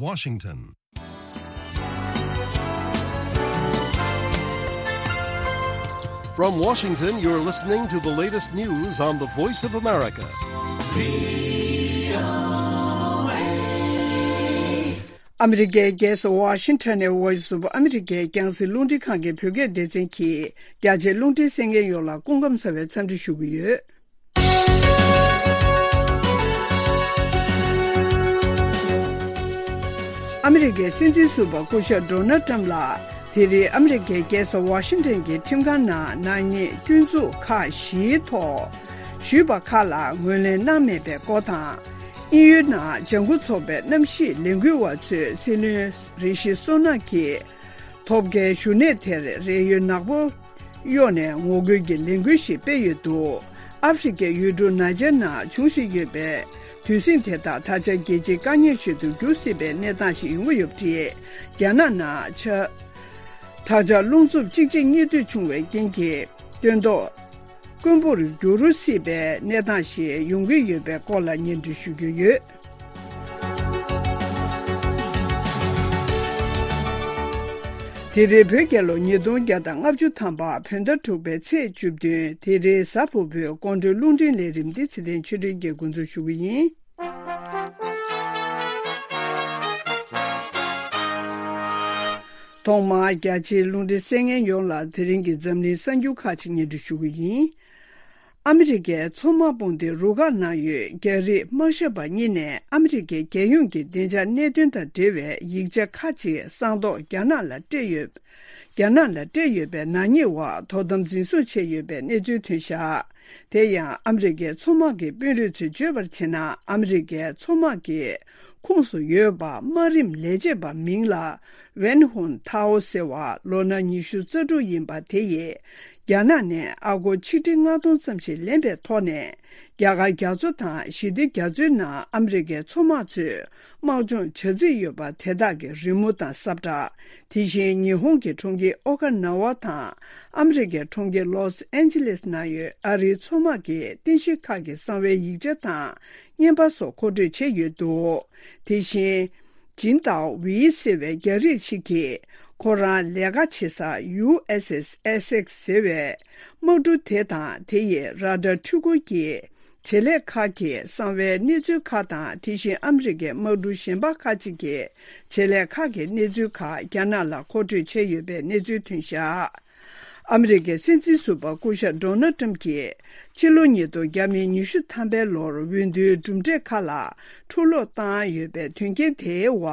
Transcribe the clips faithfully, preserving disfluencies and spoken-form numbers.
Washington. From Washington, you're listening to the latest news on the Voice of America. ཨ་མི་རི་ཀའི་རྒྱལ་ས་ཝ་ཤིང་ཊོན་ནས་Voice of America་རྒྱང་སྲིང་རླུང་འཕྲིན་ཁང་གི་བོད་སྐད་སྡེ་ཚན་གྱིས་རྒྱ་ཆེའི་རླུང་འཕྲིན་གསན་མཁན་ཡོངས་ལ་སྐུ་ཁམས་བཟང་བའི་འཚམས་འདྲི་ཞུ་གི་ཡོད། ཨ་མི་རི་ཀའི་སྲིད་འཛིན་ཟུར་པ་སྐུ་ཞབས་ཌོ་ནལ་ཊམ་ལགས་དེ་རིང་ཨ་མི་རི་ཀའི་རྒྱལ་ས་ཝ་ཤིང་ཊོན་གྱི་ཁྲིམས་ཁང་ནང་ནག་ཉེས་སྐྱོན་འཛུགས་ཁག་བཞིའི་ཐོག་ཞུས་པ་ཁག་ལ་ངོས་ལེན་གནང་མེད་པའི་སྐོར་དང་། དབྱིན་ཡུལ་ནང་ལྗང་ཁུ་ཚོགས་པའི་གནམ་གཤིས་ལས་འགུལ་བ་ཚོས་སྲིད་བློན་རི་ཤི་སུ་ནག་གིས་ཐོབ་མཁན་བཞུགས་གནས་དེར་རས་ཡོལ་ནག་པོ་གཡོགས་ནས་ངོ་རྒོལ་གྱི་ལས་འགུལ་ཞིག་སྤེལ་ཡོད་འདུག་ཨ་ཧྥེ་རི་ཁའི་ཡུལ་གྲུ་ནཱ་ཇར་ནང་འབྱུང་བཞིན་ཡོད་པའི་དུས་ཟིང་དེ་དག་ད་ཆ་རྒྱལ་སྤྱིའི་དཀའ་ངལ་ཞིག་ཏུ་འགྱུར་སྲིད་པའི་གནས་སྟངས་ཤིག་ཡོང་གི་ཡོད་པ་རེད། རྒྱ་ནག་ནང་ཆ་དྲག་ཆར་རླུང་འཚུབ་གཅིག་རྗེས་གཉིས་མཐུད་བྱུང་བའི་རྐྱེན་གྱིས་སྟོན་ཐོག་དཀོན་པོར་འགྱུར་སྲིད་པའི་གནས་སྟངས་ཤིག་ཡོང་གི་ཡོད་པའི་སྐོར་ལ་སྙན་སྒྲོན་ཞུ་རྒྱུ་ཡོད། དེ་རིང་བོད་རྒྱལ་ལོ་ཉིས་སྟོང་བརྒྱ་དང་ལྔ་བཅུ་ཐམ་པ་བོད་ཟླ་དྲུག་པའི་ཚེས་བཅུ་བདུན་དེ་རིང་གཟའ་ཕུར་བུའི་དགོང་དྲོའི་རླུང་འཕྲིན་ལས་རིམ་འདི་ཚེ་བརྟན་ཆོས་སྒྲོན་གྱིས་འགོ་འཛུགས་ཞུ་གི་ཡིན། ཐོག་མར་རྒྱ་ཆེའི་རླུང་འཕྲིན་གསན་མཁན་ཡོངས་ལ་དེ་རིང་གི་འཛམ་གླིང་གསར་འགྱུར་ཁག་ཅིག་སྙན་སྒྲོན་ཞུ་གི་ཡིན། ཨ་མི་རི་ཀའི་མཚོ་དམག་དཔུང་སྡེའི་རུ་ཁག་ནང་ཡོད་རྒྱ་རིགས་དམག་ཞབས་པ་གཉིས་ནས་ཨ་མི་རི་ཀའི་རྒྱལ་ཡོངས་ཀྱི་བདེ་འཇགས་གནད་དོན་དང་འབྲེལ་བའི་ཡིག་ཆ་ཁག་ཅིག་གསང་རྟོགས་རྒྱ་ནག་ལ་སྤྲད་ཡོད། རྒྱ་ནག་ལ་སྤྲད་ཡོད་པའི་ནག་ཉེས་འོག་དོ་དམ་འཛིན་བཟུང་བྱས་ཡོད་པའི་གནས་ཚུལ་ཐོན་བཞག་དེ་ཡང་ཨ་མི་རི་ཀའི་མཚོ་དམག་གི་དཔོན་རིགས་ཚོས་བརྗོད་པར་བྱས་ན། ཨ་མི་རི་ཀའི་མཚོ་དམག་གི་ཁོངས་སུ་ཡོད་པ་དམག་རིམ་ལས་བྱེད་པ་མིང་ལ་ཝན་ཧུན་ཐའོ་ཟེར་བ་ལོ་ན་ཉི་ཤུ་རྩ་དྲུག་ཡིན་པ་དེ་ཡིས་རྒྱ་ནག་ནས་ཨ་སྒོར་ཆིག་ཁྲི་ལྔ་སྟོང་ཙམ་ཞིག་ལེན་པའི་ཐོག་ནས་རྒྱ་གར་རྒྱ་མཚོ་དང་ཞི་བདེ་རྒྱ་མཚོའི་ནང་ཨ་མི་རི་ཀའི་མཚོ་དམག་ཚོས་དམག་སྦྱོང་བྱ་རྩིས་ཡོད་པ་དེ་དག་གི་རི་མོ་དང་ས་བཀྲ། དེ་བཞིན་ཉི་ཧོང་གི་གྲོང་ཁྱེར་ཨོ་ཀ་ན་ཝ་དང་ཨ་མི་རི་ཀའི་གྲོང་ཁྱེར་ལོས་ཨན་ཇི་ལེས་ནང་ཡོད་ཨ་རིའི་མཚོ་དམག་གི་རྟེན་གཞི་ཁག་གི་གསང་བའི་ཡིག་ཆ་དང་རྔན་པ་སོགས་མཁོ་སྤྲོད་བྱས་ཡོད་འདུག་དེ་བཞིན། ཇིན་ཏའོ་ཝེ་ཟེར་བའི་རྒྱ་རིགས་ཤིག་གིས་ཁོ་རང་ལས་ཀ་བྱེད་ས་ཡུ་ཨེས་ཨེས་ཨེ་སེག་ཟེར་བའི་དམག་གྲུ་དེ་དང་དེ་ཡི་ར་ཌར་འཕྲུལ་འཁོར་གྱི་བྱེད་ལས་ཁག་གི་གསང་བའི་གནས་ཚུལ་ཁག་དང་། དེ་བཞིན་ཨ་མི་རི་ཀའི་དམག་གྲུ་གཞན་པ་ཁག་ཅིག་གི་བྱེད་ལས་ཁག་གི་གནས་ཚུལ་ཁག་རྒྱ་ནག་ལ་མཁོ་སྤྲོད་བྱས་ཡོད་པའི་གནས་ཚུལ་ཐོན་བཞག་ཨ་མི་རི་ཀའི་སྲིད་འཛིན་ཟུར་པ་སྐུ་ཞབས་ཌོ་ནལ་ཊམ་གྱིས་ཕྱི་ལོ་ཉིས་སྟོང་བརྒྱ་མེད་ཉི་ཤུ་ཐམ་པའི་ལོར་འོས་བསྡུའི་གྲུབ་འབྲས་ཁག་ལ་འཁྲུག་སློང་བཏང་ཡོད་པའི་དོན་རྐྱེན་དེའི་འོག་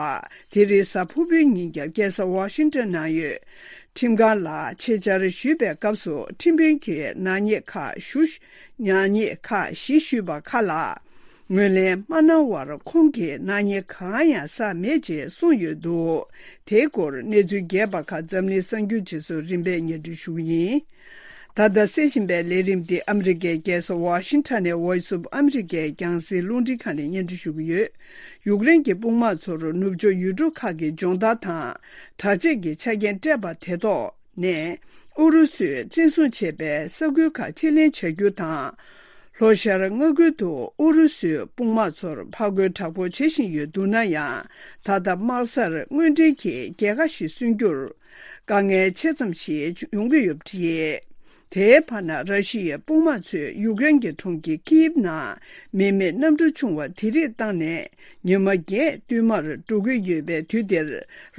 དེ་རིང་གཟའ་ཕུར་བུའི་ཉིན་རྒྱབ་རྒྱལ་ས་ཝ་ཤིང་ཊོན་ནང་ཡོད་ཁྲིམས་ཁང་ལ་ཆེད་བཅར་ཞུས་པའི་སྐབས་སུ་ཁྲིམས་དཔོན་གྱིས་ནག་ཉེས་ཁག་ཞུ་ནག་ཉེས་ཁག་བཞི་ཞུས་པ་ཁག་ལ། ངོས་ལེན་མ་གནང་བར་ཁོང་གིས་ནག་ཉེས་གང་ཡང་བསགས་མེད་ཅེས་གསུངས་ཡོད་འདུག་དེའི་སྐོར་གནས་ཚུལ་རྒྱས་པ་ཁག་འཛམ་གླིང་གསར་འགྱུར་རྗེས་སུ་རིམ་པས་སྙན་སྒྲོན་ཞུ་གི་ཡིན། ད་ལྟ་གསན་བཞིན་པའི་ལས་རིམ་འདི་ཨ་མི་རི་ཀའི་རྒྱལ་ས་ཝ་ཤིང་ཊོན་ནས་Voice of America་རྒྱང་སྲིང་རླུང་འཕྲིན་ཁང་ནས་སྙན་སྒྲོན་ཞུ་གི་ཡོད། ཡུཀ་རེན་གྱི་དཔུང་དམག་ཚོར་ནུབ་ཕྱོགས་ཡུལ་གྲུ་ཁག་གི་སྦྱོང་བརྡར་དང་དྲག་ཆས་ཀྱི་ཆ་རྐྱེན་སྤྲད་པ་དེ་ཐོག་ནས་ཨུ་རུ་སུས་བཙན་བཟུང་བྱས་པའི་ས་ཁུལ་ཁག་ཕྱིར་ལེན་བྱ་རྒྱུ་དང་། ལྷོ་ཤར་མངའ་ཁུལ་དུ་ཨུ་རུ་སུའི་དཔུང་དམག་ཚོར་ཕར་རྒོལ་དྲག་པོ་བྱེད་བཞིན་ཡོད་འདུག་ན་ཡང་། ད་ལྟ་དམག་སར་དངོས་འབྲེལ་གྱིས་རྒྱལ་ཁ་ཞིག་སོན་རྒྱུར་དཀའ་ངལ་ཆེ་ཙམ་ཞིག་ཡོང་གི་ཡོད་པ་རེད། དེའི་བར་ན་ར་ཤི་ཡའི་དཔུང་དམག་ཚོས་ཡུཀ་རེན་གྱི་གྲོང་ཁྱེར་ཀིབ་ནང་མི་མེད་གནམ་གྲུ་ཆུང་བ་དེ་རིགས་བཏང་ནས་ཉི་མ་བརྒྱད་བསྟུད་མར་འགྲོ་གི་ཡོད་པའི་དུས་འདིར།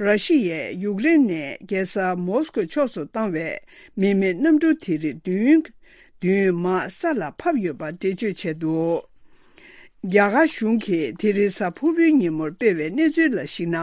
ར་ཤི་ཡས་ཡུཀ་རེན་ནས་རྒྱལ་ས་མོ་སི་ཀོ་ཕྱོགས་སུ་བཏང་བའི་མི་མེད་གནམ་གྲུ་དེ་རིགས་བདུན། བདུན་མར་ས་ལ་ཕབ་ཡོད་པ་འགྲེལ་བརྗོད་བྱས་འདུག་རྒྱ་གར་གཞུང་གིས་དེ་རིང་གཟའ་ཕུར་བུའི་ཉིན་མོར་སྤེལ་བའི་གནས་ཚུལ་ལ་གཞིགས་ན།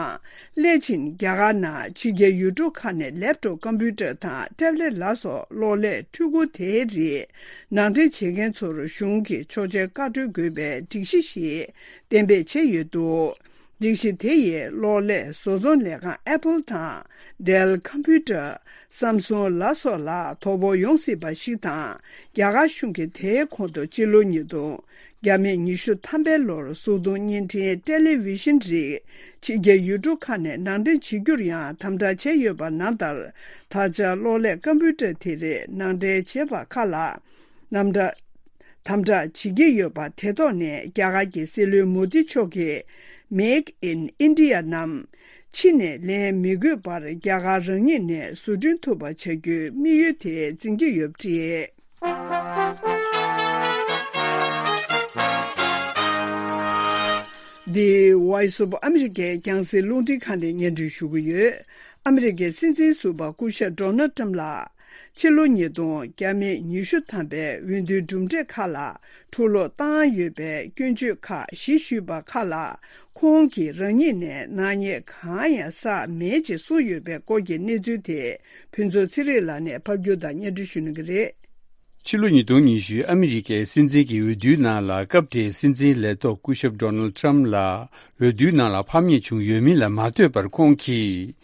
སླད་ཕྱིན་རྒྱ་གར་ནང་ཕྱི་རྒྱལ་ཡུལ་གྲུ་ཁག་ནས་ལེབ་ཊོབ་ཀམ་པུ་ཊར་དང་ཊེབ་ལེཊ་ལ་སོགས་གློག་ཀླད་འཕྲུལ་འཁོར་དེའི་རིགས་ནང་འདྲེན་བྱེད་མཁན་ཚོར་གཞུང་གིས་ཆོག་མཆན་བཀའ་འཁྲོལ་དགོས་པའི་སྒྲིག་གཞི་ཞིག་གཏན་འབེབས་བྱས་ཡོད་འདུག་སྒྲིག་གཞི་དེ་ཡིས་གློག་ཀླད་བཟོ་ཚོང་ལས་ཁང་ཨེ་པལ་དང་། ཌེལ་ཀམ་པུ་ཊར། སམ་སུང་ལ་སོགས་ལ་དོ་ཕོག་ཡོང་སྲིད་པ་ཞིག་དང་། རྒྱ་གར་གཞུང་གིས་དེའི་གོང་དུ་སྤྱི་ལོ་ཉིས་སྟོང་བརྒྱ་མེད་ཉི་ཤུ་ཐམ་པའི་ལོར་གཟུགས་མཐོང་བརྙན་འཕྲིན་ཊེ་ལེ་བི་ཤན་རིགས་ཕྱི་རྒྱལ་ཡུལ་གྲུ་ཁག་ནས་ནང་འདྲེན་བྱེད་རྒྱུར་ཡང་དམ་དྲག་བྱས་ཡོད་པ་ནང་ལྟར། ད་ཆ་གློག་ཀླད་ཀམ་པུ་ཊར་དེ་རིགས་ནང་འདྲེན་བྱས་པ་ཁག་ལ། ནམ་དྲ། དམ་དྲག་བྱེད་ཀྱི་ཡོད་པ་དེ་ཐོག་ནས་རྒྱ་གར་གྱི་སྲིད་བློན་མོ་དི་མཆོག་གིས་ Make in India རྣམས་ཕྱི་ནས་ལེན་མི་དགོས་པར་རྒྱ་གར་རང་ཉིད་ནས་བཟོ་སྐྲུན་ཐུབ་པ་བྱ་རྒྱུའི་དམིགས་ཡུལ་དེ་འཛིན་གྱི་ཡོད་པ་རེད། འདི་Voice of America རྒྱང་སྲིང་རླུང་འཕྲིན་ཁང་ནས་སྙན་སྒྲོན་ཞུ་གི་ཡོད། ཨ་མི་རི་ཀའི་སྲིད་འཛིན་ཟུར་པ་སྐུ་ཞབས་Donald Trump ལགས། ཕྱི་ལོ་ཉིས་སྟོང་ཉི་ཤུ་ཐམ་པའི་འོས་བསྡུའི་གྲུབ་འབྲས་ཁག་ལ་འཁྲུག་སློང་བཏང་ཡོད་པའི་སྐྱོན་བརྗོད་ཁག་གཞི་ཞུས་པ་ཁག་ལ་ཁོང་གིས་རང་ཉིད་ནས་ནག་ཉེས་གང་ཡང་བསགས་མེད་ཅེས་གསུངས་ཡོད་པའི་སྐོར་གྱི་གནས་ཚུལ་དེ་ཕུན་ཚོགས་ཚེ་རིང་ལགས་ནས་ཕབ་སྒྱུར་དང་སྙན་སྒྲོན་ཞུ་གནང་གི་རེད། ཕྱི་ལོ་ཉིས་སྟོང་ཉི་ཤུ་ཨ་མི་རི་ཀའི་སྲིད་འཛིན་གྱི་འོས་བསྡུའི་ནང་ལ་སྐབས་དེའི་སྲིད་འཛིན་ལས་ཐོག་སྐུ་ཞབས་Donald Trump ལགས་འོས་བསྡུའི་ནང་ལ་ཕམ་ཉེས་བྱུང་ཡོད་མིན་ལ་མ་ལྟོས་པར་ཁོང་གིས།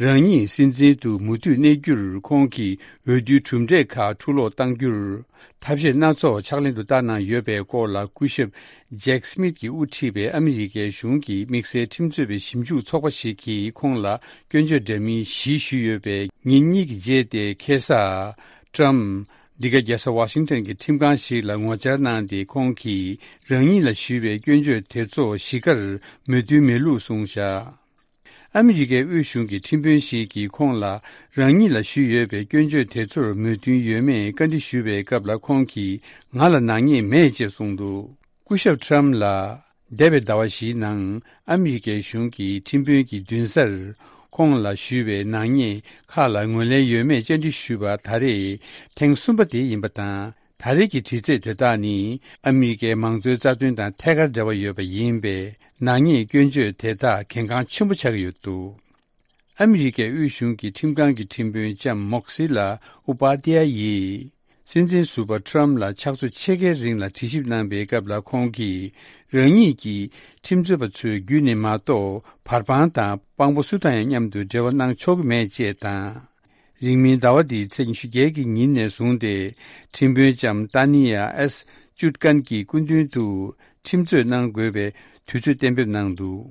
རང་ཉིད་སྲིད་འཛིན་དུ་མུ་མཐུད་གནས་རྒྱུར་ཁོང་གིས་འོས་བསྡུའི་གྲུབ་འབྲས་ཁག་འཁྲུག་སློང་གཏང་རྒྱུར་ཐབས་ཤེས་སྣ་ཚོགས་ཕྱག་ལེན་དུ་བསྟར་གནང་ཡོད་པའི་སྐོར་ལ་སྐུ་ཞབས་Jack Smith ཀྱིས་དབུ་ཁྲིད་པའི་ཨ་མི་རི་ཀའི་གཞུང་གི་དམིགས་བསལ་ཁྲིམས་རྩོད་པའི་ཞིབ་འཇུག་ཚོགས་པ་ཞིག་གིས་ཁོང་ལ་སྐྱོན་བརྗོད་འདྲ་མིན་གཞི་ཞུས་ཡོད་པའི་ཉིན་གཉིས་ཀྱི་རྗེས་ཏེ་ཁ་སང་Trump འདི་ག་རྒྱལ་ས་ཝ་ཤིང་ཊོན་གྱི་ཁྲིམས་ཁང་ཞིག་ལ་ངོ་བཅར་གནང་སྟེ་ཁོང་གིས་རང་ཉིད་ལ་ཞུས་པའི་སྐྱོན་བརྗོད་དེ་ཚོ་གཞི་གར་མོས་མཐུན་མེད་ལུགས་གསུངས་བཞག་ཨ་མི་རི་ཀའི་དབུས་གཞུང་གི་ཁྲིམས་དཔོན་ཞིག་གིས་ཁོང་ལ་རང་ཉིད་ལ་ཞུས་ཡོད་པའི་སྐྱོན་བརྗོད་དེ་ཚོར་མོས་མཐུན་ཡོད་མེད་བཀའ་འདྲི་ཞུས་པའི་སྐབས་ལ་ཁོང་གིས་ང་ལ་ནག་ཉེས་མེད་ཅེས་གསུངས་འདུག་སྐུ་ཞབས་Trump ལ་འདས་པའི་ཟླ་བ་བཞིའི་ནང་ཨ་མི་རི་ཀའི་གཞུང་གི་ཁྲིམས་དཔོན་གྱི་མདུན་སར་ཁོང་ལ་ཞུས་པའི་ནག་ཉེས་ཁག་ལ་ངོས་ལེན་ཡོད་མེད་བཅར་འདྲི་ཞུས་པ་ད་རེས་ཐེངས་གསུམ་པ་དེ་ཡིན་པ་དང་། ད་རེས་ཀྱི་དྲི་རྩད་དེ་དག་ནི་ཨ་མི་རི་ཀའི་མང་གཙོའི་རྩ་དོན་དང་ཐད་ཀར་འབྲེལ་བ་ཡོད་པ་ཡིན་པས་ནག་ཉེས་སྐྱོན་བརྗོད་དེ་དག་གལ་འགངས་ཆེན་པོ་ཆགས་ཀྱི་ཡོད་འདུག་ཨ་མི་རི་ཀའི་དབུས་གཞུང་གི་ཁྲིམས་ཁང་གི་ཁྲིམས་དཔོན་ལྕམ་མོག་སི་ལ་ཨུ་པ་ཏི་ཡ་ཡིས་སྲིད་འཛིན་ཟུར་པ་Trump ལ་ཕྱག་ཚོད་ཕྱེད་ཀའི་རིང་ལ་དྲི་ཞིབ་གནང་པའི་སྐབས་ལ་ཁོང་གིས་རང་ཉིད་ཀྱིས་ཁྲིམས་རྩོད་པ་ཚོའི་བརྒྱུད་ནས་མ་གཏོགས་བར་དཔང་དང་དཔང་པོ་སུ་དང་ཡང་མཉམ་དུ་འབྲེལ་བ་གནང་ཆོག་གི་མེད་ཅེས་དང་། རིང་མིན་ཟླ་བ་འདིའི་ཚེས་ཉི་ཤུ་བརྒྱད་ཀྱི་ཉིན་ནས་བཟུང་སྟེ་ཁྲིམས་དཔོན་ལྕམ་ཏཱ་ནི་ཡ་ཨེས་ཅུད་ཀན་གྱི་སྐུ་མདུན་དུ་ཁྲིམས་རྩོད་གནང་དགོས་པའི་དུས་ཚོད་གཏན་འབེབས་གནང་འདུག་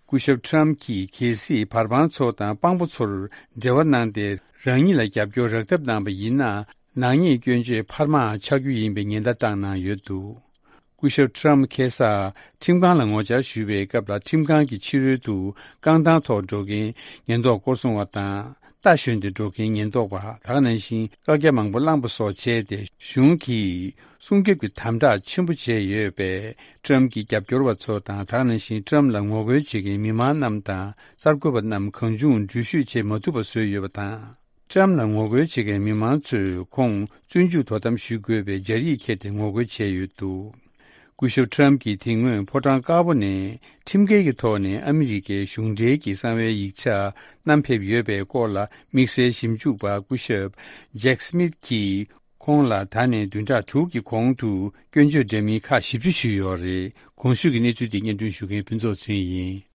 སྐུ་ཞབས་Trump གྱིས་གལ་སྲིད་བར་དཔང་ཚོ་དང་དཔང་པོ་ཚོར་འབྲེལ་བ་གནང་སྟེ་རང་ཉིད་ལ་རྒྱབ་སྐྱོར་རག་ཐབས་གནང་པ་ཡིན་ན་ནག་ཉེས་སྐྱོན་བརྗོད་འཕར་མ་ཆགས་རྒྱུ་ཡིན་པའི་ཉེན་བརྡ་བཏང་གནང་ཡོད་འདུག་སྐུ་ཞབས་Trump ཁ་སང་ཁྲིམས་ཁང་ལ་ངོ་བཅར་ཞུས་པའི་སྐབས་ལ་ཁྲིམས་ཁང་གི་ཕྱི་རོལ་དུ་རྐང་ཐང་ཐོག་འགྲོ་མཁན་ཉེན་རྟོག་སྐོར་སྲུང་བ་དང་རྟ་ཞོན་ཏེ་འགྲོ་མཁན་ཉེན་རྟོག་པ་དེ་ག་ནང་བཞིན་བཀག་རྒྱ་མང་པོ་བླངས་པ་སོགས་བྱས་ཏེ་གཞུང་གིས་སྲུང་སྐྱོབ་ཀྱི་དམ་དྲག་ཆེན་པོ་བྱས་ཡོད་པས་Trump གྱི་རྒྱབ་སྐྱོར་བ་ཚོ་དང་དེ་ག་ནང་བཞིན་Trump ལ་ངོ་རྒོལ་བྱེད་མཁན་མི་མང་རྣམས་དང་གསར་འགོད་པ་རྣམས་གང་བྱུང་འགྲུལ་བཞུད་བྱེད་མ་ཐུབ་པ་བཟོས་ཡོད་པ་དང་། Trump ལ་ངོ་རྒོལ་བྱེད་མཁན་མི་མང་ཚོས་ཁོང་བཙོན་འཇུག་དོ་དམ་ཞུ་དགོས་པའི་སྦྱར་ཡིག་ཁྱེར་ཏེ་ངོ་རྒོལ་བྱས་ཡོད་འདུག་སྐུ་ཞབས་Trump གྱིས་དེ་སྔོན་ཕོ་བྲང་དཀར་པོ་ནས་ཁྲིམས་འགལ་གྱི་ཐོག་ནས་ཨ་མི་རི་ཀའི་གཞུང་འབྲེལ་གྱི་གསང་བའི་ཡིག་ཆ་བསྣམས་ཕེབས་ཡོད་པའི་སྐོར་ལ་དམིགས་བསལ་ཞིབ་འཇུག་པ་སྐུ་ཞབས་Jack Smith གྱིས་ཁོང་ལ་ད་ནས་བདུན་ཕྲག་དྲུག་གི་གོང་དུ་སྐྱོན་བརྗོད་འདྲ་མིན་ཁག་བཞི་བཅུ་ཞུས་ཡོད་རེད། གོང་ཞུས་ཀྱི་གནས་ཚུལ་དེ་སྙན་སྒྲོན་ཞུ་མཁན་ཕུན་ཚོགས་ཚེ་རིང་ཡིན།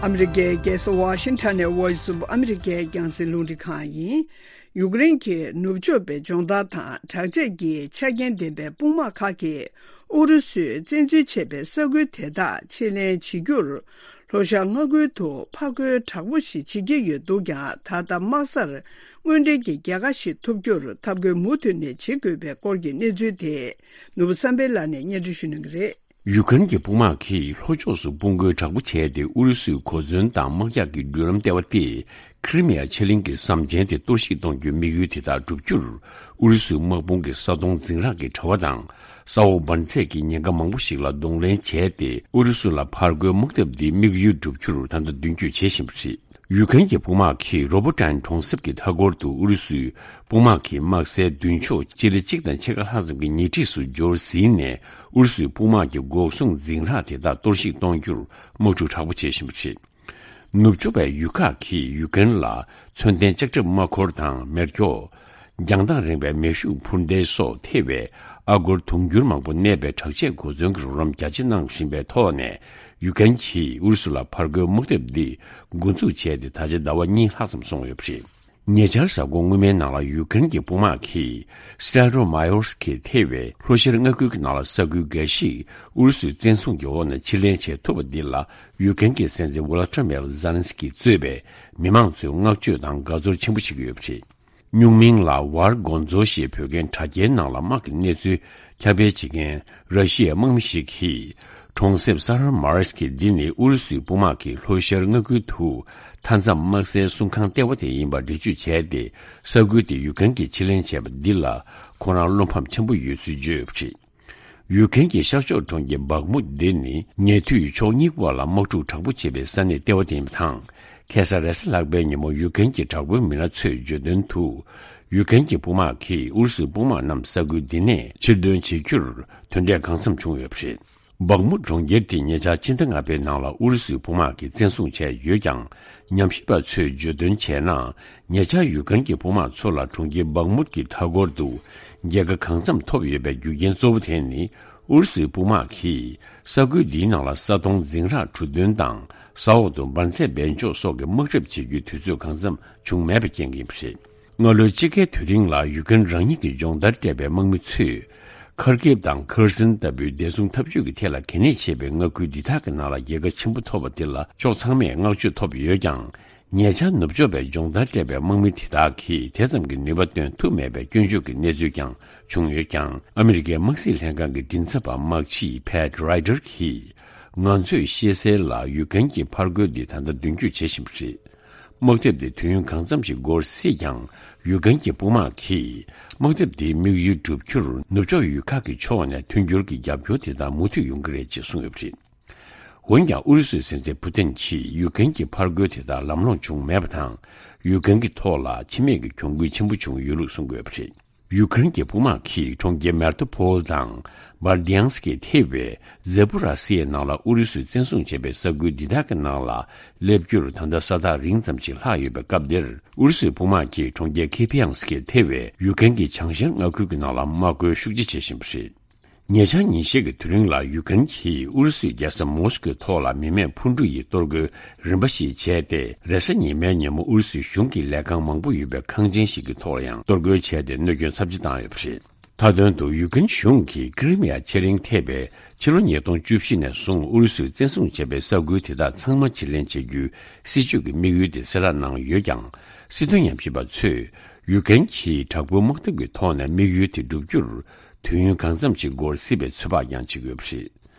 ཨ་མི་རི་ཀའི་རྒྱལ་ས་ཝ་ཤིང་ཊོན་ནས་Voice of America རྒྱང་སྲིང་རླུང་འཕྲིན་ཁང་ཡིན། ཡུཀ་རེན་གྱི་ནུབ་ཕྱོགས་པའི་སྦྱོང་བརྡར་དང་དྲག་ཆས་ཀྱི་ཆ་རྐྱེན་ལྡན་པའི་དཔུང་དམག་ཁག་གིས་ཨུ་རུ་སུས་བཙན་འཛུལ་བྱས་པའི་ས་ཁུལ་དེ་དག་ཕྱིར་ལེན་བྱེད་རྒྱུར། ལྷོ་ཤར་མངའ་ཁུལ་དུ་ཕར་རྒོལ་དྲག་པོ་ཞིག་བྱེད་ཀྱི་ཡོད་འདུག་ཀྱང་། ད་ལྟ་དམག་སར་དངོས་འབྲེལ་གྱི་རྒྱལ་ཁ་ཞིག་ཐོབ་རྒྱུར་ཐབས་བཀོད་མུ་མཐུད་ནས་བྱེད་དགོས་པའི་སྐོར་གྱི་གནས་ཚུལ་དེ་ནོར་བུ་བསམ་འཕེལ་ལགས་ནས་སྙན་སྒྲོན་ཞུ་གནང་གི་རེད། ཡུཀ་རེན་གྱི་དཔུང་དམག་གིས་ལྷོ་ཕྱོགས་སུ་དཔུང་རྒོལ་དྲག་པོ་བྱས་ཏེ་ཨུ་རུ་སུའི་གོ་མཚོན་དང་དམག་རྒྱགས་ཀྱི་མདུན་ལམ་སྟེར་བ་སྟེ། ཁི་རི་མི་ཡ་ཕྱེད་གླིང་གི་ཟམ་ཆེན་དེ་གཏོར་བཤིག་གཏོང་རྒྱུའི་དམིགས་ཡུལ་དེ་དག་བསྒྲུབ་རྒྱུར། ཨུ་རུ་སུའི་དམག་དཔུང་གིས་ས་དོང་འཛིང་རགས་ཀྱི་དྲ་བ་དང་། ས་འོག་འབར་རྫས་ཀྱི་ཉེན་ཁ་མང་པོ་ཞིག་ལ་གདོང་ལེན་བྱས་ཏེ། ཨུ་རུ་སུ་ལ་ཕར་རྒོལ་དམག་འཐབ་འདིའི་དམིགས་ཡུལ་བསྒྲུབ་རྒྱུར་ད་ལྟ་མདུན་སྐྱོད་བྱེད་བཞིན་པ་རེད། ཡུཀ་རེན་གྱི་དཔུང་དམག་གིས་རོ་བོ་ཊན་གྲོང་གསེབ་ཀྱི་མཐའ་འཁོར་དུ་ཨུ་རུ་སུའི་དཔུང་དམག་གི་དམག་སའི་མདུན་ཕྱོགས་སྤྱི་ལེ་གཅིག་དང་ཕྱེད་ཀ་ལྷག་ཙམ་གྱི་ཉེ་འཁྲིས་སུ་འབྱོར་ཟིན་ནས། ཨུ་རུ་སུའི་དཔུང་དམག་གི་འགོག་སྲུང་འཛིང་རགས་དེ་དག་གཏོར་བཤིག་གཏོང་རྒྱུར་དམག་འཁྲུག་དྲག་པོ་བྱེད་བཞིན་པ་རེད། ནུབ་ཕྱོགས་པའི་ཡུལ་ཁག་གིས་ཡུཀ་རེན་ལ་མཚོན་ལྡན་ལྕགས་ཁྲབ་དམག་འཁོར་དང་མེ་སྒྱོགས། རྒྱང་ཐག་རིང་བའི་མེ་ཤུགས་འཕུར་མདེལ་སོགས་ཐེ་བའི་ཨ་སྒོར་དུང་ཕྱུར་མང་པོ་གནས་པའི་དྲག་ཆས་གོ་མཚོན་གྱི་རོགས་རམ་རྒྱ་ཆེ་གནང་བཞིན་པའི་ཐོག་ནས། ཡུཀ་རེན་གྱིས་ཨུ་རུ་སུ་ལ་ཕར་རྒོལ་དམག་འཐབ་འདི་འགོ་འཛུགས་བྱས་ཏེ་ད་ཆ་ཟླ་བ་གཉིས་ལྷག་ཙམ་སོང་ཡོད་པ་རེད། ཉེ་ཆར་གཟའ་འཁོར་སྔོན་མའི་ནང་ལ་ཡུཀ་རེན་གྱི་དཔུང་དམག་གིས་སི་ཏྲ་རོ་མ་ཡོར་སི་ཀི་ཐེ་བའི་ལྷོ་ཤར་མངའ་ཁུལ་གྱི་ནང་ལ་ས་ཁུལ་འགའ་ཞིག་ཨུ་རུ་སུའི་བཙན་བཟུང་གི་འོག་ནས་ཕྱིར་ལེན་བྱེད་ཐུབ་པ་འདི་ལ་ཡུཀ་རེན་གྱི་སྲིད་འཛིན་ཝོ་ལ་ཏྲ་མེར་ཛེ་ལན་སི་ཀི་གཙོས་པའི་མི་མང་ཚོས་བསྔགས་བརྗོད་དང་དགའ་ཚོར་ཆེན་པོ་བྱེད་ཀྱི་ཡོད་པ་རེད། སྨྱུག་མིང་ལ་ཝར་གོན་ཛོ་ཞེས་འབོད་མཁན་དྲ་རྒྱའི་ནང་ལ་དམག་གི་གནས་ཚུལ་ཁྱབ་སྤེལ་བྱེད་མཁན་ར་ཤི་ཡའི་དམག་མི་ཞིག་གིས། གྲོང་གསེབ་ས་རར་མར་སི་ཀི་འདི་ནི་ཨུ་རུ་སུའི་དཔུང་དམག་གིས་ལྷོ་ཤར་མངའ་ཁུལ་དུ་མཐའ་མཚམས་དམག་སའི་སྲུང་ཁང་ལྟེ་བ་དེ་ཡིན་པ་འགྲེལ་བརྗོད་བྱས་ཏེ། ས་ཁུལ་དེ་ཡུ་ཀེན་གྱིས་ཕྱིར་ལེན་བྱས་པ་འདི་ལ་ཁོ་རང་བློ་ཕམ་ཆེན་པོ་ཡོད་ཚུལ་བརྗོད་ཡོད་པ་རེད། ཡུ་ཀེན་གྱི་ཤར་ཕྱོགས་གྲོང་ཁྱེར་སྦག་མུད་འདི་ནི་ཉེ་དུས་ཕྱོགས་གཉིས་བར་ལ་དམག་འཁྲུག་དྲག་པོ་བྱེད་པའི་ས་གནས་ལྟེ་བ་དེ་ཡིན་པ་དང་། ཁ་སང་རེས་གཟའ་ལྷག་པའི་ཉིན་མོ་ཡུ་ཀེན་གྱི་དྲག་པོའི་མི་སྣ་ཚོས་བརྗོད་དོན་དུ། ཡུ་ཀེན་གྱི་དཔུང་དམག་གིས་ཨུ་རུ་སུའི་དཔུང་དམག་རྣམས་ས་ཁུལ་འདི་ནས་ཕྱིར་འདོན་བྱེད་རྒྱུར་དོན་འབྲས་གང་འཚམ་བྱུང་ཡོད་པ་རེད། སྦག་མུད་གྲོང་ཁྱེར་དེ་ཉེ་ཆར་ཕྱི་ཟླ་ལྔ་པའི་ནང་ལ་ཨུ་རུ་སུའི་དཔུང་དམག་གིས་བཙན་བཟུང་བྱས་ཡོད་ཀྱང་། ཉམས་ཞིབ་པ་ཚོས་བརྗོད་དོན་བྱས་ན། ཉེ་ཆར་ཡུ་ཀེན་གྱི་དཔུང་དམག་ཚོ་ལ་གྲོང་ཁྱེར་སྦག་མུད་ཀྱི་མཐའ་འཁོར་དུ་རྒྱལ་ཁ་གང་འཚམ་ཐོབ་ཡོད་པའི་རྒྱུ་རྐྱེན་གཙོ་བོ་དེ་ནི། ཨུ་རུ་སུའི་དཔུང་དམག་གིས་ས་ཁུལ་འདིའི་ནང་ལ་ས་དོང་འཛིང་རགས་གྲུ་འདོན་དང་། ས་འོག་ཏུ་འབར་རྫས་སྦས་འཇོག་སོགས་ཀྱི་དམག་འཁྲབ་བྱེད་རྒྱུའི་དུས་ཚོད་གང་འཚམ་བྱུང་མེད་པའི་རྐྱེན་གྱིས་ཡིན་པ་རེད། སྔ་ལོའི་དཔྱིད་ཀའི་དུས་རིང་ལ་ཡུ་ཀེན་རང་ཉིད་ཀྱི་སྦྱོང་བརྡར་སྤྲད་པའི་དམག་མི་ཚོས། ཁར་ཀིབ་དང་ཁེར་སན་ལྟ་བུའི་བདེ་སྲུང་འཐབ་ཇུས་ཀྱི་ཐད་ལ་གལ་གནད་ཆེ་བའི་མངའ་ཁུལ་འདི་དག་གི་ནང་ལ་རྒྱལ་ཁ་ཆེན་པོ་ཐོབ་པ་དེ་ལ་ཕྱོགས་ཚང་མས་བསྔགས་བརྗོད་ཐོབ་ཡོད་ཀྱང་། ཉེ་ཆར་ནུབ་ཕྱོགས་པའི་སྦྱོང་བརྡར་སྤྲད་པའི་དམག་མི་དེ་དག་གིས་དེ་ཙམ་གྱི་ནུས་པ་འདོན་ཐུབ་མེད་པའི་སྐྱོན་བརྗོད་ཀྱི་གནས་ཚུལ་ཀྱང་བྱུང་ཡོད་ཀྱང་། ཨ་མི་རི་ཀའི་དམག་སྲིད་ལྷན་ཁང་གི་མགྲིན་ཚབ་པ་དམག་སྤྱི་ཕེད་རའི་ཌར་གྱིས། ང་ཚོས་ཤེས་གསལ་ལ་ཡུ་ཀེན་གྱི་ཕར་རྒོལ་འདི་ད་ལྟ་མདུན་སྐྱོད་བྱེད་བཞིན་པ་རེད། དམག་འཐབ་དེ་དུས་ཡུན་གང་འཚམ་ཞིག་འགོར་སྲིད་ཀྱང་། ཡུ་ཀེན་གྱི་དཔུང་དམག་གིས་དམག་འཐབ་དེའི་དམིགས་ཡུལ་བསྒྲུབ་རྒྱུར་ནུབ་ཕྱོགས་ཡུལ་ཁག་གི་ཕྱོགས་ནས་མཐུན་འགྱུར་གྱི་རྒྱབ་སྐྱོར་དེ་དག་མུ་མཐུད་ཡོང་གི་རེད་ཅེས་གསུངས་ཡོད་པ་རེད། འོན་ཀྱང་ཨུ་རུ་སུའི་སྲིད་འཛིན་ཕུ་ཏིན་གྱིས་ཡུ་ཀེན་གྱི་ཕར་རྒོལ་དེ་དག་ལམ་ལྷོང་བྱུང་མེད་པ་དང་། ཡུ་ཀེན་གྱི་ཐོག་ལ་འཆི་རྨས་ཀྱི་གྱོང་གུད་ཆེན་པོ་བྱུང་ཡོད་ལུགས་གསུངས་ཡོད་པ་རེད། ཡུ་ཀེན་གྱི་དཔུང་དམག་གིས་གྲོང་ཁྱེར་མེར་ཏུ་ཕོལ་དང་། བར་དི་ཡང་སི་ཀི་ཐེ་བའི་ཛེ་པུ་ར་སི་ཡའི་ནང་ལ་ཨུ་རུ་སུས་བཙན་བཟུང་བྱས་པའི་ས་ཁུལ་འདི་དག་གི་ནང་ལ་སླེབས་རྒྱུར་ད་ལྟ་ས་ཐག་རིང་ཙམ་ཞིག་ལྷག་ཡོད་པའི་སྐབས་འདིར། ཨུ་རུ་སུའི་དཔུང་དམག་གིས་གྲོང་ཁྱེར་ཁེ་ཕི་ཡང་སི་ཀི་ཐེ་བའི་ཡུ་ཀེན་གྱི་བྱང་ཤར་མངའ་ཁུལ་གྱི་ནང་ལ་དམག་རྒོལ་ཤུགས་ཆེ་བྱེད་བཞིན་པ་རེད། ཉེ་ཆར་ཉིན་ཤས་ཀྱི་དུས་རིང་ལ་ཡུ་ཀེན་གྱིས་ཨུ་རུ་སུའི་རྒྱལ་ས་མོ་སི་ཀོའི་ཐོག་ལ་མི་མེད་འཕུར་གྲུ་ཡི་གཏོར་རྒོལ་རིམ་པ་ཞིག་བྱས་ཏེ། རེས་གཟའ་ཉི་མའི་ཉིན་མོ་ཨུ་རུ་སུའི་གཞུང་གི་ལས་ཁང་མང་པོ་ཡོད་པའི་ཁང་ཆེན་ཞིག་གི་ཐོག་ལ་ཡང་གཏོར་རྒོལ་བྱས་ཏེ། གནོད་སྐྱོན་ཚབས་ཆེ་བཏང་ཡོད་པ་རེད། མཐའ་དོན་དུ་ཡུ་ཀེན་གཞུང་གིས་ཀི་རི་མི་ཡ་ཕྱེད་གླིང་ཐེ་བའི་ཕྱི་ལོ་ཉིས་སྟོང་བཅུ་བཞི་ནས་བཟུང་ཨུ་རུ་སུས་བཙན་བཟུང་བྱས་པའི་ས་ཁུལ་དེ་དག་ཚང་མ་ཕྱིར་ལེན་བྱེད་རྒྱུའི་སྲིད་ཇུས་ཀྱི་དམིགས་ཡུལ་དེ་གསལ་བསྒྲགས་གནང་ཡོད་ཀྱང་། སྲིད་དོན་ཉམས་ཞིབ་པ་ཚོས་ཡུ་ཀེན་གྱིས་དྲག་པོའི་དམག་འཐབ་ཀྱི་ཐོག་ནས་དམིགས་ཡུལ་དེ་བསྒྲུབ་རྒྱུར། དུས་ཡུན་གང་འཚམ་ཞིག་འགོར་སྲིད་པའི་ཚོད་དཔག་ཀྱང་བྱེད་ཀྱི་ཡོད་པ་རེད།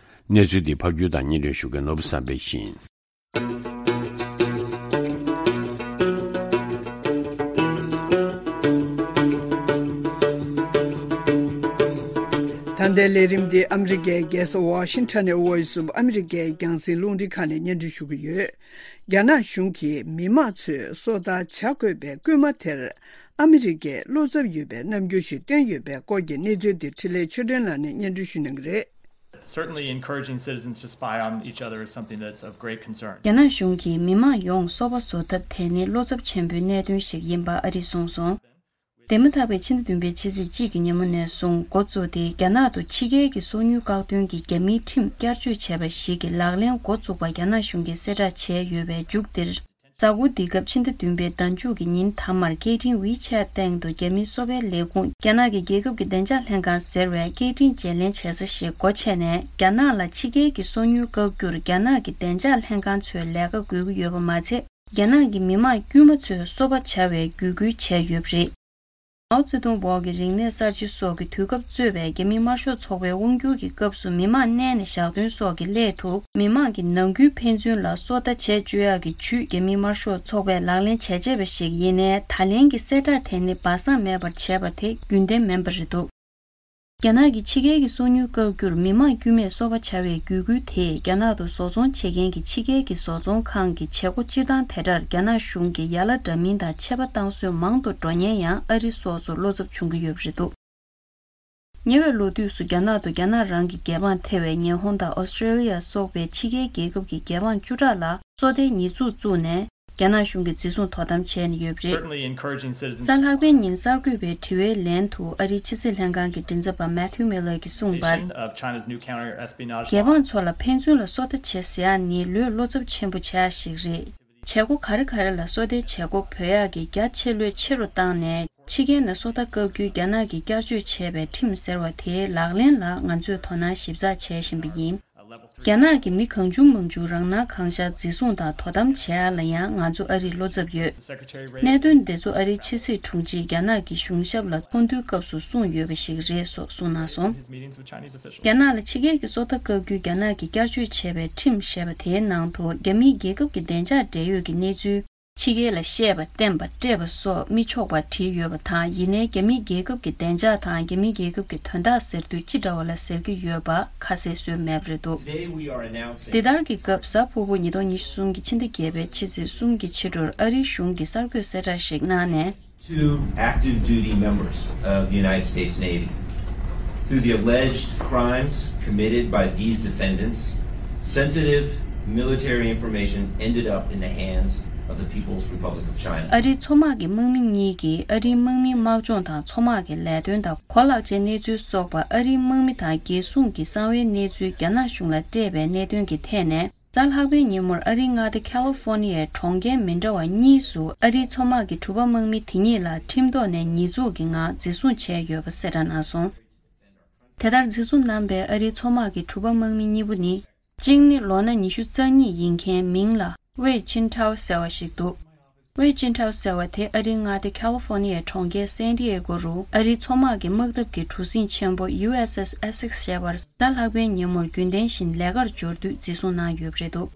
གནས་ཚུལ་འདི་ཕབ་སྒྱུར་དང་སྙན་སྒྲོན་ཞུ་མཁན་ནོར་བུ་བསམ་འཕེལ་ཡིན། ད་ལྟའི་ལས་རིམ་འདི་ཨ་མི་རི་ཀའི་རྒྱལ་ས་ཝ་ཤིང་ཊོན་ནས་Voice of America རྒྱང་སྲིང་རླུང་འཕྲིན་ཁང་ནས་སྙན་སྒྲོན་ཞུ་གི་ཡོད། རྒྱ་ནག་གཞུང་གིས་མི་དམངས་ཚོས་སོ་ལྟ་བྱ་དགོས་པའི་སྐུལ་མ་དེར། ཨ་མི་རི་ཀས་བློ་འཚབ་ཡོད་པའི་རྣམ་འགྱུར་ཞིག་བསྟན་ཡོད་པའི་སྐོར་གྱི་གནས་ཚུལ་འདི་འཕྲིན་ལས་ཆོས་སྒྲོན་ལགས་ནས་སྙན་སྒྲོན་ཞུ་གནང་གི་རེད། Certainly, encouraging citizens to spy on each other is something that's of great concern. རྒྱ་ནག་གཞུང་གིས་མི་དམངས་ཡོངས་སོ་པ་བཟོ་ཐབས་དེ་ནི་བློ་འཚབ་ཆེན་པོའི་གནད་དོན་ཞིག་ཡིན་པ་ཨ་རིས་གསུངས་སོང་། འདས་མ་ཐག་པའི་ཕྱི་ཟླ་བདུན་པའི་ཕྱི་ཚེས་གཅིག་གི་ཉིན་མོ་ནས་བཟུང་འགོ་བཙུགས་ཏེ། རྒྱ་ནག་ཏུ་ཕྱི་རྒྱལ་གྱི་སོ་ཉུལ་བཀག་སྡོམ་གྱི་རྒྱ་མིའི་ཁྲིམས་བསྐྱར་བཅོས་བྱས་པ་ཞིག་གི་ལག་ལེན་འགོ་བཙུགས་པ་རྒྱ་ནག་གཞུང་གིས་གསལ་བསྒྲགས་བྱས་ཡོད་པའི་མཇུག་འདིར། གཟའ་འཁོར་འདིའི་སྐབས་ཕྱི་ཟླ་བདུན་པའི་ཟླ་མཇུག་གི་ཉིན་མཐའ་མར་སྐད་འཕྲིན་WeChat སྟེང་དུ་རྒྱ་མིའི་གསོ་བའི་ལས་ཁུངས། རྒྱ་ནག་གི་རྒྱལ་ཁབ་ཀྱི་བདེ་འཇགས་ལྷན་ཁང་ཟེར་བས་སྐད་འཕྲིན་བརྗེ་ལེན་བྱེད་ས་ཞིག་སྒོ་ཕྱེ་ནས། རྒྱ་ནག་ལ་ཕྱི་རྒྱལ་གྱི་སོ་ཉུལ་བཀག་རྒྱུར་རྒྱ་ནག་གི་བདེ་འཇགས་ལྷན་ཁང་ཚོས་ལས་ཀ་དགོས་ཀྱི་ཡོད་པ་མ་ཚད། རྒྱ་ནག་གི་མི་དམངས་དཀྱུས་མ་ཚོས་སོ་པ་བྱ་བའི་བརྒྱུད་སྐུལ་བྱས་ཡོད་པ་རེད། མའོ་ཙེ་ཏུང་འོག་གི་རིག་གནས་གསར་བརྗེ་སོགས་ཀྱི་དུས་སྐབས་གཙོས་པའི་རྒྱ་མིའི་དམར་ཤོག་ཚོགས་པའི་དབང་སྒྱུར་གྱི་སྐབས་སུ་མི་དམངས་གནས་ནས་ཞག་སྟོན་སོགས་ཀྱི་སླད་དུ། མི་དམངས་ཀྱི་ནང་ཁུལ་ཕན་ཚུན་ལ་སོ་ལྟ་བྱེད་བཅུག་ཡག་གི་ཇུས་རྒྱ་མིའི་དམར་ཤོག་ཚོགས་པས་ལག་ལེན་བྱས་བྱས་པ་ཞིག་ཡིན་ནའི། ད་ལན་གྱི་གསལ་བསྒྲགས་དེ་ནི་སྦ་གསང་མེད་པར་བྱས་པ་དེ་རྒྱུན་ལྡན་མིན་པ་རེད་འདུག་རྒྱ་ནག་གི་ཕྱི་རྒྱལ་གྱི་སོ་ཉུལ་བཀག་རྒྱུར་མི་དམངས་དཀྱུས་མས་སོ་པ་བྱ་བའི་བརྒྱུད་སྐུལ་དེས། རྒྱ་ནག་ཏུ་བཟོ་ཚོང་བྱེད་མཁན་གྱི་ཕྱི་རྒྱལ་གྱི་བཟོ་ཚོང་ཁང་གི་བྱེད་སྒོ་སྤྱིར་བཏང་དེ་འདྲར་རྒྱ་ནག་གཞུང་གིས་ཡ་ལ་འདྲ་མིན་དང་ཆད་པ་བཏང་སྲོལ་མང་དུ་འགྲོ་ཉེན་ཡང་ཨ་རི་སོགས་སུ་བློ་འཚབ་བྱུང་གི་ཡོད་པ་རེད་འདུག་ཉེ་བའི་ལོ་དུས་སུ་རྒྱ་ནག་ཏུ་རྒྱ་ནག་རང་གི་རྒྱལ་འབངས་ཐེ་བའི་ཉི་ཧོང་དང་ཨོ་སི་ཀྲེ་ལི་ཡ་སོགས་པའི་ཕྱི་རྒྱལ་རྒྱལ་ཁབ་ཀྱི་རྒྱལ་འབངས་བཅུ་ཕྲག་ལ་སོ་ལྟའི་ཉེས་འཛུགས་བཙུགས་ནས། རྒྱ་ནག་གཞུང་གིས་འཛིན་བཟུང་དོ་དམ་བྱས་ནས་ཡོད་པ་རེད། Certainly encouraging citizens to གཟའ་ལྷག་པའི་ཉིན་གསར་འགོད་པའི་དྲི་བའི་ལན་དུ། ཨ་རིའི་ཕྱི་སྲིད་ལྷན་ཁང་གི་མགྲིན་ཚབ་པ་Matthew Miller གྱིས་གསུངས་པར། Of China's new counter espionage law. རྒྱལ་འབངས་ཚོ་ལ་ཕན་ཚུན་ལ་སོ་ལྟ་བྱེད་ཟེར་ཡག་ནི་ལོས་བློ་འཚབ་ཆེན་པོ་བྱེད་ཡག་ཞིག་རེད། བྱེད་སྒོ་ག་རེ་ག་རེ་ལ་སོ་ལྟའི་བྱེད་སྒོ་འབུལ་ཡག་གི་རྒྱ་ཆེ་ལོས་ཆེ་རུ་བཏང་ནས། ཕྱི་རྒྱལ་ནས་སོ་ལྟ་བཀག་རྒྱུའི་རྒྱ་ནག་གིས་བསྐྱར་བཅོས་བྱས་པའི་ཁྲིམས་ཟེར་བ་དེའི་ལག་ལེན་ལ་ང་ཚོས་དོ་སྣང་ཞིབ་ཚགས་བྱེད་བཞིན་པ་ཡིན། རྒྱ་ནག་གི་མི་གང་བྱུང་མང་བྱུང་རང་སྣང་གང་ཤར་འཛིན་བཟུང་དང་དོ་དམ་བྱེད་ཡ་ལ་ཡང་ང་ཚོ་ཨ་རིས་བློ་འཚབ་ཡོད། གནད་དོན་འདི་ཚོ་ཨ་རིའི་ཕྱི་སྲིད་དྲུང་ཆེས་རྒྱ་ནག་གི་གཞུང་ཞབས་ལ་ཚོགས་འདུའི་སྐབས་སུ་གསུངས་ཡོད་པ་ཞིག་རེད་སོགས་གསུངས་གནང་སོང་། རྒྱ་ནག་ལ་ཕྱི་རྒྱལ་གྱི་སོ་ལྟ་བཀག་རྒྱུའི་རྒྱ་ནག་གིས་བསྐྱར་བཅོས་བྱས་པའི་ཁྲིམས་ཞེས་པ་དེའི་ནང་དུ་རྒྱ་མིའི་རྒྱལ་ཁབ་ཀྱི་བདེ་འཇགས་འབྲེལ་ཡོད་ཀྱི་གནས་ཚུལ། ཕྱི་རྒྱལ་ལ་བཤད་པ་བསྟན་པ་སྤྲད་པ་སོགས་མི་ཆོག་པ་བྲིས་ཡོད་པ་དང་། ཡིན་ནའི་རྒྱ་མིའི་རྒྱལ་ཁབ་ཀྱི་བདེ་འཇགས་དང་རྒྱ་མིའི་རྒྱལ་ཁབ་ཀྱི་དོན་དག་ཟེར་དུས་ཅི་འདྲ་བ་ལ་ཟེར་གྱི་ཡོད་པ་ཁ་གསལ་བཟོས་མེད་པ་རེད་འདུག Today we are announcing འདི་ལྟར་གྱི་སྐབས་གཟའ་ཕུར་བུ་ཉིས་སྟོང་ཉི་ཤུ་གསུམ་གྱི་ཕྱི་ཟླ་བརྒྱད་པའི་ཕྱི་ཚེས་གསུམ་གྱི་ཕྱི་དྲོར་ཨ་རིའི་གཞུང་གིས་གསར་འགོད་གསལ་བསྒྲགས་ཤིག་གནང་ནས། Two active duty members of the United States Navy. Through the alleged crimes committed by these defendants, sensitive military information ended up in the hands of the People's Republic of China. ཨ་རིའི་མཚོ་དམག་གི་དམག་མི་གཉིས་ཀྱིས་ཨ་རིའི་དམག་མིའི་དམག་སྦྱོང་དང་མཚོ་དམག་གི་ལས་དོན་དང་གོ་ལག་ཅན་གནས་ཚུལ་སོགས་པ་ཨ་རིའི་དམག་མི་དང་རྒྱལ་སྲུང་གི་གསང་བའི་གནས་ཚུལ་རྒྱ་ནག་གཞུང་ལ་སྤྲད་པའི་གནད་དོན་གྱི་ཐད་ནས། གཟའ་ལྷག་པའི་ཉིན་མོར་ཨ་རིའི་མངའ་སྡེ་ཁ་ལི་ཧྥོ་ནི་ཡའི་གྲོང་ཁྱེར་མི་འདྲ་བ་གཉིས་སུ་ཨ་རིའི་མཚོ་དམག་གི་གྲུ་པ་དམག་མི་དེ་གཉིས་ལ་ཁྲིམས་ཐོག་ནས་ཉེས་འཛུགས་ཀྱི་ངང་འཛིན་བཟུང་བྱས་ཡོད་པ་གསལ་བསྒྲགས་གནང་སོང་། དེ་ལྟར་འཛིན་བཟུང་གནང་པའི་ཨ་རིའི་མཚོ་དམག་གི་གྲུ་པ་དམག་མི་གཉིས་པོ་ནི། གཅིག་ནི་ལོ་ན་ཉི་ཤུ་རྩ་གཉིས་ཡིན་མཁན་མིང་ལ་ཝེ་ཆིན་ཁྲའོ་ཟེར་བ་ཞིག་འདུག་ཝེ་ཅིན་ཁྲའོ་ཟེར་བ་དེ་ཨ་རིའི་མངའ་སྡེ་ཁ་ལི་ཧྥོ་ནི་ཡའི་གྲོང་ཁྱེར་སན་ཏི་ཨེ་གོ་རུ་ཨ་རིའི་མཚོ་དམག་གི་དམག་འཐབ་ཀྱི་གྲུ་གཟིངས་ཆེན་པོ་ཡུ་ཨེས་ཨེས་ཨེ་སེག་ཞེས་པར་གཟའ་ལྷག་པའི་ཉིན་མོར་རྒྱུན་ལྡན་བཞིན་ལས་ཀར་འབྱོར་དུས་འཛིན་བཟུང་གནང་ཡོད་པ་རེད་འདུག་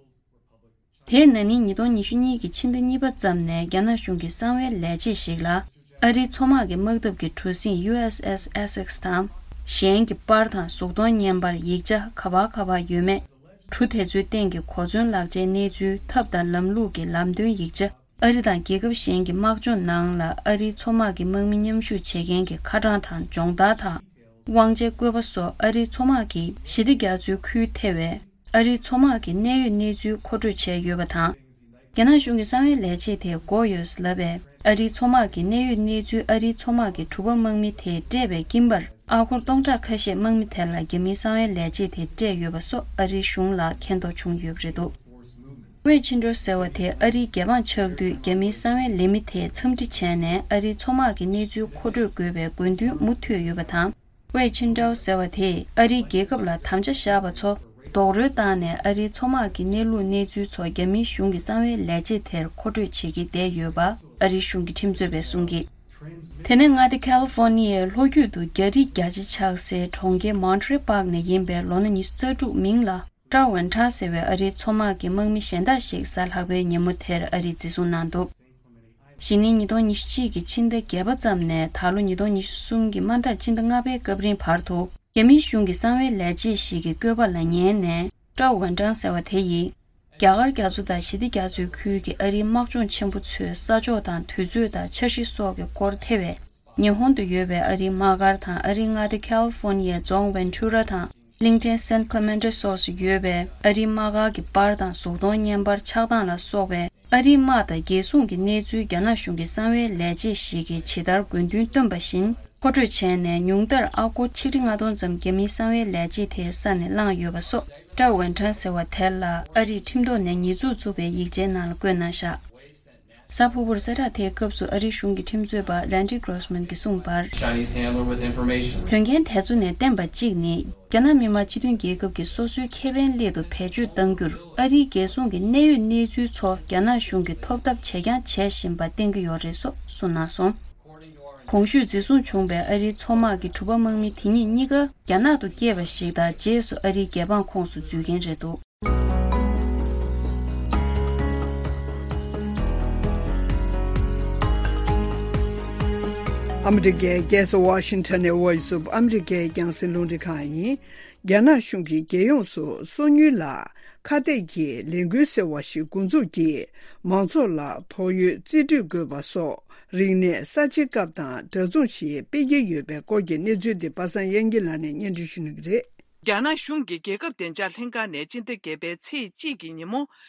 དེས་ན་ནིང་ཉིས་སྟོང་ཉི་ཤུ་གཉིས་ཀྱི་ཕྱི་ཟླ་གཉིས་པ་ཙམ་ནས་རྒྱ་ནག་གཞུང་གི་གསང་བའི་ལས་བྱེད་ཞིག་ལ་ཨ་རིའི་མཚོ་དམག་གི་དམག་འཐབ་ཀྱི་གྲུ་གཟིངས་ཡུ་ཨེས་ཨེས་ཨེ་སེག་དང་། གཞན་གྱི་པར་དང་གཟུགས་མཐོང་བརྙན་པར་ཡིག་ཆ་ག་པར་ག་པར་ཡོད་མེད། གྲུ་དེ་ཚོའི་སྟེང་གི་གོ་མཚོན་ལག་ཆའི་གནས་ཚུལ་ཐབས་དང་ལམ་ལུགས་ཀྱི་ལམ་སྟོན་ཡིག་ཆ། ཨ་རི་དང་རྒྱལ་ཁབ་གཞན་གྱི་དམག་སྦྱོང་ནང་ལ་ཨ་རིའི་མཚོ་དམག་གི་དམག་མི་མཉམ་ཞུགས་བྱེད་མཁན་གྱི་ཁ་གྲངས་དང་སྦྱོང་བརྡར་དང་། དབང་ཆའི་བཀོད་པ་སོགས་ཨ་རིའི་མཚོ་དམག་གིས་ཞི་བདེ་རྒྱ་མཚོའི་ཁུལ་ཐེ་བའི་ཨ་རིའི་མཚོ་དམག་གི་གནད་ཡོད་གནས་ཚུལ་མཁོ་སྤྲོད་བྱས་ཡོད་པ་དང་། རྒྱ་ནག་གཞུང་གི་གསང་བའི་ལས་བྱེད་དེ་དགོས་ཡོད་ལབ་པས་ཨ་རིའི་མཚོ་དམག་གི་གནད་ཡོད་གནས་ཚུལ་ཨ་རིའི་མཚོ་དམག་གི་གྲུ་པ་དམག་མི་དེས་སྤྲད་པའི་སྐྱིན་པར་ཨ་སྒོར་སྟོང་ཕྲག་ཁ་ཤས་དམག་མི་དེ་ལ་རྒྱ་མིའི་གསང་བའི་ལས་བྱེད་དེས་སྤྲད་ཡོད་པ་སོགས་ཨ་རིའི་གཞུང་ལ་མཁྱེན་རྟོགས་བྱུང་ཡོད་པ་རེད་འདུག་ཝེ་ཆིན་ཀྲོ་ཟེར་བ་དེ་ཨ་རིའི་རྒྱལ་འབངས་ཆགས་དུས་རྒྱ་མིའི་གསང་བའི་ལས་མི་དེས་འཚམས་འདྲི་བྱས་ནས་ཨ་རིའི་མཚོ་དམག་གི་གནས་ཚུལ་མཁོ་སྤྲོད་དགོས་པའི་དགོས་འདུན་མུ་མཐུད་ཡོད་པ་དང་། ཝེ་ཆིན་ཀྲོ་ཟེར་བ་དེས་ཨ་རིའི་རྒྱལ་ཁབ་ལ་དམ་བཅའ་བཞག་པ་ཚོ་རྡོག་རོལ་བཏང་ནས་ཨ་རིའི་མཚོ་དམག་གི་གནས་ལུགས་གནས་ཚུལ་ཚོ་རྒྱ་མིའི་གཞུང་གི་གསང་བའི་ལས་བྱེད་དེར་མཁོ་སྤྲོད་བྱེད་ཀྱི་བསྡད་ཡོད་པ་ཨ་རིའི་གཞུང་གི་ཁྲིམས་རྩོད་པས་གསུངས་ཀྱི། དེ་ནས་མངའ་སྡེ་ཁ་ལི་ཧྥོ་ནི་ཡའི་ལྷོ་རྒྱུད་དུ་རྒྱ་རིགས་རྒྱ་ཆེ་ཆགས་སའི་གྲོང་ཁྱེར་མོན་ཊི་རེ་པཱག་ནས་ཡིན་པའི་ལོ་ན་ཉི་ཤུ་རྩ་དྲུག་མིང་ལ་ཀྲའོ་ཝན་ཁྲང་ཟེར་བའི་ཨ་རིའི་མཚོ་དམག་གི་དམག་མི་གཞན་དག་ཞིག་གཟའ་ལྷག་པའི་ཉིན་མོ་དེར་ཨ་རིས་འཛིན་བཟུང་གནང་འདུག་གཞེས་ནིང་ཉིས་སྟོང་ཉི་ཤུ་གཅིག་གི་ཕྱི་ཟླ་བརྒྱད་པ་ཙམ་ནས་ད་ལོ་ཉིས་སྟོང་ཉི་ཤུ་གསུམ་གྱི་མ་མཐའ་ཕྱི་ཟླ་ལྔ་པའི་སྐབས་རིང་བར་དུ་རྒྱ་མིའི་གཞུང་གི་གསང་བའི་ལས་བྱེད་ཞིག་གི་བཀོད་པ་ལ་ཉན་ནས་ཀྲའོ་ཝན་ཀྲང་ཟེར་བ་དེ་ཡིས། རྒྱ་གར་རྒྱ་མཚོ་དང་ཞི་བདེ་རྒྱ་མཚོའི་ཁུལ་གྱི་ཨ་རིའི་དམག་སྦྱོང་ཆེན་པོ་ཚོའི་ས་ཕྱོགས་དང་དུས་ཚོད་དང་འཆར་གཞི་སོགས་ཀྱི་སྐོར་ཐེ་བའི་ཉི་ཧོང་དུ་ཡོད་པའི་ཨ་རིའི་དམག་སྒར་དང་ཨ་རིའི་མངའ་སྡེ་ཁ་ལི་ཧྥོ་ནི་ཡའི་རྫོང་ཝན་ཊུ་ར་དང་གླིང་ཕྲན་སན་ཁོ་མན་ཊ་སོགས་སུ་ཡོད་པའི་ཨ་རིའི་དམག་སྒར་གྱི་པར་དང་གཟུགས་མཐོང་བརྙན་པར་ཆགས་སྟངས་ལ་སོགས་པའི་ཨ་རིའི་དམག་དང་རྒྱལ་སྲུང་གི་གནས་ཚུལ་རྒྱ་ནག་གཞུང་གི་གསང་བའི་ལས་བྱེད་ཞིག་གིས་ཇི་ལྟར་དགོས་འདུན་བཏོན་པ་བཞིན། མཁོ་སྤྲོད་བྱས་ནས་ཉུང་མཐར་ཨ་སྒོར་ཆིག་ཁྲི་ལྔ་སྟོང་ཙམ་རྒྱ་མིའི་གསང་བའི་ལས་བྱེད་དེའི་ས་ནས་བླངས་ཡོད་པ་སོགས་ཀྲའོ་ཝན་ཁྲང་ཟེར་བ་དེ་ལ་ཨ་རིས་ཁྲིམས་ཐོག་ནས་ཉེས་འཛུགས་བཙུགས་པའི་ཡིག་ཆའི་ནང་ལ་བཀོད་གནང་བཞག་གཟའ་ཕུར་བུར་གསལ་བསྒྲགས་དེའི་སྐབས་སུ་ཨ་རིའི་གཞུང་གི་ཁྲིམས་རྩོད་པ་Randy Grossman གྱིས་གསུངས་པར། Chinese handler with information. དོན་རྐྱེན་དེ་ཚོ་ནས་བསྟན་པ་གཅིག་ནི། རྒྱ་ནག་མི་དམངས་སྤྱི་མཐུན་རྒྱལ་ཁབ་ཀྱི་སོ་སོའི་ཁེ་ཕན་སླད་དུ་བེད་སྤྱོད་གཏང་རྒྱུར་ཨ་རིའི་རྒྱལ་སྲུང་གི་གནད་ཡོད་གནས་ཚུལ་ཚོ་རྒྱ་ནག་གཞུང་གིས་ཐོབ་ཐབས་བྱས་ཀྱང་བྱེད་བཞིན་པ་བསྟན་གྱི་ཡོད་རེད་སོགས་གསུངས་གནང་སོང་། གོང་ཞུས་འཛིན་བཟུང་བྱུང་བའི་ཨ་རིའི་མཚོ་དམག་གི་གྲུ་པ་དམག་མི་དེ་ཉིད་གཉིས་ཀ་རྒྱ་ནག་ཏུ་སྐྱེས་པ་ཞིག་དང་རྗེས་སུ་ཨ་རིའི་རྒྱལ་འབངས་ཁོངས་སུ་འཛུལ་མཁན་རེད་འདུག་ཨ་མི་རི་ཀའི་རྒྱལ་ས་ཝ་ཤིང་ཊོན་ནས་Voice of America རྒྱང་སྲིང་རླུང་འཕྲིན་ཁང་ཡིན། རྒྱ་ནག་གཞུང་གིས་རྒྱལ་ཡོངས་སུ་སོ་ཉུལ་ལ་ཁ་གཏད་ཀྱི་ལས་འགུལ་ཟེར་བ་ཞིག་འགོ་འཛུགས་ཀྱིས་མང་ཚོགས་ལ་དོགས་ཡོད་རྩིས་སྤྲོད་དགོས་པ་སོགས་རིག་གནས་གསར་བརྗེའི་སྐབས་དང་འདྲ་མཚུངས་ཤིག་སྤེལ་གྱི་ཡོད་པའི་སྐོར་གྱི་གནས་ཚུལ་འདི་པ་སངས་དབྱངས་སྐྱིད་ལགས་ནས་སྙན་སྒྲོན་ཞུ་གནང་གི་རེད། རྒྱ་ནག་གཞུང་གིས་རྒྱལ་ཁབ་བདེ་འཇགས་ལྷན་ཁང་ནས་སྤྱི་ཟླ་བརྒྱད་པའི་ཚེས་གཅིག་གི་ཉིན་མོ་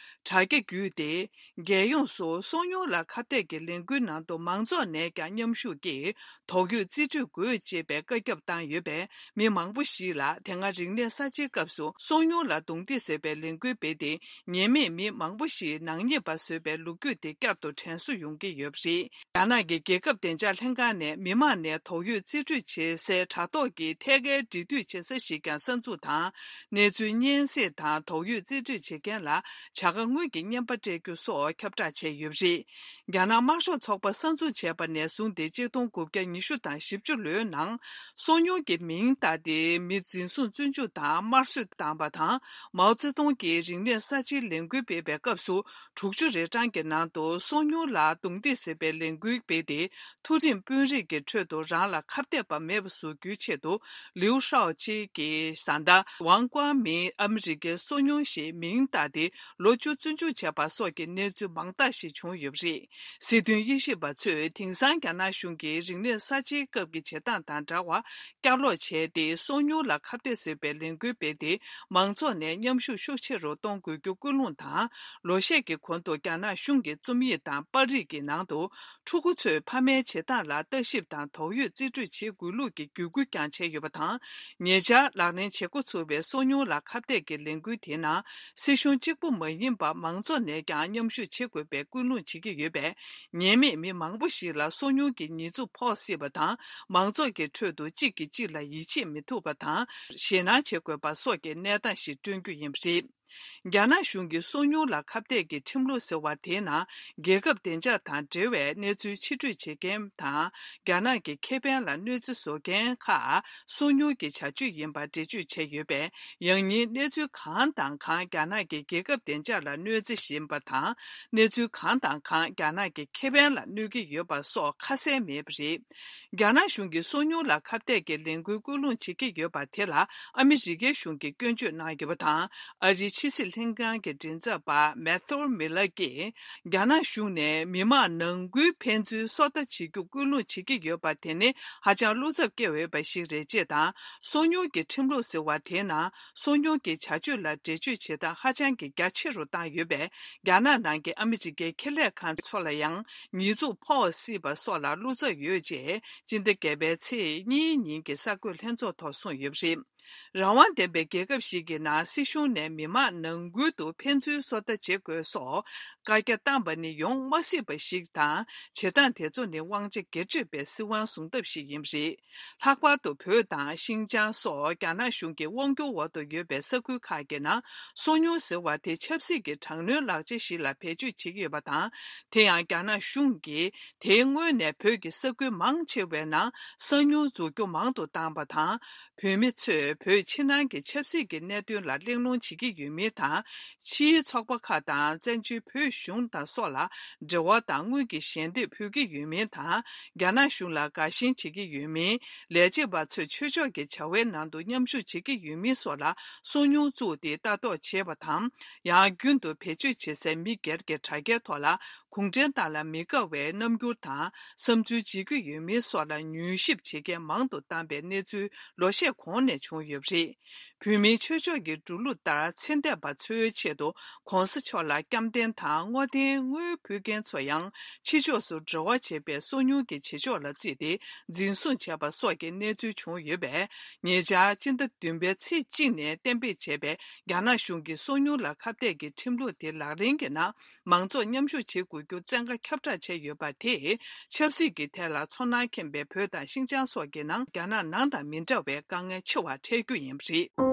དྲ་རྒྱ་བརྒྱུད་དེ། རྒྱལ་ཡོངས་སུ་སོ་ཉུལ་ལ་ཁ་གཏད་ཀྱི་ལས་འགུལ་ནང་དུ་མང་ཚོགས་ནས་ཀྱང་མཉམ་ཞུགས་ཀྱིས་དོགས་ཡོད་རྩིས་སྤྲོད་དགོས་ཅེས་པའི་བཀའ་ཁྱབ་བཏང་ཡོད་པས། མི་མང་པོ་ཞིག་ལ་དེ་སྔ་རིག་གནས་གསར་བརྗེའི་སྐབས་སུ་སོ་ཉུལ་ལ་རྡུང་རྡེག་བཟོས་པའི་ལས་འགུལ་སྤེལ་ཏེ། ཉེས་མེད་མི་མང་པོ་ཞིག་ནག་ཉེས་པ་བཟོས་པའི་ལོ་རྒྱུས་དེ་བསྐྱར་དུ་དྲན་གསོ་ཡོང་གི་ཡོད་པ་རེད། རྒྱ་ནག་གི་རྒྱལ་ཁབ་བདེ་འཇགས་ལྷན་ཁང་ནས་མི་མང་ནས་དོགས་ཡོད་རྩིས་སྤྲོད་བྱེད་སའི་དྲ་ཐོག་གི་ཐད་ཀའི་འབྲེལ་མཐུད་བྱེད་ས་ཞིག་ཀྱང་གསར་ འཛུགས་དང་། གནས་ཚུལ་སྙན་སེང་དང་དོགས་ཡོད་རྩིས་སྤྲོད་བྱེད་མཁན་ལ་བྱ་དགའ་དངུལ་གྱི་རྔན་པ་སྤྲད་རྒྱུ་སོགས་ཁྱབ་བསྒྲགས་བྱས་ཡོད་པ་རེད། རྒྱ་ནག་དམར་ཤོག་ཚོགས་པ་གསར་འཛུགས་བྱས་པ་ནས་བཟུང་སྟེ་ཆིག་སྟོང་དགུ་བརྒྱ་ཉི་ཤུ་དང་བཞི་བཅུ་ལོའི་ནང་། སོ་ཉུལ་གྱི་མིང་བཏགས་ཏེ་མི་འཛིན་བཟུང་བཙོན་འཇུག་དང་དམར་གསོད་བཏང་བ་དང་། མའོ་ཙེ་ཏུང་གིས་རིང་ནས་གསར་བརྗེའི་ལས་འགུལ་སྤེལ་བའི་སྐབས་སུ། དྲུག་ཅུ་རེ་གྲངས་ཀྱི་ནང་དུ་སོ་ཉུལ་ལ་རྡུང་རྡེག་བྱེད་པའི་ལས་འགུལ་སྤེལ་ཏེ། མཐོ་རིམ་དཔོན་རིགས་ཀྱི་ཁྲོད་དུ་རང་ལ་ཁ་གཏད་པ་མེད་པ་བཟོ་རྒྱུའི་ཆེད་དུ། ལིའུ་ཧྲའོ་ཅི་གིས་བཟའ་ཟླ་ཝང་ཀོ་མིན་ཨ་མི་རི་ཀའི་སོ་ཉུལ་ཞེས་མིང་བཏགས་ཏེ་ལོ་བཅུ་བཙོན་འཇུག་བྱས་པ་སོགས་ཀྱི་གནས་ཚུལ་མང་དག་ཞིག་བྱུང་ཡོད་པ་རེད། སྲིད་དོན་དབྱེ་ཞིབ་པ་ཚོས་དེང་སང་རྒྱ་ནག་གཞུང་གིས་རིང་ནས་གསར་བརྗེའི་སྐབས་ཀྱི་བྱེད་སྟངས་དང་འདྲ་བར་བསྐྱར་ལོག་བྱས་ཏེ། སོ་ཉུལ་ལ་ཁ་གཏད་བཟོས་པའི་ལས་འགུལ་སྤེལ་ཏེ། མང་ཚོགས་ནས་མཉམ་ཞུགས་ཤུགས་ཆེ་རུ་གཏོང་དགོས་རྒྱུ་སྐུལ་སློང་དང་། ལོ་ཤས་ཀྱི་གོང་དུ་རྒྱ་ནག་གཞུང་གི་རྩོམ་ཡིག་དང་པར་རིས་ཀྱི་ནང་དུ། ཕྲུ་གུ་ཚོས་ཕ་མའི་བྱེད་སྟངས་ལ་ལྟ་ཞིབ་དང་དོགས་ཡོད་རྩིས་སྤྲོད་བྱེད་དགོས་ལུགས་ཀྱི་བརྒྱུད་སྐུལ་ཀྱང་བྱས་ཡོད་པ་དང་། ཉེ་ཆར་ལག་ལེན་བྱེད་འགོ་ཚུགས་པའི་སོ་ཉུལ་ལ་ཁ་གཏད་ཀྱི་ལས་འགུལ་དེའི་ནང་། སྲིད་གཞུང་གཅིག་པུ་མ་ཡིན་པར་མང་ཚོགས་ནས་ཀྱང་མཉམ་ཞུགས་བྱེད་དགོས་པའི་སྐུལ་སློང་བྱེད་ཀྱི་ཡོད་པས། ཉེས་མེད་མི་མང་པོ་ཞིག་ལ་སོ་ཉུལ་གྱི་ཉེས་འཛུགས་ཕོག་སྲིད་པ་དང་། མང་ཚོགས་ཀྱི་ཁྲོད་དུ་གཅིག་གིས་གཅིག་ལ་ཡིད་ཆེས་མི་ཐུབ་པ་དང་། ཞེད་སྣང་བྱེད་དགོས་པ་སོགས་ཀྱི་གནས་སྟངས་ཤིག་བསྐྲུན་རྒྱུ་ཡིན་པ་རེད། རྒྱ་ནག་གཞུང་གིས་སོ་ཉུལ་ལ་ཁ་གཏད་ཀྱི་ཁྲིམས་ལུགས་ཟེར་བ་དེའི་ནང་། རྒྱལ་ཁབ་བདེ་འཇགས་དང་འབྲེལ་བའི་གནས་ཚུལ་ཕྱི་སྤྲོད་བྱེད་མཁན་དང་། རྒྱ་ནག་གི་ཁེ་ཕན་ལ་གནོད་འཚེ་བཟོ་མཁན་ཁག་སོ་ཉུལ་གྱི་བྱ་སྤྱོད་ཡིན་པར་འགྲེལ་བརྗོད་བྱས་ཡོད་པས། ཡང་སྙིང་གནས་ཚུལ་གང་དང་གང་རྒྱ་ནག་གི་རྒྱལ་ཁབ་བདེ་འཇགས་ལ་གནོད་འཚེ་བཞིན་པ་དང་། གནས་ཚུལ་གང་དང་གང་རྒྱ་ནག་གི་ཁེ་ཕན་ལ་གནོད་ཀྱི་ཡོད་པ་སོགས་ཁ་གསལ་མེད་པ་རེད། རྒྱ་ནག་གཞུང་གིས་སོ་ཉུལ་ལ་ཁ་གཏད་ཀྱི་ལས་འགུལ་སྐུལ་སློང་བྱེད་ཀྱི་ཡོད་པ་དེ་ལ་ཨ་མི་རི་ཀའི་གཞུང་གིས་སྐྱོན་བརྗོད་གནང་ཡོད་པ་དང་། ཨ་རིའི་ཕྱི་སྲིད་ལྷན་ཁང་གི་མགྲིན་ཚབ་པ་མེ་ཐོར་མི་ལར་གྱིས། རྒྱ་ནག་གཞུང་ནས་མི་དམངས་ནང་ཁུལ་ཕན་ཚུན་སོ་ལྟ་བྱེད་རྒྱུ་སྐུལ་སློང་བྱེད་ཀྱི་ཡོད་པ་དེ་ནི་ཧ་ཅང་བློ་འཚབ་སྐྱེ་འོས་པ་ཞིག་རེད་ཅེས་དང་། སོ་ཉུལ་གྱི་ཁྲིམས་ལུགས་ཟེར་བ་དེའི་ནང་སོ་ཉུལ་གྱི་བྱ་སྤྱོད་ལ་འགྲེལ་བརྗོད་བྱེད་སྟངས་ཧ་ཅང་གི་རྒྱ་ཆེ་རུ་བཏང་ཡོད་པས། རྒྱ་ནག་ནང་གི་ཨ་མི་རི་ཀའི་ཁེ་ལས་ཁང་ཚོ་ལ་ཡང་ཉེས་འཛུགས་ཕོག་སྲིད་པ་སོགས་ལ་བློ་འཚབ་ཡོད་ཅེས་སྤྱི་ཟླ་བརྒྱད་པའི་ཚེས་གཉིས་ཉིན་གྱི་གསར་འགོད་ལྷན་ཚོགས་ཐོག་གསུངས་ཡོད་པ་རེད། རང་དབང་ལྡན་པའི་རྒྱལ་ཁབ་ཞིག་གི་ནང་སྲིད་གཞུང་ནས་མི་དམངས་ནང་ཁུལ་དུ་ཕན་ཚུན་སོ་ལྟ་བྱེད་དགོས་སོགས་བཀའ་རྒྱ་བཏང་པ་ནི་ཡོང་མ་སྲིད་པ་ཞིག་དང་། བྱེད་སྟངས་དེ་ཚོ་ནི་དབང་ཆ་སྒེར་གཅོད་པའི་སྲིད་དབང་བཟུང་ཐབས་ཤིག་ཡིན་པ་རེད། ལྷག་པར་དུ་བོད་དང་ཤིན་ཅང་སོགས་རྒྱ་ནག་གཞུང་གི་དབང་སྒྱུར་འོག་ཏུ་ཡོད་པའི་ས་ཁུལ་ཁག་གི་ནང་སོ་ཉུལ་ཟེར་བ་དེ་ཆབ་སྲིད་ཀྱི་དྲག་གནོན་ལག་ཆ་ཞིག་ལ་བེད་སྤྱོད་བྱེད་ཀྱི་ཡོད་པ་དང་། དེ་ཡང་རྒྱ་ནག་གཞུང་གིས་དེའི་སྔོན་ནས་བོད་ཀྱི་ས་ཁུལ་མང་ཆེ་བའི་ནང་གསང་ཉུལ་འཛུགས་རྒྱུ་མང་དུ་བཏང་བ་དང་། བོད་མི་ཚོས་བོད་ཕྱི་ནང་གི་ཆབ་སྲིད་ཀྱི་གནད་དོན་ལ་གླེང་སློང་བྱེད་ཀྱི་ཡོད་མིན་དང་། ཕྱིའི་ཚོགས་པ་ཁག་དང་བཙན་བྱོལ་བོད་གཞུང་དང་སོགས་ལ་འབྲེལ་བ་དང་དངུལ་གྱི་ཞལ་འདེབས་ཕུལ་གྱི་ཡོད་མིན་དང་། རྒྱ་ནག་གཞུང་ལ་དགའ་ཞེན་བྱེད་ཀྱི་ཡོད་མིན། ལས་བྱེད་པ་ཚོས་ཆོས་ཕྱོགས་ཀྱི་བྱ་བའི་ནང་དུ་མཉམ་ཞུགས་བྱེད་ཀྱི་ཡོད་མིན་སོགས་ལ་སོ་ཉུལ་བཙུགས་ཏེ་ལྟ་རྟོག་བྱེད་པ་དང་། ཡང་རྒྱུན་དུ་བེད་སྤྱོད་བྱེད་སའི་མི་སྒེར་གྱི་དྲ་རྒྱའི་ཐོག་ལ་གུང་ཁྲན་ཏང་ལ་མི་དགའ་བའི་རྣམ་འགྱུར་དང་བསམ་ཚུལ་འབྱེད་ཀྱི་ཡོད་མིན་སོགས་ལ་མྱུལ་ཞིབ་བྱེད་མཁན་མང་དུ་བཏང་པའི་གནས་ཚུལ་ལོ་ཤས་གོང་ནས་བྱུང་ཡོད་པ་རེད། བོད་མིའི་ཆོས་ཕྱོགས་ཀྱི་འགྲོ་ལུགས་ལྟར་ཚེ་འདས་པ་ཚོའི་ཆེད་དུ་༧གོང་ས་མཆོག་ལ་བསྐྱར་དྲན་དང་བསྔོ་རྟེན་དངུལ་ཕུལ་མཁན་ཚོ་ཡང་ཕྱི་ཕྱོགས་སུ་འབྲེལ་བ་བྱེད་པའི་སོ་ཉུལ་གྱི་བྱེད་ཕྱོགས་ལ་བརྩིས་ཏེ་འཛིན་བཟུང་བྱས་པ་སོགས་ཀྱི་གནས་ཚུལ་བྱུང་ཡོད་པས། ཉེ་ཆར་སྤྱི་ཟླ་བདུན་པའི་ཚེས་གཅིག་ནས་གཏན་འབེབས་བྱས་པའི་རྒྱ་ནག་གཞུང་གིས་སོ་ཉུལ་ལ་ཁ་གཏད་ཀྱི་ཁྲིམས་ལུགས་དེ་ལག་ལེན་གྱི་ནང་མང་ཚོགས་མཉམ་ཞུགས་བྱེད་དགོས་རྒྱུ་བཙན་བཀའ་ཁྱབ་བསྒྲགས་བྱས་ཡོད་པ་དེས་ཆབ་སྲིད་ཀྱི་ཐད་ལ་ཚོར་སྣང་མཁྱེན་པའི་བོད་དང་ཤིན་ཅང་སོགས་ཀྱི་ནང་རྒྱ་ནག་ནང་དང་མི་འདྲ་བའི་དཀའ་ངལ་ཆེ་བ་འཕྲད་རྒྱུ་ཡིན་པ་རེད།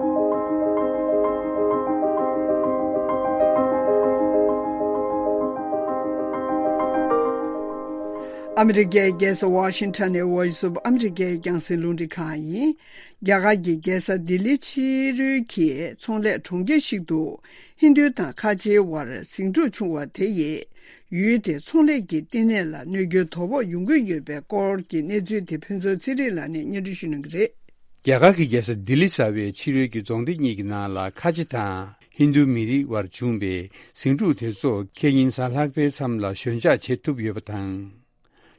ཨ་མི་རི་ཀའི་རྒྱལ་ས་ཝ་ཤིང་ཊོན་ནས་Voice of America་རྒྱང་སྲིང་རླུང་འཕྲིན་ཁང་ཡིན། རྒྱ་གར་གྱི་རྒྱལ་ས་ལྡི་ལི་ཕྱི་རོལ་གྱི་ཚོང་ལས་གྲོང་ཁྱེར་ཞིག་ཏུ་ཧིན་རྡུ་དང་ཁ་ཆེའི་དབར་ཟིང་འཁྲུག་བྱུང་བ་དེ་ཡིས་ཡུལ་དེའི་ཚོང་ལས་ཀྱི་བསྟི་གནས་ལ་གནོད་སྐྱོན་དོ་ཕོག་ཡོང་གི་ཡོད་པའི་སྐོར་གྱི་གནས་ཚུལ་དེ་ཕུན་ཚོགས་ཚེ་རིང་ལགས་ནས་སྙན་སྒྲོན་ཞུ་གནང་གི་རེད། རྒྱ་གར་གྱི་རྒྱལ་ས་ལྡི་ལི་གསར་པའི་ཕྱི་རོལ་གྱི་རྫོང་སྡེ་གཉིས་ཀྱི་ནང་ལ་ཁ་ཆེ་དང་ཧིན་རྡུ་མི་རིགས་དབར་བྱུང་བའི་ཟིང་འཁྲུག་དེ་ཚོ་ཁེ་ཉིན་གཟའ་ལྷག་པའི་མཚམས་ལ་ཞོད་འཇགས་བྱེད་ཐུབ་ཡོད་པ་དང་།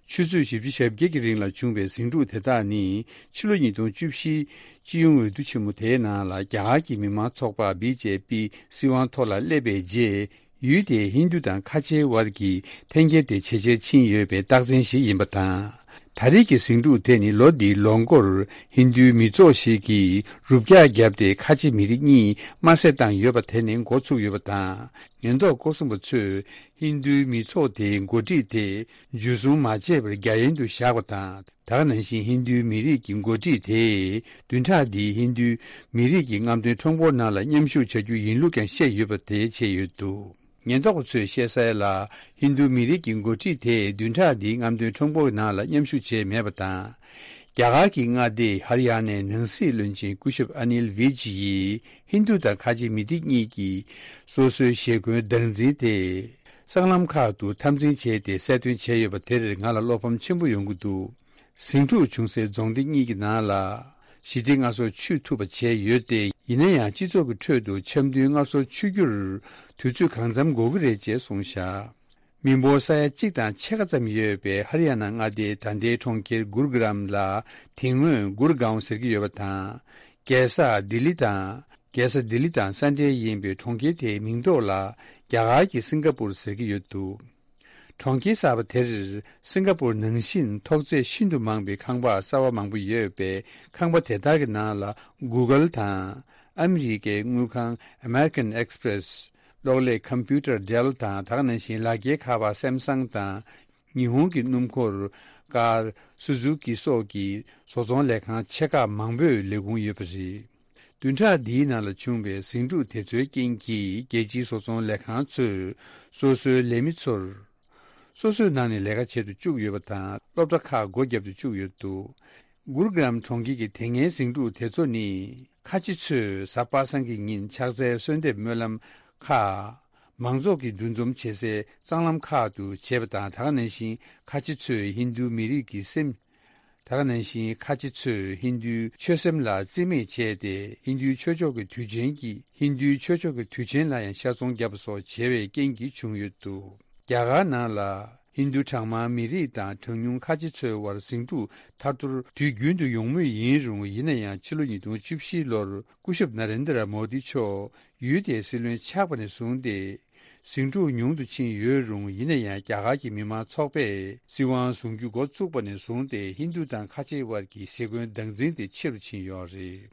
ཆུ་ཚོད་བཞི་བཅུ་ཞེ་བརྒྱད་ཀྱི་རིང་ལ་བྱུང་བའི་ཟིང་འཁྲུག་དེ་དག་ནི་ཕྱི་ལོ་ཉིས་སྟོང་བཅུ་བཞི་སྤྱི་ཡོངས་འོས་བསྡུ་ཆེན་མོ་དེའི་ནང་ལ་རྒྱ་གར་གྱི་མི་དམངས་ཚོགས་པ་བི་ཇེ་པི་སྲིད་དབང་ཐོག་ལ་སླེབས་པའི་རྗེས། ཡུལ་དེའི་ཧིན་རྡུ་དང་ཁ་ཆེའི་དབར་གྱི་འཐེན་འཁྱེར་དེ་ཇེ་ཆེར་ཕྱིན་ཡོད་པའི་རྟགས་མཚན་ཞིག་ཡིན་པ་དང་། ད་རེས་ཀྱི་ཟིང་འཁྲུག་དེ་ནི་ལོ་འདིའི་ལོ་འགོར་ཧིན་རྡུའི་མི་ཚོགས་ཤིག་གིས་རུབ་རྒྱག་བརྒྱབ་སྟེ་ཁ་ཆེ་མི་རིགས་གཉིས་དམར་གསོད་བཏང་ཡོད་པ་དེ་ནས་འགོ་ཚུགས་ཡོད་པ་དང་། ཉེན་རྟོག་སྐོར་སྲུང་པ་ཚོས་ཧིན་རྡུའི་མི་ཚོགས་དེའི་འགོ་ཁྲིད་དེ་འཇུ་བཟུང་མ་བྱས་པར་རྒྱ་ཡན་དུ་བཞག་པ་དང་། ད་ག་ནང་བཞིན་ཧིན་རྡུའི་མི་རིགས་ཀྱི་འགོ་ཁྲིད་དེས་བདུན་ཕྲག་འདིའི་ཧིན་རྡུའི་མི་རིགས་ཀྱི་རྔམ་སྟོན་ཁྲོམ་སྐོར་ནང་ལ་མཉམ་ཞུགས་བྱ་རྒྱུ་ཡིན་ལུགས་ཀྱང་བཤད་ཡོད་པ་དེ་བྱས་ཡོད་འདུག་ཉེན་རྟོག་པ་ཚོས་བཤད་གསལ་ལ། ཧིན་རྡུ་མི་རིགས་ཀྱི་འགོ་ཁྲིད་དེས་བདུན་ཕྲག་འདིའི་རྔམ་སྟོན་ཁྲོམ་སྐོར་ནང་ལ་མཉམ་ཞུགས་བྱས་མེད་པ་དང་། རྒྱ་གར་གྱི་མངའ་སྡེ་ཧར་ཡ་ནའི་ནང་སྲིད་བློན་ཆེན་སྐུ་ཞབས་ཨ་ནིལ་བྷིཇ་ཡིས་ཧིན་རྡུ་དང་ཁ་ཆེ་མི་སྡེ་གཉིས་ཀྱིས་སོ་སོའི་ཞེ་འཁོན་སྡང་འཛིན་དེ་སྲང་ལམ་ཁག་ཏུ་འཐབ་འཛིང་བྱས་ཏེ་གསལ་སྟོན་བྱས་ཡོད་པ་དེར་ང་ལ་བློ་ཕམ་ཆེན་པོ་ཡོང་གི་འདུག་ཟིང་འཁྲུག་བྱུང་སའི་རྫོང་སྡེ་གཉིས་ཀྱི་ནང་ལ་ཞི་བདེ་སྔར་སྲོག་ཆུད་ཐུབ་པ་བྱས་ཡོད་དེ། ཡིན་ན་ཡང་སྤྱི་ཚོགས་ཀྱི་ཁྲོད་དུ་འཆམ་མཐུན་སྔར་སྲོག་ཆུད་རྒྱུར་དུས་ཚོད་གང་འཚམ་འགོར་གྱི་རེད་ཅེས་གསུངས་བཞག་མི་འབོར་ས་ཡ་གཅིག་དང་ཕྱེད་ཀ་ཙམ་ཡོད་པའི་ཧར་ཡ་ན་མངའ་སྡེའི་ད་ལྟའི་གྲོང་ཁྱེར་གུར་གྷ་རམ་ལ་དེ་སྔོན་གུར་གའོན་ཟེར་གྱི་ཡོད་པ་དང་། རྒྱལ་ས་ལྡི་ལི་དང་། རྒྱལ་ས་ལྡི་ལི་དང་ས་འབྲེལ་ཡིན་པའི་གྲོང་ཁྱེར་དེའི་མིང་ཐོག་ལ་རྒྱ་གར་གྱི་སིང་ག་པུར་ཟེར་གྱི་ཡོད་འདུག་གྲོང་ཁྱེར་གསར་པ་དེར་སིང་ག་པུར་ནང་བཞིན་ཐོག་ཚད་ཤིན་ཏུ་མང་པའི་ཁང་པ་གསར་བ་མང་པོ་ཡོད་པས། ཁང་པ་དེ་དག་གི་ནང་ལ་Google དང་ཨ་མི་རི་ཀའི་དངུལ་ཁང་American Express། གློག་ཀླད་Computer Dell དང་། ད་ག་ནང་བཞིན་ལག་འཁྱེར་ཁ་པར་Samsung དང་། ཉི་ཧོང་གི་སྣུམ་འཁོར་ཀར་Suzuki སོགས་ཀྱི་བཟོ་ཚོང་ལས་ཁང་ཆེ་ཁག་མང་པོས་ལས་ཁུངས་ཡོད་པ་རེད། བདུན་ཕྲག་འདིའི་ནང་ལ་བྱུང་བའི་ཟིང་འཁྲུག་དེ་ཚོའི་རྐྱེན་གྱིས་རྒྱལ་སྤྱིའི་བཟོ་ཚོང་ལས་ཁང་ཚོས་སོ་སོའི་ལས་མི་ཚོར་སོ་སོའི་ནང་ནས་ལས་ཀ་བྱེད་དུ་བཅུག་ཡོད་པ་དང་། སློབ་གྲྭ་ཁག་སྒོ་བརྒྱབ་ཏུ་བཅུག་ཡོད་འདུག་གུར་གྷ་རམ་གྲོང་ཁྱེར་གྱི་དེ་སྔའི་ཟིང་འཁྲུག་དེ་ཚོ་ནི་ཁ་ཆེ་ཚོས་གཟའ་པ་སངས་ཀྱི་ཉིན་ཕྱག་འཚལ་གསོལ་འདེབས་སྨོན་ལམ་ཁག་མང་ཚོགས་ཀྱིས་འདུ་འཛོམས་བྱེད་སའི་སྲང་ལམ་ཁག་ཏུ་བྱས་པ་དང་། ད་ག་ནང་བཞིན་ཁ་ཆེ་ཚོས་ཧིན་རྡུ་མི་རིགས་ཀྱི་སེམས། ད་ག་ནང་བཞིན་ཁ་ཆེ་ཚོས་ཧིན་རྡུའི་ཆོས་སེམས་ལ་རྩིས་མེད་བྱས་ཏེ། ཧིན་རྡུའི་ཆོས་ཕྱོགས་ཀྱི་དུས་ཆེན་གྱི་ཧིན་རྡུའི་ཆོས་ཕྱོགས་ཀྱི་དུས་ཆེན་ལ་ཡང་ཤ་ཚོང་བརྒྱབ་པ་སོགས་བྱས་པའི་རྐྱེན་གྱིས་བྱུང་ཡོད་འདུག་རྒྱ་གར་ནང་ལ་ཧིན་རྡུ་གྲངས་མང་མི་རིགས་དང་གྲངས་ཉུང་ཁ་ཆེ་ཚོའི་དབར་ཟིང་འཁྲུག་ཐར་ཐོར་དུས་རྒྱུན་དུ་ཡོང་མུས་ཡིན་རུང་། ཡིན་ན་ཡང་ཕྱི་ལོ་ཉིས་སྟོང་བཅུ་བཞི་ལོར་སྐུ་ཞབས་ན་རེན་དྲ་མོ་དི་མཆོག་ཡུལ་དེའི་སྲིད་བློན་ཆགས་པ་ནས་བཟུང་སྟེ། ཟིང་འཁྲུག་ཉུང་དུ་ཕྱིན་ཡོད་རུང་། ཡིན་ན་ཡང་རྒྱ་གར་གྱི་མི་དམངས་ཚོགས་པས་སྲིད་དབང་བཟུང་རྒྱུ་འགོ་བཙུགས་པ་ནས་བཟུང་སྟེ། ཧིན་རྡུ་དང་ཁ་ཆེ་དབར་གྱི་ཞེ་འཁོན་སྡང་འཛིན་དེ་ཆེ་རུ་ཕྱིན་ཡོད་རེད།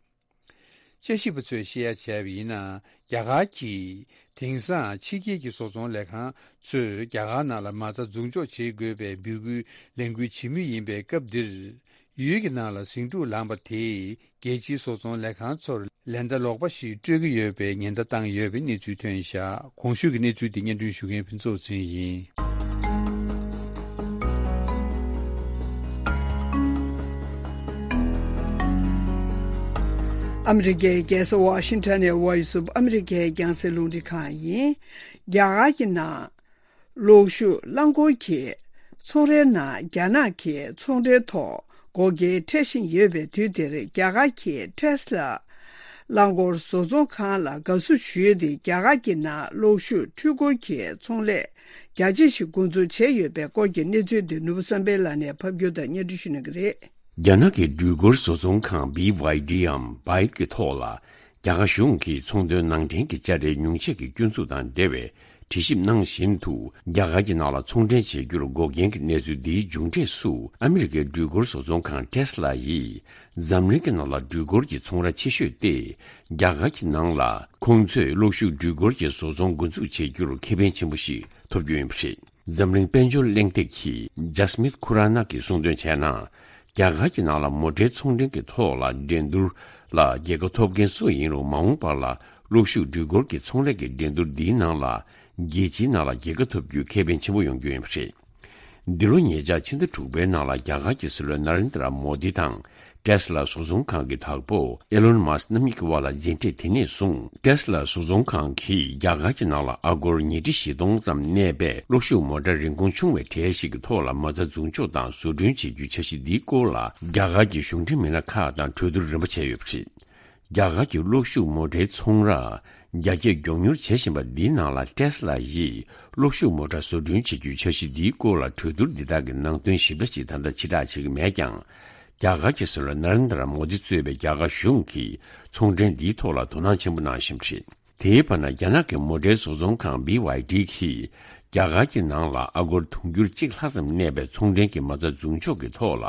དཔྱད་ཞིབ་པ་ཚོས་བཤད་ཡ་བྱས་པ་ཡིན་ན། རྒྱ་གར་གྱིས་དེང་སང་ཕྱི་རྒྱལ་གྱི་བཟོ་ཚོང་ལས་ཁང་ཚོས་རྒྱ་གར་ནང་ལ་མ་རྩ་འཛུགས་འཇོག་བྱེད་དགོས་པའི་འབོད་སྐུལ་ལས་འགུལ་བྱེད་མུས་ཡིན་པའི་སྐབས་འདིར། ཡུལ་གྱི་ནང་ལ་ཟིང་འཁྲུག་ལངས་པ་དེས་རྒྱལ་སྤྱིའི་བཟོ་ཚོང་ལས་ཁང་ཚོར་ལན་བརྡ་ལོག་པ་ཞིག་སྤྲོད་ཀྱི་ཡོད་པའི་ཉེན་བརྡ་བཏང་ཡོད་པའི་གནས་ཚུལ་ཐོན་བཞག་གོང་ཞུས་ཀྱི་གནས་ཚུལ་དེ་སྙན་སྒྲོན་ཞུ་མཁན་ཕུན་ཚོགས་ཚེ་རིང་ཡིན། ཨ་མི་རི་ཀའི་རྒྱལ་ས་ཝ་ཤིང་ཊོན་ནས་Voice of America ཡི་རྒྱང་སྲིང་རླུང་འཕྲིན་ཁང་ཡིན། རྒྱ་གར་གྱི་ནང་གློག་ཤུགས་རླངས་འཁོར་གྱི་ཚོང་རའི་ནང་རྒྱ་ནག་གི་ཚོང་འབྲེལ་ཐོག་འགོག་རྐྱེན་འཕྲད་བཞིན་ཡོད་པའི་དུས་འདིར། རྒྱ་གར་གྱི་ཊེ་སི་ལ་རླངས་འཁོར་བཟོ་ཚོང་ཁང་ལ་དགའ་བསུ་ཞུས་ཏེ། རྒྱ་གར་གྱི་ནང་གློག་ཤུགས་འཕྲུལ་འཁོར་གྱི་ཚོང་ལས་རྒྱ་ཆེ་ཞིག་འགོ་འཛུགས་བྱས་ཡོད་པའི་སྐོར་གྱི་གནས་ཚུལ་འདི་ནོར་བུ་བསམ་འཕེལ་ལགས་ནས་ཕབ་སྒྱུར་དང་སྙན་སྒྲོན་ཞུ་གནང་གི་རེད། རྒྱ་ནག་གི་འགྲུལ་འཁོར་བཟོ་ཚོང་ཁང་བྷི་ཝའི་ཌི་འམ་བྷའི་ཌི་གི་ཐོག་ལ། རྒྱ་གར་གཞུང་གིས་ཚོང་དོན་ནང་འདྲེན་གྱི་དཔྱ་ཁྲལ་ཉུང་ཆད་ཀྱི་སྐྱོན་འཛུགས་དང་འབྲེལ་བའི་དྲི་ཞིབ་གནང་བཞིན་དུ། རྒྱ་གར་གྱི་ནང་ལ་ཚོང་འབྲེལ་བྱེད་རྒྱུར་འགོག་རྐྱེན་གྱི་གནས་ཚུལ་འདིའི་མཇུག་འབྲས་སུ། ཨ་མི་རི་ཀའི་འགྲུལ་འཁོར་བཟོ་ཚོང་ཁང་ཊེ་སི་ལ་ཡིས་འཛམ་གླིང་གི་ནང་ལ་འགྲུལ་འཁོར་གྱི་ཚོང་ར་ཆེ་ཤོས་ཏེ། རྒྱ་གར་གྱི་ནང་ལ་ཁོང་ཚོས་གློག་ཤུགས་འགྲུལ་འཁོར་གྱི་བཟོ་ཚོང་འགོ་འཛུགས་བྱེད་རྒྱུར་ཁེ་ཕན་ཆེན་པོ་ཞིག་ཐོབ་རྒྱུ་ཡིན་པ་རེད། འཛམ་གླིང་དཔལ་འབྱོར་གླེང་སྟེགས་ཀྱི་ཇཱ་སི་མིད་ཁུ་ར་ན་གིས་གསུངས་དོན་བྱས་ན། རྒྱ་གར་གྱི་ནང་ལ་མོ་ཊའི་ཚོང་འབྲེལ་གྱི་ཐོག་ལ་འགྲན་བསྡུར་ལ་རྒྱལ་ཁ་ཐོབ་མཁན་སུ་ཡིན་རུང་། མ་འོངས་པར་ལ་གློག་ཤུགས་འགྲུལ་འཁོར་གྱི་ཚོང་ལས་ཀྱི་འགྲན་བསྡུར་འདིའི་ནང་ལ་རྒྱལ་སྤྱིའི་ནང་ལ་རྒྱལ་ཁ་ཐོབ་རྒྱུའི་ཁེ་ཕན་ཆེན་པོ་ཡོང་རྒྱུ་ཡིན་པ་རེད། འདི་ལོ་ཉེ་ཆར་ཕྱི་ཟླ་དྲུག་པའི་ནང་ལ་རྒྱ་གར་གྱི་སྲིད་བློན་ན་རེན་དྲ་མོ་དི་དང་། ཊེ་སི་ལ་བཟོ་ཚོང་ཁང་གི་བདག་པོ་ཨེ་ལོན་མཱ་སི་རྣམ་གཉིས་ཀྱི་དབར་ལ་མཇལ་འཕྲད་དེ་ནས་བཟུང་། ཊེ་སི་ལ་བཟོ་ཚོང་ཁང་གིས་རྒྱ་གར་གྱི་ནང་ལ་ཨ་སྒོར་ཉིས་ཁྲི་བཞི་སྟོང་ཙམ་གནས་པའི་གློག་ཤུགས་མོ་ཊ་རིན་གོང་ཆུང་བའི་གྲས་ཤིག་གི་ཐོག་ལ་མ་རྩ་འཛུགས་འཇོག་དང་བཟོ་སྐྲུན་བྱེད་རྒྱུའི་འཆར་གཞི་འདིའི་སྐོར་ལ། རྒྱ་གར་གྱི་གཞུང་འབྲེལ་མི་སྣ་ཁག་དང་གྲོས་བསྡུར་རིམ་པ་བྱས་ཡོད་པ་རེད། རྒྱ་གར་གྱི་གློག་ཤུགས་མོ་ཊའི་ཚོང་ར་རྒྱ་སྐྱེད་མགྱོགས་མྱུར་བྱེད་བཞིན་པ་འདིའི་ནང་ལ། ཊེ་སི་ལ་ཡིས་གློག་ཤུགས་མོ་ཊ་བཟོ་སྐྲུན་བྱེད་རྒྱུའི་འཆར་གཞི་འདིའི་སྐོར་ལ་གྲོས་བསྡུར་འདི་དག་གི་ནང་དོན་ཞིབ་ཕྲ་ཞིག་ད་ལྟ་ཕྱིར་བསྒྲགས་བྱེད་ཀྱི་མེད་ཀྱང་། རྒྱ་གར་གྱི་སྲིད་བློན་ན་རེན་དྲ་མོ་དི་གཙོས་པའི་རྒྱ་གར་གཞུང་གིས་ཚོང་འབྲེལ་འདིའི་ཐོག་ལ་དོ་སྣང་ཆེན་པོ་གནང་བཞིན་པ་རེད། དེའི་བར་ན། རྒྱ་ནག་གི་མོ་ཊའི་བཟོ་ཚོང་ཁང་བྷི་ཝའི་ཌི་གིས། རྒྱ་ རྒྱ་གར་གྱི་ནང་ལ་ཨ་སྒོར་དུང་ཕྱུར་གཅིག་ལྷག་ཙམ་གནས་པའི་ཚོང་འབྲེལ་གྱི་མ་རྩ་འཛུགས་འཇོག་གི་ཐོག་ལ་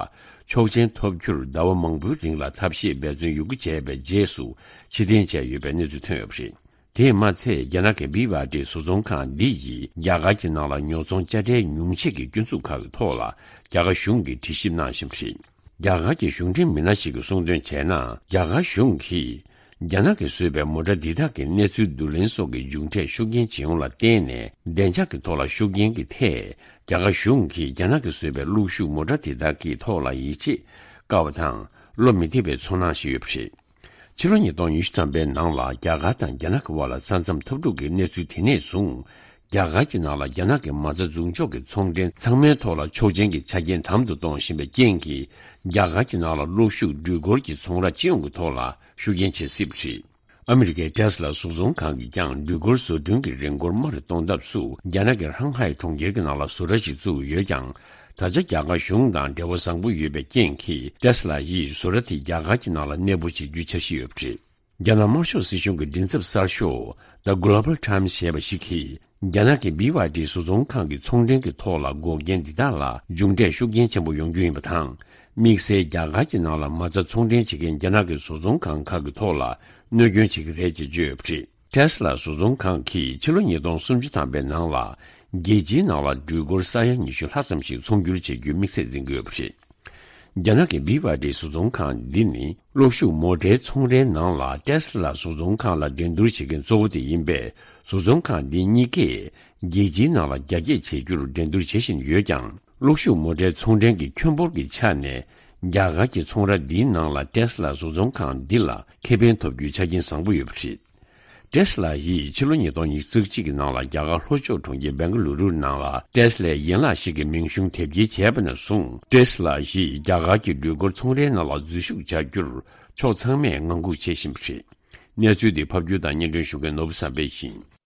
ཆོག་མཆན་ཐོབ་རྒྱུར་ཟླ་བ་མང་པོའི་རིང་ལ་ཐབས་ཤེས་འབད་བརྩོན་ཡོད་རྒུ་བྱས་པའི་རྗེས་སུ་ཕྱིར་འཐེན་བྱས་ཡོད་པའི་གནས་ཚུལ་ཐོན་ཡོད་པ་རེད། དེས་མ་ཚད། རྒྱ་ནག་གི་བི་ཝ་ཌི་བཟོ་ཚོང་ཁང་འདི་ཡིས་རྒྱ་གར་གྱི་ནང་ལ་ཉོ་ཚོང་དཔྱ་ཁྲལ་ཉུང་ཆེ་གི་སྐྱོན་འཛུགས་ཁག་གི་ཐོག་ལ་རྒྱ་གར་གཞུང་གིས་དྲི་ཞིབ་གནང་བཞིན་པ་རེད། རྒྱ་གར་གྱི་གཞུང་འབྲེལ་མི་སྣ་ཞིག་གིས་གསུངས་དོན་བྱས་ན། རྒྱ་གར་གཞུང་གིས་རྒྱ་ནག་གིས་བཟོས་པའི་མོ་ཊ་འདི་དག་གི་གནས་ཚུལ་བསྡུ་ལེན་སོགས་ཀྱི་མཇུག་འབྲས་ཤུགས་རྐྱེན་བྱེད་ཡོང་ལ་བརྟེན་ནས། བདེ་འཇགས་ཀྱི་ཐོག་ལ་ཤུགས་རྐྱེན་གྱི་ཐད། རྒྱ་གར་གཞུང་གིས་རྒྱ་ནག་གིས་བཟོས་པའི་གློག་ཤུགས་མོ་ཊ་དེ་དག་གི་ཐོག་ལ་ཡིད་ཆེས་དཀའ་བ་དང་། བློ་མི་བདེ་བའི་ཚོར་སྣང་ཞིག་ཡོད་པ་རེད། ཕྱི་ལོ་ཉིས་སྟོང་ཉི་ཤུ་ཐམ་པའི་ནང་ལ་རྒྱ་གར་དང་རྒྱ་ནག་གི་དབར་ལ་ས་མཚམས་འཐབ་འཁྲུག་གི་གནས་ཚུལ་དེ་ནས་བཟུང་། རྒྱ་གར་གྱི་ནང་ལ་རྒྱ་ནག་གི་མ་རྩ་འཛུགས་འཇོག་གི་ཚོང་འབྲེལ་ཚང་མའི་ཐོག་ལ་ཆོག་མཆན་གྱི་ཆ་རྐྱེན་དམ་དུ་གཏོང་བཞིན་པའི་རྐྱེན་གྱིས། རྒྱ་གར་གྱི་ནང་ལ་གློག་ཤུགས་འགྲུལ་འཁོར་གྱི་ཚོང་ར་སྤྱི་ཡོངས་ཀྱི་ཐོག་ལ་ཤུགས་རྐྱེན་བྱེད་སྲིད་པ་རེད། ཨ་མི་རི་ཀའི་ཊེ་སི་ལ་བཟོ་ཚོང་ཁང་གིས་ཀྱང་འགྲུལ་འཁོར་བཟོ་སྐྲུན་གྱི་རིན་སྐོར་དམའ་རུ་གཏོང་ཐབས་སུ་རྒྱ་ནག་གི་ཧྲང་ཧའེ་གྲོང་ཁྱེར་གྱི་ནང་ལ་བཟོ་གྲྭ་ཞིག་བཙུགས་ཡོད་ཀྱང་། ད་ཆ་རྒྱ་གར་གཞུང་དང་འབྲེལ་བ་བཟང་པོ་ཡོད་པའི་རྐྱེན་གྱིས། ཊེ་སི་ལ་ཡིས་བཟོ་གྲྭ་དེ་རྒྱ་གར་གྱི་ནང་ལ་གནས་སྤོ་བྱེད་རྒྱུའི་འཆར་གཞི་ཡོད་པ་རེད། རྒྱ་ནག་དམར་ཤོག་སྲིད་གཞུང་གི་མགྲིན་ཚབ་གསར་ཤོག་The Global Times ཞེས་པ་ཞིག་གིས། རྒྱ་ནག་གི་བི་ཝ་ཌི་བཟོ་ཚོང་ཁང་གི་ཚོང་འབྲེལ་གྱི་ཐོག་ལ་འགོག་རྐྱེན་འདི་དག་ལ་མཇུག་འབྲས་ཤུགས་རྐྱེན་ཆེན་པོ་ཡོང་རྒྱུ་ཡིན་པ་དང་། དམིགས་བསལ་རྒྱ་གར་གྱི་ནང་ལ་མ་རྩ་ཚོང་འབྲེལ་བྱེད་མཁན་རྒྱ་ནག་གི་བཟོ་ཚོང་ཁང་ཁག་གི་ཐོག་ལ་གནོད་སྐྱོན་བྱེད་ཀྱི་རེད་ཅེས་བརྗོད་ཡོད་པ་རེད། ཊེ་སི་ལ་བཟོ་ཚོང་ཁང་གིས་ཕྱི་ལོ་ཉིས་སྟོང་སུམ་ཅུ་ཐམ་པའི་ནང་ལ། རྒྱལ་སྤྱིའི་ནང་ལ་འགྲུལ་འཁོར་ས་ཡ་ཉི་ཤུ་ལྷག་ཙམ་ཞིག་ཚོང་སྒྱུར་བྱེད་རྒྱུའི་དམིགས་ཚད་འཛིན་གྱི་ཡོད་པ་རེད། རྒྱ་ནག་གི་བི་ཝ་ཌི་བཟོ་ཚོང་ཁང་འདི་ནི། གློག་ཤུགས་མོ་ཊའི་ཚོང་རའི་ནང་ལ་ཊེ་སི་ལ་བཟོ་ཚོང་ཁང་ལ་འགྲན་བསྡུར་བྱེད་མཁན་གཙོ་བོ་དེ་ཡིན་པས། བཟོ་ཚོང་ཁང་འདི་གཉིས་ཀས་རྒྱལ་སྤྱིའི་ནང་ལ་རྒྱ་སྐྱེད་བྱེད་རྒྱུར་འགྲན་བསྡུར་བྱེད་བཞིན་ཡོད་ཀྱང་། གློག་ཤུགས་མོ་ཊའི་ཚོང་འབྲེལ་གྱི་ཁྱོན་འབོར་གྱི་ཆ་ནས། རྒྱ་གར་གྱི་ཚོང་ར་འདིའི་ནང་ལ་ཊེ་སི་ལ་བཟོ་ཚོང་ཁང་འདི་ལ་ཁེ་ཕན་ཐོབ་རྒྱུའི་ཆ་རྐྱེན་བཟང་པོ་ཡོད་པ་རེད། ཊེ་སི་ལ་ཡིས་ཕྱི་ལོ་ཉིས་སྟོང་ཉི་ཤུ་རྩ་གཅིག་གི་ནང་ལ་རྒྱ་གར་ལྷོ་ཕྱོགས་གྲོང་ཁྱེར་བེང་ཀ་ལུ་རུ་ནང་ལ་ཊེ་སི་ལའི་ཡན་ལག་ཞིག་གི་མིང་གཞུང་དེབ་སྐྱེལ་བྱས་པ་ནས་བཟུང་། ཊེ་སི་ལ་ཡིས་རྒྱ་གར་གྱི་འགྲུལ་འཁོར་ཚོང་རའི་ནང་ལ་འཛུལ་ཞུགས་བྱ་རྒྱུར་ཕྱོགས་ཚང་མས་ངང་སྒུག་བྱེད་བཞིན་པ་རེད། གནས་ཚུལ་འདི་ཕབ་སྒྱུར་དང་སྙན་སྒྲོན་ཞུ་མཁན་ནོར་བུ་བསམ་འཕེལ་ཡིན།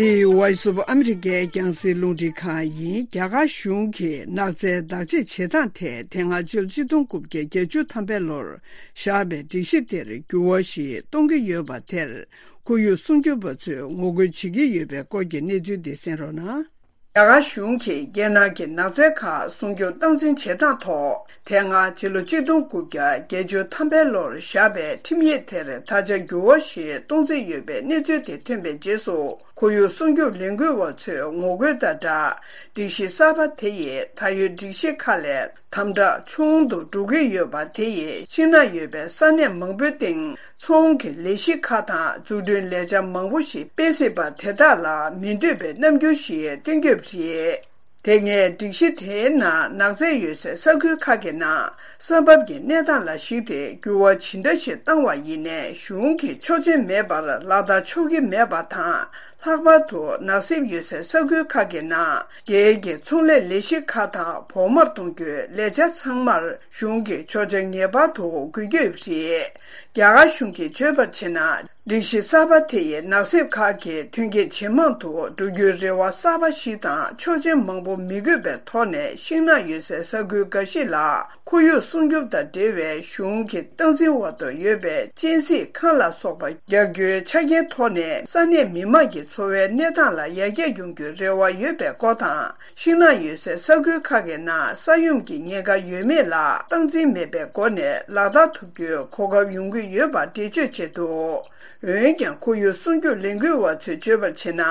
འདི་Voice of America རྒྱང་སྲིང་རླུང་འཕྲིན་ཁང་ཡིན། རྒྱ་གར་གཞུང་གིས་ནགས་ཚལ་བདག་གཅེས་བྱེད་སྟངས་ཐད་དེ་སྔ་ཕྱི་ལོ་ཆིག་སྟོང་དགུ་བརྒྱ་བརྒྱད་ཅུ་ཐམ་པའི་ལོར་བཞག་པའི་སྒྲིག་གཞི་དེར་འགྱུར་བ་ཞིག་གཏོང་གི་ཡོད་པ་དེར། ཁོར་ཡུག་སྲུང་སྐྱོབ་པ་ཚོས་ངོ་རྒོལ་བྱེད་ཀྱི་ཡོད་པའི་སྐོར་གྱི་གནས་ཚུལ་འདི་གསན་རོགས་གནང་། རྒྱ་གར་གཞུང་གིས་རྒྱལ་ནང་གི་ནགས་ཚལ་ཁག་སྲུང་སྐྱོབ་སྟངས་འཛིན་བྱེད་སྟངས་ཐོག་དེ་སྔ་ཕྱི་ལོ་ཆིག་སྟོང་དགུ་བརྒྱ་བརྒྱད་ཅུ་ཐམ་པའི་ལོར་བཞག་པའི་ཁྲིམས་ཡིག་དེར་ད་ཆ་འགྱུར་བ་ཞིག་གཏོང་རྩིས་ཡོད་པའི་གནས་ཚུལ་དེ་ཐོན་པའི་རྗེས་སུ། ཁོར་ཡུག་སྲུང་སྐྱོབ་ལས་འགུལ་བ་ཚོས་ངོ་རྒོལ་དང་སྦྲགས། སྒྲིག་གཞི་གསར་པ་དེ་ཡིས་ད་ཡོད་སྒྲིག་གཞི་ཁག་ལས་དམ་དྲག་ཆུང་དུ་འགྲོ་གི་ཡོད་པ་དེ་ཡིས་ཤིང་ནགས་ཡོད་པའི་ས་གནས་མང་པོའི་སྟེང་ཚོང་གི་ལས་གཞི་ཁག་དང་འཛུགས་སྐྲུན་ལས་འཆར་མང་པོ་ཞིག་སྤེལ་སྲིད་པ་དེ་དག་ལ་མི་འདོད་པའི་རྣམ་འགྱུར་ཞིག་སྟོན་གྱི་ཡོད་པ་རེད། དེ་སྔའི་སྒྲིག་གཞི་དེའི་ནང་ནགས་ཚལ་ཡོད་སའི་ས་ཁུལ་ཁག་གི་ནང་ས་བབ་ཀྱི་གནས་སྟངས་ལ་གཞིགས་ཏེ་འགྱུར་བ་ཇི་འདྲ་ཞིག་བཏང་བ་ཡིན་ནའི་གཞུང་གིས་ཆོག་མཆན་མེད་པར་ལག་བསྟར་ཆོག་གི་མེད་པ་དང་། ལྷག་པར་དུ་ནགས་གསེབ་ཡོད་སའི་ས་ཁུལ་ཁག་གི་ནང་སྒེར་གྱི་ཚོང་ལས་ལས་གཞི་ཁག་དང་བོགས་མར་གཏོང་རྒྱུའི་ལས་འཆར་ཚང་མར་གཞུང་གིས་ཆོག་མཆན་ངེས་པར་དུ་དགོས་ཀྱི་ཡོད་པ་རེད། རྒྱ་གར་གཞུང་གིས་བརྗོད་པར་བྱས་ན། སྒྲིག་གཞི་གསར་པ་དེ་ཡིས་ནགས་གསེབ་ཁག་གི་ཐོན་སྐྱེད་ཇེ་མང་དུ་འགྲོ་རྒྱུའི་རེ་བ་གསར་པ་ཞིག་དང་ཆོག་མཆན་མང་པོ་མི་དགོས་པའི་ཐོག་ནས་ཤིང་ནགས་ཡོད་སའི་ས་ཁུལ་འགའ་ཞིག་ལ། ཁོར་ཡུག་སྲུང་སྐྱོབ་དང་འབྲེལ་བའི་གཞུང་གི་སྟངས་འཛིན་འོག་ཏུ་ཡོད་པའི་གཅན་གཟན་ཁང་ལ་སོགས་པ་རྒྱག་རྒྱུའི་ཆ་རྐྱེན་ཐོག་ནས་ས་གནས་མི་མང་གི་འཚོ་བའི་གནས་སྟངས་ལ་ཡར་རྒྱས་ཡོང་རྒྱུའི་རེ་བ་ཡོད་པའི་སྐོར་དང་། ཤིང་ནགས་ཡོད་སའི་ས་ཁུལ་ཁག་གི་ནང་ས་ཡོམ་གྱི་ཉེན་ཁ་ཡོད་མེད་ལ་སྟངས་འཛིན་མེད་པའི་སྒོ་ནས་ལག་བསྟར་ཐུབ་རྒྱུའི་གོ་སྐབས་ཡོང་གི་ཡོད་པ་འགྲེལ་བརྗོད་བྱས་འདུག་འོན་ཀྱང་ཁོར་ཡུག་སྲུང་སྐྱོབ་ལས་འགུལ་བ་ཚོས་བརྗོད་པར་བྱས་ན།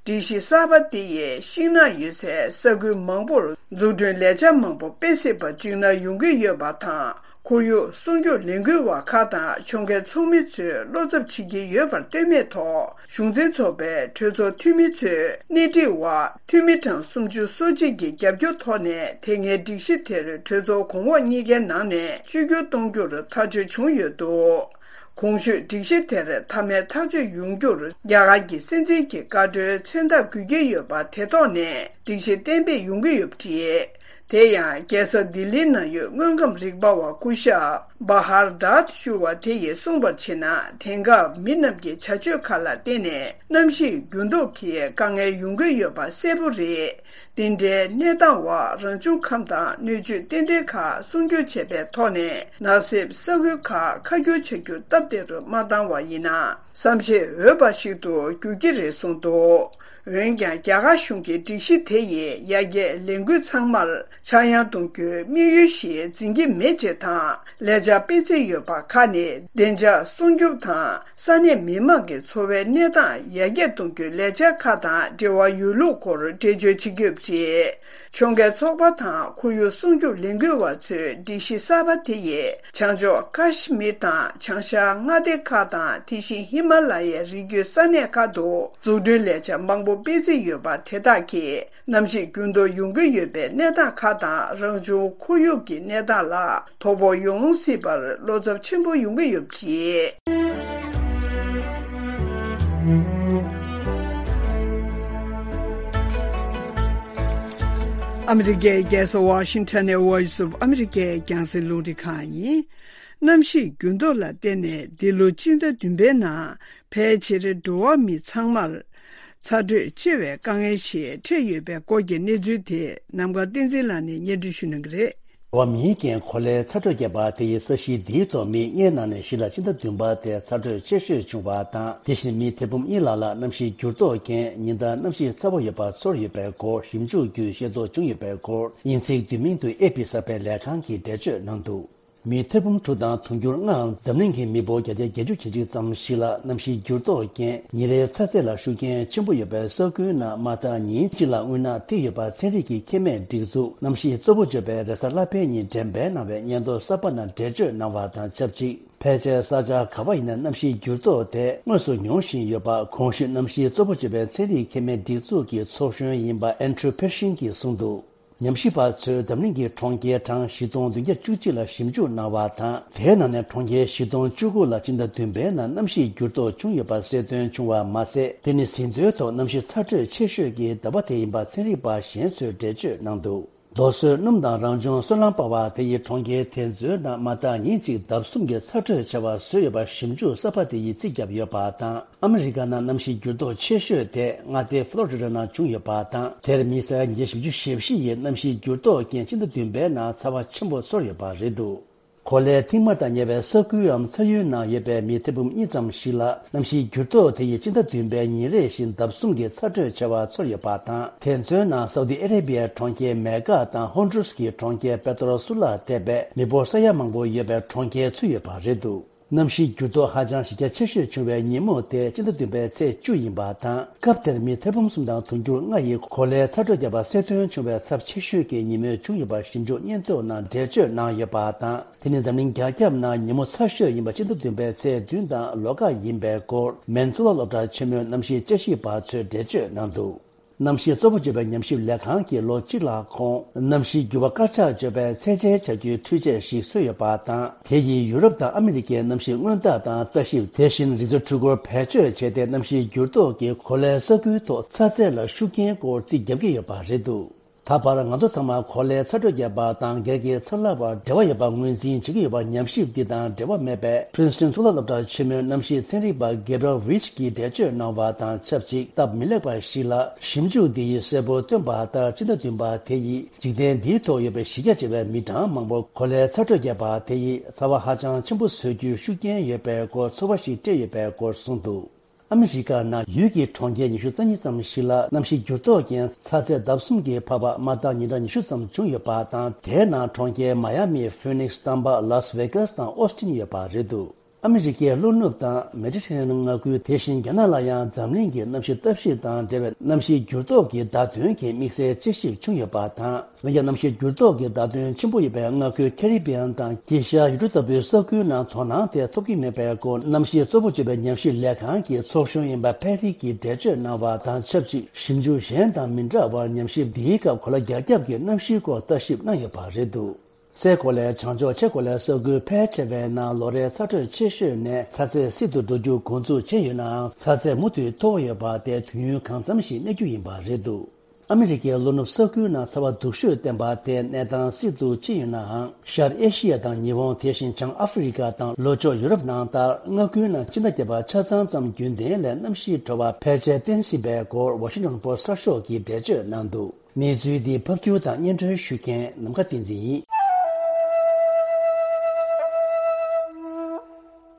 སྒྲིག་གཞི་གསར་པ་འདི་ཡིས་ཤིང་ནགས་ཡོད་སའི་ས་ཁུལ་མང་པོར་འཛུགས་སྐྲུན་ལས་འཆར་མང་པོ་སྤེལ་སྲིད་པར་འཇིགས་སྣང་ཡོང་གི་ཡོད་པ་དང་། ཁོར་ཡུག་སྲུང་སྐྱོབ་ལས་འགུལ་བ་ཁག་དང་ཕྱོགས་འགལ་ཚོགས་མི་ཚོས་བློ་འཚབ་བྱེད་ཀྱི་ཡོད་པར་ལྟོས་མེད་ཐོག་གཞུང་འཛིན་ཚོགས་པའི་གྲོས་ཚོགས་འཐུས་མི་ཚོས་སྣེ་ཁྲིད་འོག་འཐུས་མི་གྲངས་སུམ་ཅུ་སོ་གཅིག་གི་རྒྱབ་སྐྱོར་ཐོག་ནས་དེ་སྔའི་སྒྲིག་གཞི་དེར་གྲོས་ཚོགས་གོང་འོག་གཉིས་ཀའི་ནང་ནས་བཅོས་བསྒྱུར་གཏོང་རྒྱུར་ཐག་གཅོད་བྱུང་ཡོད་འདུག་གོང་ཞུས་སྒྲིག་གཞི་དེར་མཐའ་མའི་ཐག་གཅོད་ཡོང་རྒྱུར་རྒྱ་གར་གྱི་སྲིད་འཛིན་གྱི་བཀའ་འཁྲོལ་མཚན་རྟགས་དགོས་ཀྱི་ཡོད་པ་དེ་ཐོག་ནས་སྒྲིག་གཞི་གཏན་འབེབས་ཡོང་གི་ཡོད་པ་རེད། དེ་ཡང་རྒྱལ་ས་ལྡི་ལིའི་ནང་ཡོད་དངོས་ཁམས་རིག་པ་བ་སྐུ་ཞབས་ བྷ་ཧར་དཱད་ཞུ་བ་དེ་ཡིས་གསུངས་པར་བྱས་ན། དེང་སྐབས་མི་རྣམས་ཀྱི་བྱ་སྤྱོད་ཁག་ལ་བརྟེན་ནས་གནམ་གཤིས་འགྱུར་ལྡོག་གི་དཀའ་ངལ་ཡོང་གི་ཡོད་པ་གསལ་པོ་རེད། འདི་འདྲའི་གནས་སྟངས་འོག་རང་བྱུང་ཁམས་དང་སྣོད་བཅུད་རྟེན་འབྲེལ་ཁག་སྲུང་སྐྱོབ་བྱེད་པའི་ཐོག་ནས་ནགས་གསེབ་ས་ཁུལ་ཁག་ཁ་སྒྱུར་བྱ་རྒྱུ་སྟབས་བདེ་རུ་མ་བཏང་བ་ཡིན་ན། བསམ་ཤེས་འོས་པ་ཞིག་ཏུ་འགྱུར་གྱི་རེད་གསུངས་འདུག་འོན་ཀྱང་། རྒྱ་གར་གཞུང་གིས་སྒྲིག་གཞི་དེ་ཡིས་ཡར་རྒྱས་ལས་འགུལ་ཚང་མར་ཆག་ཡང་གཏོང་རྒྱུའི་དམིགས་ཡུལ་ཞིག་འཛིན་གྱི་མེད་ཅེས་དང་། ལས་འཆར་སྤེལ་རྩིས་ཡོད་པ་ཁག་ནི་བདེ་འཇགས་སྲུང་སྐྱོབ་དང་། ས་གནས་མི་མང་གི་འཚོ་བའི་གནས་སྟངས་ཡར་རྒྱས་གཏོང་རྒྱུའི་ལས་འཆར་ཁག་དང་འབྲེལ་བ་ཡོད་ལུགས་སྐོར་འགྲེལ་བརྗོད་བྱེད་ཀྱི་ཡོད་པ་རེད། ཕྱོགས་འགལ་ཚོགས་པ་དང་ཁོར་ཡུག་སྲུང་སྐྱོབ་ལས་འགུལ་བ་ཚོས་སྒྲིག་གཞི་གསར་པ་དེ་ཡིས་བྱང་ཕྱོགས་ཀ་ཤི་མིར་དང་བྱང་ཤར་མངའ་སྡེ་ཁག་དང་། དེ་བཞིན་ཧི་མ་ལ་ཡའི་རི་རྒྱུད་ས་གནས་ཁག་ཏུ་འཛུགས་སྐྲུན་ལས་འཆར་མང་པོ་སྤེལ་རྩིས་ཡོད་པ་དེ་དག་གིས། གནམ་གཤིས་འགྱུར་ལྡོག་ཡོང་གི་ཡོད་པའི་གནས་སྟངས་ཁག་དང་། རང་བྱུང་ཁོར་ཡུག་གི་གནས་སྟངས་ལ་དོ་ཕོག་ཡོང་སྲིད་པར་བློ་འཚབ་ཆེན་པོ་ཡོང་གི་ཡོད་པ་རེད། ཨ་མི་རི་ཀའི་རྒྱལ་ས་ཝ་ཤིང་ཊོན་ནས་Voice of America་རྒྱང་སྲིང་རླུང་འཕྲིན་ཁང་ཡིན། གནམ་གཤིས་འགྱུར་ལྡོག་ལ་བརྟེན་ནས་འདི་ལོ་སྤྱི་ཟླ་བདུན་པའི་ནང་ཕལ་ཆེར་འགྲོ་བ་མི་ཚང་མར་ཚ་དྲོད་ཆེ་བའི་དཀའ་ངལ་ཞིག་འཕྲད་ཡོད་པའི་སྐོར་གྱི་གནས་ཚུལ་དེ་ནམ་མཁའ་བསྟན་འཛིན་ལགས་ནས་སྙན་སྒྲོན་ཞུ་གནང་གི་རེད། འགྲོ་བ་མིའི་རྐྱེན་གོ་ལའི་ཚ་དྲོད་བརྒྱབ་པ་དེ་ཡིས་ས་གཞི་འདིའི་ཐོག་མི་ལྔའི་ནང་ནས་བཞི་ལ་སྤྱི་ཟླ་བདུན་པ་དེར་ཚ་དྲོད་ཆེ་ཤོས་བྱུང་བ་དང་། དེ་བཞིན་མི་ཐེར་འབུམ་གཉིས་ལྷག་ལ་གནམ་གཤིས་འགྱུར་ལྡོག་རྐྱེན་ཉིན་ལྟར་གནམ་གཤིས་ཚ་བོ་ཡོད་པ་ཚོར་ཡོད་པའི་སྐོར་ཞིབ་འཇུག་བརྒྱུད་ཤེས་རྟོགས་བྱུང་ཡོད་པའི་སྐོར་དབྱིན་ཚིག་བསྡུས་མིང་དུ་ཨེ་པི་གསར་སྤེལ་ལས་ཁང་གིས་འགྲེལ་བརྗོད་གནང་འདུག་མི་ཐེར་འབུམ་དྲུག་དང་དུང་ཕྱུར་ལྔའམ་འཛམ་གླིང་གི་མི་འབོར་བརྒྱ་ཆ་བརྒྱད་ཅུ་གྱ་གཅིག་ཙམ་ཞིག་ལ་གནམ་གཤིས་འགྱུར་ལྡོག་རྐྱེན་ཉིན་རེའི་ཚ་ཚད་ལ་ཤུགས་རྐྱེན་ཆེན་པོ་ཡོད་པའི་ས་ཁུལ་ནང་མ་མཐའ་ཉིན་གཅིག་ལ་དངོས་སྣང་ཐེབས་ཡོད་པ་ཚན་རིག་གི་ཁེ་མེད་སྒྲིག་འཛུགས་གནམ་གཤིས་གཙོ་བོ་བརྗོད་པའི་རེས་གཟའ་ལྷག་པའི་ཉིན་འགྲེམས་སྤེལ་གནང་བའི་སྙན་ཐོ་གསར་པ་ནང་འགྲེལ་བརྗོད་གནང་བ་དང་ཆབས་ཅིག་ཕལ་ཆེར་ས་ཆ་ག་བ་ཡིན་ན་གནམ་གཤིས་འགྱུར་ལྡོག་དེ་དངོས་སུ་མྱོང་བཞིན་ཡོད་པ་གོང་ཞུས་གནམ་གཤིས་གཙོ་བོ་བརྗོད་པའི་ཚན་རིག་ཁེ་མེད་སྒྲིག་འཛུགས་ཀྱི་ཚོགས་གཞོན་ཡིན་པ་ཨན་ཌྲུ་ཕེར་ཤིན་གྱིས་གསུངས་འདུག་ཉམས་ཞིབ་པ་ཚོས་འཛམ་གླིང་གི་གྲོང་ཁྱེར་གྲངས་བཞི་སྟོང་བདུན་བརྒྱ་བཅུ་གཅིག་ལ་ཞིབ་འཇུག་གནང་བ་དང་། དེའི་ནང་ནས་གྲོང་ཁྱེར་བཞི་སྟོང་བཅུ་དགུ་ལ་སྤྱི་ཟླ་བདུན་པའི་ནང་གནམ་གཤིས་འགྱུར་ལྡོག་བྱུང་ཡོད་པ་གསལ་སྟོན་བྱུང་བ་མ་ཟད། དེ་ནི་ཟིན་ཐོའི་ཐོག་གནམ་གཤིས་ཚ་དྲོད་ཆེ་ཤོས་ཀྱི་ཟླ་བ་དེ་ཡིན་པ་ཚན་རིག་པ་གཞན་ཚོས་འགྲེལ་བརྗོད་གནང་འདུག་རྡོ་སོལ་སྣུམ་དང་རང་བྱུང་སོལ་རླངས་སྤར་བ་དེ་ཡིས་གྲོང་ཁྱེར་དེ་ཚོའི་ནང་མ་མཐའ་ཉིན་གཅིག་ལྡབ་གསུམ་གྱི་ཚ་དྲོད་ཆེ་བ་བཟོས་ཡོད་པ་ཞིབ་འཇུག་གསར་པ་དེ་ཡིས་རྩིས་བརྒྱབ་ཡོད་པ་དང་། ཨ་མི་རི་ཀ་ནང་གནམ་གཤིས་འགྱུར་ལྡོག་ཆེ་ཤོས་དེ་མངའ་སྡེ་ཕློ་རི་ཌ་ནང་བྱུང་ཡོད་པ་དང་། དེར་མི་ས་ཡ་ཉིས་བརྒྱ་བཞི་བཅུ་ཞེ་བཞི་ཡིས་གནམ་གཤིས་འགྱུར་ལྡོག་རྐྱེན་སྤྱི་ཟླ་བདུན་པའི་ནང་ཚ་བ་ཆེན་པོ་ཚོར་ཡོད་པ་རེད་འདུག་གོ་ལའི་མཐིལ་དམག་དང་ཉེ་བའི་ས་ཁུལ་འམ་ས་ཡུལ་ནང་ཡོད་པའི་མི་ཐེར་འབུམ་གཉིས་ཙམ་ཞིག་ལ་གནམ་གཤིས་འགྱུར་ལྡོག་དེ་ཡིས་སྤྱི་ཟླ་བདུན་པའི་ཉིན་རེ་བཞིན་ལྡབ་གསུམ་གྱི་ཚ་དྲོད་ཆེ་བ་ཚོར་ཡོད་པ་དང་། དེ་ཚོའི་ནང་སའུ་ཏི་ཨ་རེ་བྷི་ཡའི་གྲོང་ཁྱེར་མེ་ཀ་དང་ཧོན་ཌུ་རུས་ཀྱི་གྲོང་ཁྱེར་པེ་ཏྲོ་སུ་ལ་ཐེ་བའི་མི་འབོར་ས་ཡ་མང་པོ་ཡོད་པའི་གྲོང་ཁྱེར་ཚུད་ཡོད་པ་རེད་འདུག་གནམ་གཤིས་འགྱུར་ལྡོག་ཧ་ཅང་གཞི་རྒྱ་ཆེ་ཤོས་བྱུང་བའི་ཉིན་མོ་དེ་སྤྱི་ཟླ་བདུན་པའི་ཚེས་བཅུ་ཡིན་པ་དང་། སྐབས་དེར་མི་ཐེར་འབུམ་གསུམ་དང་དུང་ཕྱུར་ལྔ་ཡིས་གོ་ལའི་ཚ་དྲོད་བརྒྱབ་པ་གསལ་སྟོན་བྱུང་བའི་ཚབས་ཆེ་ཤོས་ཀྱི་ཉིན་མོ་བྱུང་ཡོད་པ་ཞིབ་འཇུག་སྙན་ཐོ་ནང་འགྲེལ་བརྗོད་གནང་ཡོད་པ་དང་། དེ་ནི་འཛམ་གླིང་རྒྱ་ཁྱབ་ནང་ཉིན་མོ་ཚ་ཤོས་ཡིན་པ་སྤྱི་ཟླ་བདུན་པའི་ཚེས་བདུན་དང་ལོ་འགའ་ཡིན་པའི་སྐོར་མེན་གཙུག་ལག་སློབ་གྲྭ་ཆེན་མོའི་གནམ་གཤིས་དཔྱད་ཞིབ་པ་ཚོས་འགྲེལ་བརྗོད་གནང་འདུག་གནམ་གཤིས་གཙོ་བོ་བརྗོད་པའི་ཉམས་ཞིབ་ལས་ཁང་གིས་ལོ་གཅིག་ལྷག་གོང་གནམ་གཤིས་འགྱུར་བ་དཀར་ཆག་བརྗོད་པའི་ཚད་འཇལ་བྱ་རྒྱུའི་འཕྲུལ་ཆས་ཤིག་བཟོས་ཡོད་པ་དང་། དེ་ཡིས་ཡུ་རོབ་དང་ཨ་མི་རི་ཀའི་གནམ་གཤིས་སྔོན་བརྟག་དང་ལྟ་ཞིབ། དེ་བཞིན་རི་མཚོ་འཕྲུལ་འཁོར་བེད་སྤྱོད་བྱས་ཏེ་གནམ་གཤིས་འགྱུར་ལྡོག་གིས་གོ་ལའི་ས་ཁུལ་ཐོག་ཚ་ཚད་ལ་ཤུགས་རྐྱེན་སྐོར་རྩིས་རྒྱག་གི་ཡོད་པ་རེད་འདུག་ད་བར་ང་ཚོ་ཚང་མ་གོ་ལའི་ཚ་དྲོད་བརྒྱབ་པ་དང་སྒེར་གྱི་ཚ་ལྷག་པར་འབྲེལ་བ་ཡོད་པ་ངོས་འཛིན་བྱེད་ཀྱི་ཡོད་པ། ཉམས་ཞིབ་འདི་དང་འབྲེལ་བ་མེད་པའི་Princeton་གཙུག་ལག་སློབ་གྲྭ་ཆེན་མོའི་གནམ་གཤིས་ཚན་རིག་པ་Gabriel Veitch་གིས་འགྲེལ་བརྗོད་གནང་བ་དང་ཆབས་ཅིག་སྟབས་མི་ལེགས་པ་ཞིག་ལ། ཞིབ་འཇུག་འདི་ཡིས་གསལ་པོ་སྟོན་པ་ལྟར་སྤྱི་ཟླ་བདུན་པ་དེ་ཡིས་འཇིག་རྟེན་འདིའི་ཐོག་ཡོད་པའི་གཞི་རྒྱ་ཆེ་བའི་མི་གྲངས་མང་པོ་གོ་ལའི་ཚ་དྲོད་བརྒྱབ་པ་དེ་ཡིས་ཚ་བ་ཧ་ཅང་ཆེན་པོ་བཟོ་རྒྱུའི་ཤུགས་རྐྱེན་ཡོད་པའི་སྐོར་ཚོར་བ་ཞིག་སྤྲད་ཡོད་པའི་སྐོར་གསུངས་འདུག་ཨ་མི་རི་ཀ་ནང་ཡུལ་གྱི་གྲོང་ཁྱེར་ཉི་ཤུ་རྩ་གཉིས་ཙམ་ཞིག་ལ་གནམ་གཤིས་འགྱུར་ལྡོག་རྐྱེན་ཚ་ཚད་ལྡབ་གསུམ་གྱིས་འཕར་བ་མ་མཐའ་ཉིན་གྲངས་ཉི་ཤུ་ཙམ་བྱུང་ཡོད་པ་དང་། དེའི་ནང་གྲོང་ཁྱེར་མ་ཡ་མི། ཧྥི་ནིག་སི། ཏམ་པ། ལཱས་ཝེ་གཱས་དང་ཨོ་སི་ཊིན་ཡོད་པ་རེད་འདུག་ཨ་མི་རི་ཀའི་ལྷོ་ནུབ་དང་མེ་ཌི་ཊེ་རེ་ནི་ཡན་མངའ་ཁུལ། དེ་བཞིན་རྒྱ་ནག་ལ་ཡང་འཛམ་གླིང་གི་གནམ་གཤིས་ལྟ་ཞིབ་དང་འབྲེལ་བའི་གནམ་གཤིས་འགྱུར་ལྡོག་གི་བརྡ་དོན་གྱི་དམིགས་བསལ་དཔྱད་ཞིབ་བྱུང་ཡོད་པ་དང་། འོན་ཀྱང་གནམ་གཤིས་འགྱུར་ལྡོག་གི་བརྡ་དོན་ཆེན་པོ་ཡོད་པའི་མངའ་ཁུལ་ཁེ་རི་བི་ཡན་དང་དཀྱིལ་ཤར་ཡུལ་གྲུ་ལྟ་བུའི་ས་ཁུལ་ནང་དོ་སྣང་དེ་ཐོབ་ཀྱི་མེད་པའི་སྐོར། གནམ་གཤིས་གཙོ་བོ་བརྗོད་པའི་ཉམས་ཞིབ་ལས་ཁང་གི་ཚོགས་གཞོན་ཡིན་པ་ཕེ་རི་གིས་འགྲེལ་བརྗོད་གནང་བ་དང་ཆབས་ཅིག་ཞིབ་འཇུག་གཞན་དང་མི་འདྲ་བར། ཉམས་ཞིབ་འདིའི་སྐབས་གོ་ལ་རྒྱ་ཁྱབ་ཀྱི་གནམ་གཤིས་སྐོར་ལྟ་ཞིབ་གནང་ཡོད་པ་རེད་འདུག་སའི་གོ་ལའི་བྱང་ཕྱོགས་ཆེས་གོ་ལའི་ས་ཁུལ་ཕལ་ཆེ་བའི་ནང་ལོ་རེའི་ཚ་དྲོད་ཆེ་ཤོས་ནས་ཚ་ཚད་བསིལ་དུ་འགྲོ་རྒྱུ་འགོ་འཛུགས་བྱས་ཡོད་ནའང་། ཚ་ཚད་མུ་མཐུད་མཐོ་བོ་ཡོད་པ་དེ་དུས་ཡུན་གང་འཚམ་ཞིག་གནས་རྒྱུ་ཡིན་པ་རེད་འདུག་ཨ་མི་རི་ཀའི་ལྷོ་ནུབ་ས་ཁུལ་ནང་ཚ་བ་སྡུག་ཤོས་བསྟན་པ་དེ་གནས་སྟངས་སྲིད་དུ་ཕྱིན་ཡོད་ནའང་། ཤར་ཨེ་ཤི་ཡ་དང་ཉི་ཧོང་། དེ་བཞིན་བྱང་ཨ་ཧྥེ་རི་ཀ་དང་ལྷོ་ཕྱོགས་ཡུ་རོབ་ནང་ལྟར་མངའ་ཁུལ་ནང་ཕྱི་ཟླ་བརྒྱད་པ་ཆ་ཚང་ཙམ་རྒྱུན་ལྡན་ལས་གནམ་གཤིས་དྲོ་བ་ཕལ་ཆེར་བརྟན་སྲིད་པའི་སྐོར་ཝ་ཤིང་ཊོན་པོ་སི་གསར་ཤོག་གིས་འགྲེལ་བརྗོད་གནང་འདུག་གནས་ཚུལ་འདི་ཕབ་སྒྱུར་དང་སྙན་སྒྲོན་ཞུ་མཁན་ནམ་མཁའ་བསྟན་འཛིན་ཡིན།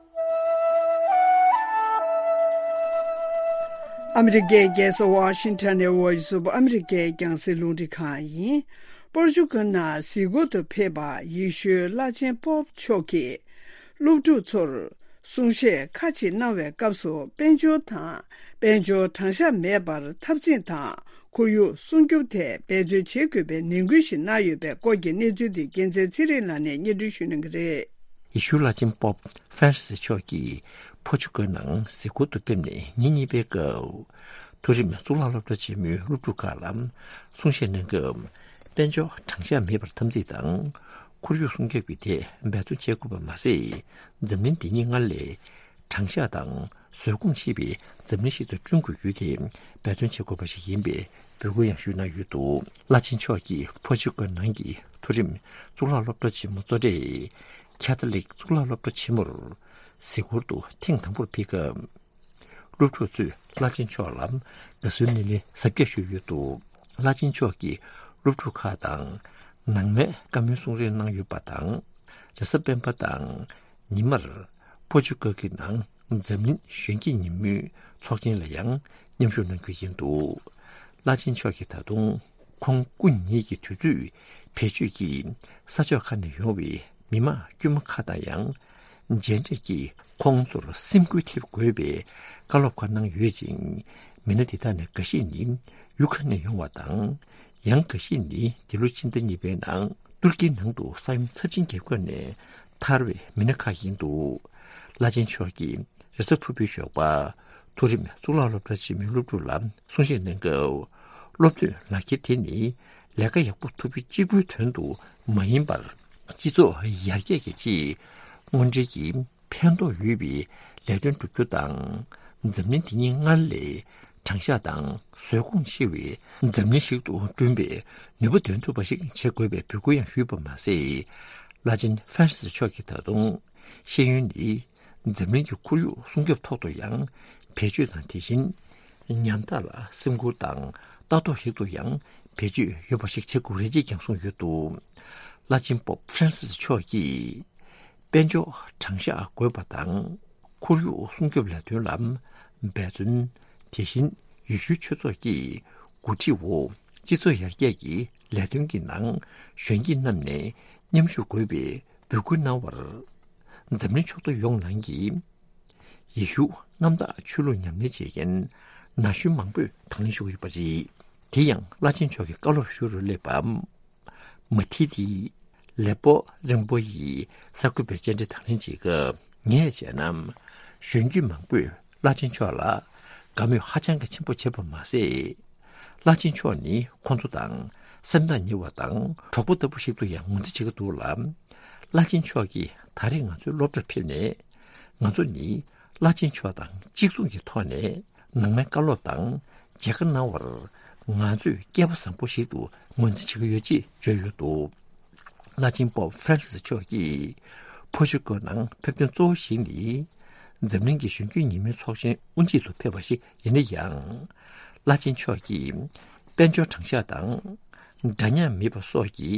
ཨ་མི་རི་ཀའི་རྒྱལ་ས་ཝ་ཤིང་ཊོན་ནས་Voice of America རྒྱང་སྲིང་རླུང་འཕྲིན་ཁང་ཡིན། པོར་ཅུ་གལ་ནང་གཟིགས་སྐོར་དུ་ཕེབས་པ་ཡེ་ཤུའི་བླ་ཆེན་པོབ་མཆོག་གིས། སློབ་ཕྲུག་ཚོར་གསུང་བཤད་ཁ་ཅིག་གནང་བའི་སྐབས་སུ། དཔལ་འབྱོར་དང་། དཔལ་འབྱོར་དྲང་གཞག་མེད་པར་འཐབ་འཛིང་དང་། ཁོར་ཡུག་སྲུང་སྐྱོབ་ཐད་འབད་བརྩོན་བྱེད་དགོས་པའི་ནན་སྐུལ་ཞིག་གནང་ཡོད་པའི་སྐོར་གྱི་གནས་ཚུལ་དེ། རྒྱལ་མཚན་ཚེ་རིང་ལགས་ནས་སྙན་སྒྲོན་ཞུ་གནང་གི་རེད། ཡེ་ཤུ་བླ་ཆེན་པོབ་ཧྥ་རན་སིས་མཆོག་གིས་པོར་ཅུ་གལ་ནང་གཟིགས་སྐོར་དུ་ཕེབས་ནས་ཉིན་གཉིས་པའི་སྐབས། མཐོ་རིམ་གཙུག་ལག་སློབ་གྲྭ་ཆེན་མོའི་སློབ་ཕྲུག་ཁག་ལ་གསུང་བཤད་གནང་སྐབས། དཔལ་འབྱོར་དྲང་གཞག་མེད་པར་འཐབ་འཛིང་དང་། ཁོར་ཡུག་སྲུང་སྐྱོབ་ཀྱི་ཐད་འབད་བརྩོན་བྱེད་དགོས་པ་མ་ཟད། འཛམ་གླིང་འདི་ཉིད་སྔར་ལས་དྲང་གཞག་དང་བཟོད་སྒོམ་ཆེ་བའི་འཛམ་གླིང་ཞིག་ཏུ་བསྐྲུན་དགོས་རྒྱུ་དེ་འབད་བརྩོན་བྱེད་དགོས་པ་ཞིག་ཡིན་པའི་འབོད་སྐུལ་ཡང་ཞུས་གནང་ཡོད་འདུག་བླ་ཆེན་མཆོག་གིས་པོར་ཅུ་གལ་ནང་གི་མཐོ་རིམ་གཙུག་ལག་སློབ་གྲྭ་ཆེན་མོ་གཙོ་གྲས་ཁེ་ཐོ་ལིག་གཙུག་ལག་སློབ་གྲྭ་ཆེན་མོར་གཟིགས་སྐོར་དུ་ཐེངས་དང་པོར་ཕེབས་སྐབས། སློབ་ཕྲུག་ཚོས་བླ་ཆེན་མཆོག་ལ་དགའ་བསུའི་སྣེ་ལེན་གཟབ་རྒྱས་ཞུས་ཡོད་འདུག་བླ་ཆེན་མཆོག་གིས་སློབ་ཕྲུག་ཁག་དང་ནང་མའི་བཀའ་མོལ་གསུང་རེས་གནང་ཡོད་པ་དང་། རེས་གཟའ་སྤེན་པ་དང་ཉི་མར་པོར་ཅུ་གལ་གྱི་ནང་འཛམ་གླིང་གཞོན་སྐྱེས་ཉིན་མོའི་ཚོགས་ཆེན་ལ་ཡང་མཉམ་ཞུགས་གནང་རྒྱུ་ཡིན་འདུག་བླ་ཆེན་མཆོག་གིས་ད་དུང་ཁོང་སྐུ་ཉིད་ཀྱི་དུས་ཚོད་བེད་སྤྱོད་ཀྱིས་ས་ཕྱོགས་ཁག་ནས་ཡོང་བའི་མི་མང་དཀྱུས་མ་ཁག་དང་ཡང་མཇལ་འཕྲད་ཀྱིས་ཁོང་ཚོར་སེམས་འགུལ་ཐེབས་དགོས་པའི་བཀའ་སློབ་ཁག་གནང་ཡོད་ཅིང་། མི་སྣ་དེ་དག་ནས་འགའ་ཤས་ནི་ཡུལ་ཁག་ནས་ཡོང་བ་དང་། ཡང་འགའ་ཤས་ནི་འདི་ལོ་ཕྱི་ཟླ་གཉིས་པའི་ནང་ཏུར་ཀིའི་ནང་དུ་ས་ཡོམ་ཚབས་ཆེན་བརྒྱབ་སྐབས་ནས་ཐར་བའི་མི་སྣ་ཁག་ཡིན་འདུག་བླ་ཆེན་མཆོག་གིས་རེས་གཟའ་ཕུར་བུའི་ཞོགས་པ་མཐོ་རིམ་གཙུག་ལག་སློབ་གྲྭ་ཆེན་མོའི་སློབ་ཕྲུག་ལ་གསུང་བཤད་གནང་སྐབས། སློབ་ཐོན་ལག་འཁྱེར་དེ་ནི་ལས་ཀ་ཡག་པོ་ཐོབ་རྒྱུ་གཅིག་པུའི་དོན་དུ་མ་ཡིན་པར། སྤྱི་ཚོགས་ཡར་རྒྱས་ཀྱི་ཆེད་དངོས་འབྲེལ་གྱི་ཕན་ཐོགས་ཡོད་པའི་ལས་དོན་བསྒྲུབ་རྒྱུ་དང་། འཛམ་གླིང་འདི་ཉིད་སྔར་ལས་དྲང་གཞག་དང་བཟོད་སྒོམ་ཆེ་བའི་འཛམ་གླིང་ཞིག་ཏུ་བསྐྲུན་པའི་ནུས་པ་འདོན་ཐུབ་པ་ཞིག་བྱེད་དགོས་པའི་འབོད་སྐུལ་ཡང་ཞུས་པ་མ་ཟད། བླ་ཆེན་ཧྥ་རན་སིས་མཆོག་གིས་ད་དུང་ཤེས་ཡོན་ནི་འཛམ་གླིང་གི་ཁོར་ཡུག་སྲུང་སྐྱོབ་ཐོག་ཏུ་ཡང་བེད་སྤྱོད་དང་། དེ་བཞིན་ཉམ་ཐག་ལ་སེམས་ཁུར་དང་ལྟ་རྟོག་ཞིག་ཏུ་ཡང་བེད་སྤྱོད་ཡོད་པ་ཞིག་བྱེད་དགོས་རེད་ཅེས་ཀྱང་གསུངས་ཡོད་འདུག་བླ་ཆེན་པོབ་ཧྥ་རན་སིས་མཆོག་གིས། དཔལ་འབྱོར་དྲང་གཞག་དགོས་པ་དང་། ཁོར་ཡུག་སྲུང་སྐྱོབ་ལས་དོན་ལ་འབད་བརྩོན། དེ་བཞིན་ཡེ་ཤུའི་ཆོས་ཚོགས་ཀྱི་འགོ་ཁྲིད་འོག་སྤྱི་ཚོགས་ཡར་རྒྱས་ཀྱི་ལས་དོན་གྱི་ནང་གཞོན་སྐྱེས་རྣམས་ནས་མཉམ་ཞུགས་དགོས་པའི་འབོད་སྐུལ་གནང་བར། འཛམ་གླིང་ཕྱོགས་བསྡུས་ཡོངས་ནང་གི་ཡེ་ཤུ་གནམ་བདག་ཆོས་ལུགས་ཉམས་ལེན་བྱེད་མཁན་ན་གཞོན་མང་པོས་དང་ལེན་ཞུ་གི་ཡོད་པ་རེད། དེ་ཡང་བླ་ཆེན་མཆོག་གི་བཀའ་སློབ་ཞུ་རུ་སླེབས་པ། མ་ཐི་ཏི་ལེ་པོ་རིན་པོ་ཡིས་གསར་འགོད་པའི་བཅར་འདྲི་དང་ལེན་བྱེད་སྐབས། ངས་བྱས་ན་གཞོན་སྐྱེས་མང་པོས་བླ་ཆེན་མཆོག་ལ་དགའ་མོས་ཧ་ཅང་གི་ཆེན་པོ་བྱེད་པ་མ་ཟད། བླ་ཆེན་མཆོག་ནི་ཁོང་ཚོ་དང་སེམས་ཐག་ཉེ་བ་དང་གྲོགས་པོ་ལྟ་བུ་ཞིག་ཏུ་ཡང་ངོས་འཛིན་བྱེད་ཀྱི་འདུག་ལ། བླ་ཆེན་མཆོག་གིས་ད་རེས་ང་ཚོའི་སློབ་གྲྭར་ཕེབས་ནས། ང་ཚོ་ནི་བླ་ཆེན་མཆོག་དང་གཅིག་མཚུངས་ཀྱི་ཐོག་ནས་ནང་མའི་བཀའ་སློབ་དང་མཇལ་ཁ་གནང་བར་ང་ཚོས་སྐལ་པ་བཟང་པོ་ཞིག་ཏུ་ངོས་འཛིན་བྱེད་ཀྱི་ཡོད་ཅེས་བརྗོད་ཡོད་འདུག་བླ་ཆེན་པོབ་ཧྥ་རན་སིས་མཆོག་གིས་པོར་ཅུ་གལ་ནང་ཕེབས་དོན་གཙོ་བོ་ཞིག་ནི། འཛམ་གླིང་གི་གཞོན་སྐྱེས་ཉིན་མོའི་ཚོགས་ཆེན་དབུ་འབྱེད་དུ་ཕེབས་པ་ཞིག་ཡིན་ན་ཡང་། བླ་ཆེན་མཆོག་གིས་དཔལ་འབྱོར་དྲང་གཞག་དང་། འདྲ་མཉམ་མེད་པ་སོགས་ཀྱི་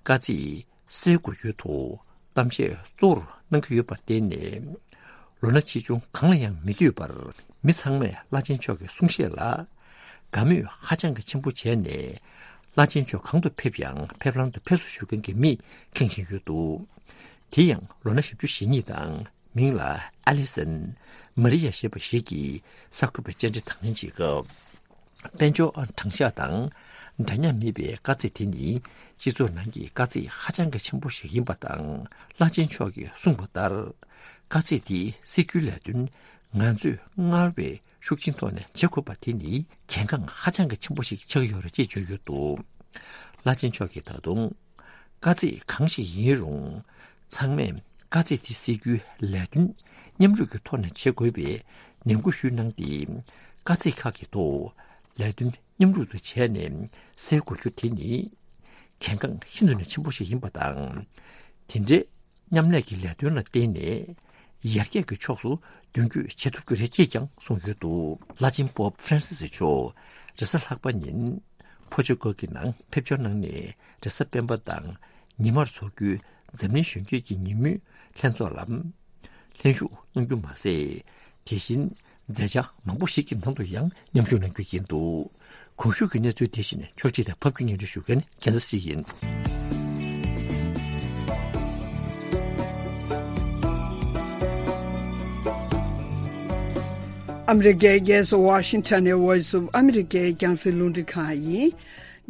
དཀའ་ཚེགས་སེལ་དགོས་རྒྱུའི་ཐོག་གཏམ་བཤད་གཙོ་བོར་གནང་གི་ཡོད་པར་བརྟེན་ནས། ལོ་ན་ཆེ་ཆུང་གང་ལ་ཡང་མི་ལྟོས་པར། མི་ཚང་མས་བླ་ཆེན་མཆོག་གི་གསུང་བཤད་ལ་དགའ་མོས་ཧ་ཅང་གི་ཆེན་པོ་བྱས་ནས། བླ་ཆེན་མཆོག་གང་དུ་ཕེབས་ཀྱང་ཕེབས་ལམ་དུ་ཕེབས་བསུ་ཞུ་མཁན་གྱི་མིས་ཁེངས་བཞིན་ཡོད་འདུག་དེ་ཡང་ལོ་ན་བཞི་བཅུ་ཞེ་གཉིས་དང་། མིང་ལ་ཨ་ལི་སན་མ་རི་ཡ་ཞེས་པ་ཞིག་གིས་གསར་འགོད་པའི་བཅར་འདྲི་དང་ལེན་བྱེད་སྐབས། དཔལ་འབྱོར་དྲང་གཞག་དང་འདྲ་མཉམ་མེད་པའི་དཀའ་ཚེགས་དེ་ནི་སྤྱི་ཚོགས་ནང་གི་དཀའ་ཚེགས་ཧ་ཅང་གི་ཆེན་པོ་ཞིག་ཡིན་པ་དང་། བླ་ཆེན་མཆོག་གིས་གསུངས་པ་ལྟར། དཀའ་ཚེགས་དེ་སེལ་རྒྱུའི་ལས་དོན་ང་ཚོས་སྔར་བས་ཤུགས་ཆེན་ཐོག་ནས་བྱེད་དགོས་པ་དེ་ནི་གལ་འགངས་ཧ་ཅང་གི་ཆེན་པོ་ཞིག་ཆགས་ཀྱི་ཡོད་རེད་ཅེས་བརྗོད་ཡོད་འདུག་བླ་ཆེན་མཆོག་གིས་ད་དུང་། དཀའ་ཚེགས་གང་ཞིག་ཡིན་རུང་། ཚང་མས་དཀའ་ཚེགས་དེ་སེལ་རྒྱུའི་ལས་དོན་མཉམ་རུབ་ཀྱི་ཐོག་ནས་བྱེད་དགོས་པའི་ནན་སྐུལ་ཞུས་གནང་སྟེ། དཀའ་ཚེགས་ཁག་གི་ཐོག་ལས་དོན་ མཉམ་རུབ་ཏུ་བྱས་ནས་སེལ་དགོས་རྒྱུ་དེ་ནི་གལ་འགངས་ཤིན་ཏུ་ནས་ཆེན་པོ་ཞིག་ཡིན་པ་དང་། དེ་འདྲའི་མཉམ་ལས་ཀྱི་ལས་དོན་ལ་བརྟེན་ནས་ཡར་རྒྱས་ཀྱི་ཕྱོགས་སུ་མདུན་སྐྱོད་བྱེད་ཐུབ་རྒྱུ་རེད་ཅེས་ཀྱང་གསུངས་ཡོད་འདུག་བླ་ཆེན་པོབ་ཧྥ་རན་སི་སི་མཆོག་རེས་གཟའ་ལྷག་པ་ཉིན་ཕོ་ཆོས་སྐོར་གྱི་ནང་ཕེབས་འབྱོར་གནང་ནས་རེས་གཟའ་སྤེན་པ་དང་ཉི་མར་འཚོགས་རྒྱུའི་འཛམ་གླིང་གཞོན་སྐྱེས་ཀྱི་ཉིན་མོའི་ལྷན་ཚོགས་ལ་ལྷན་ཞུགས་གནང་རྒྱུ་མ་ཟད། དེ་བཞིན་མཛད་འཆར་མང་པོ་ཞིག་གི་ནང་དུ་ཡང་མཉམ་ཞུགས་གནང་རྒྱུ་ཡིན་འདུག་གོང་ཞུས་ཀྱི་གནས་ཚུལ་དེ་བཞིན་ཕྱོགས་སྒྲིག་དང་ཕབ་སྒྱུར་སྙན་སྒྲོན་ཞུ་མཁན་རྒྱལ་མཚན་སྲིད་ཡིན། ཨ་མི་རི་ཀའི་རྒྱལ་ས་ཝ་ཤིང་ཊོན་ནས་Voice of America་རྒྱང་སྲིང་རླུང་འཕྲིན་ཁང་ཡིན།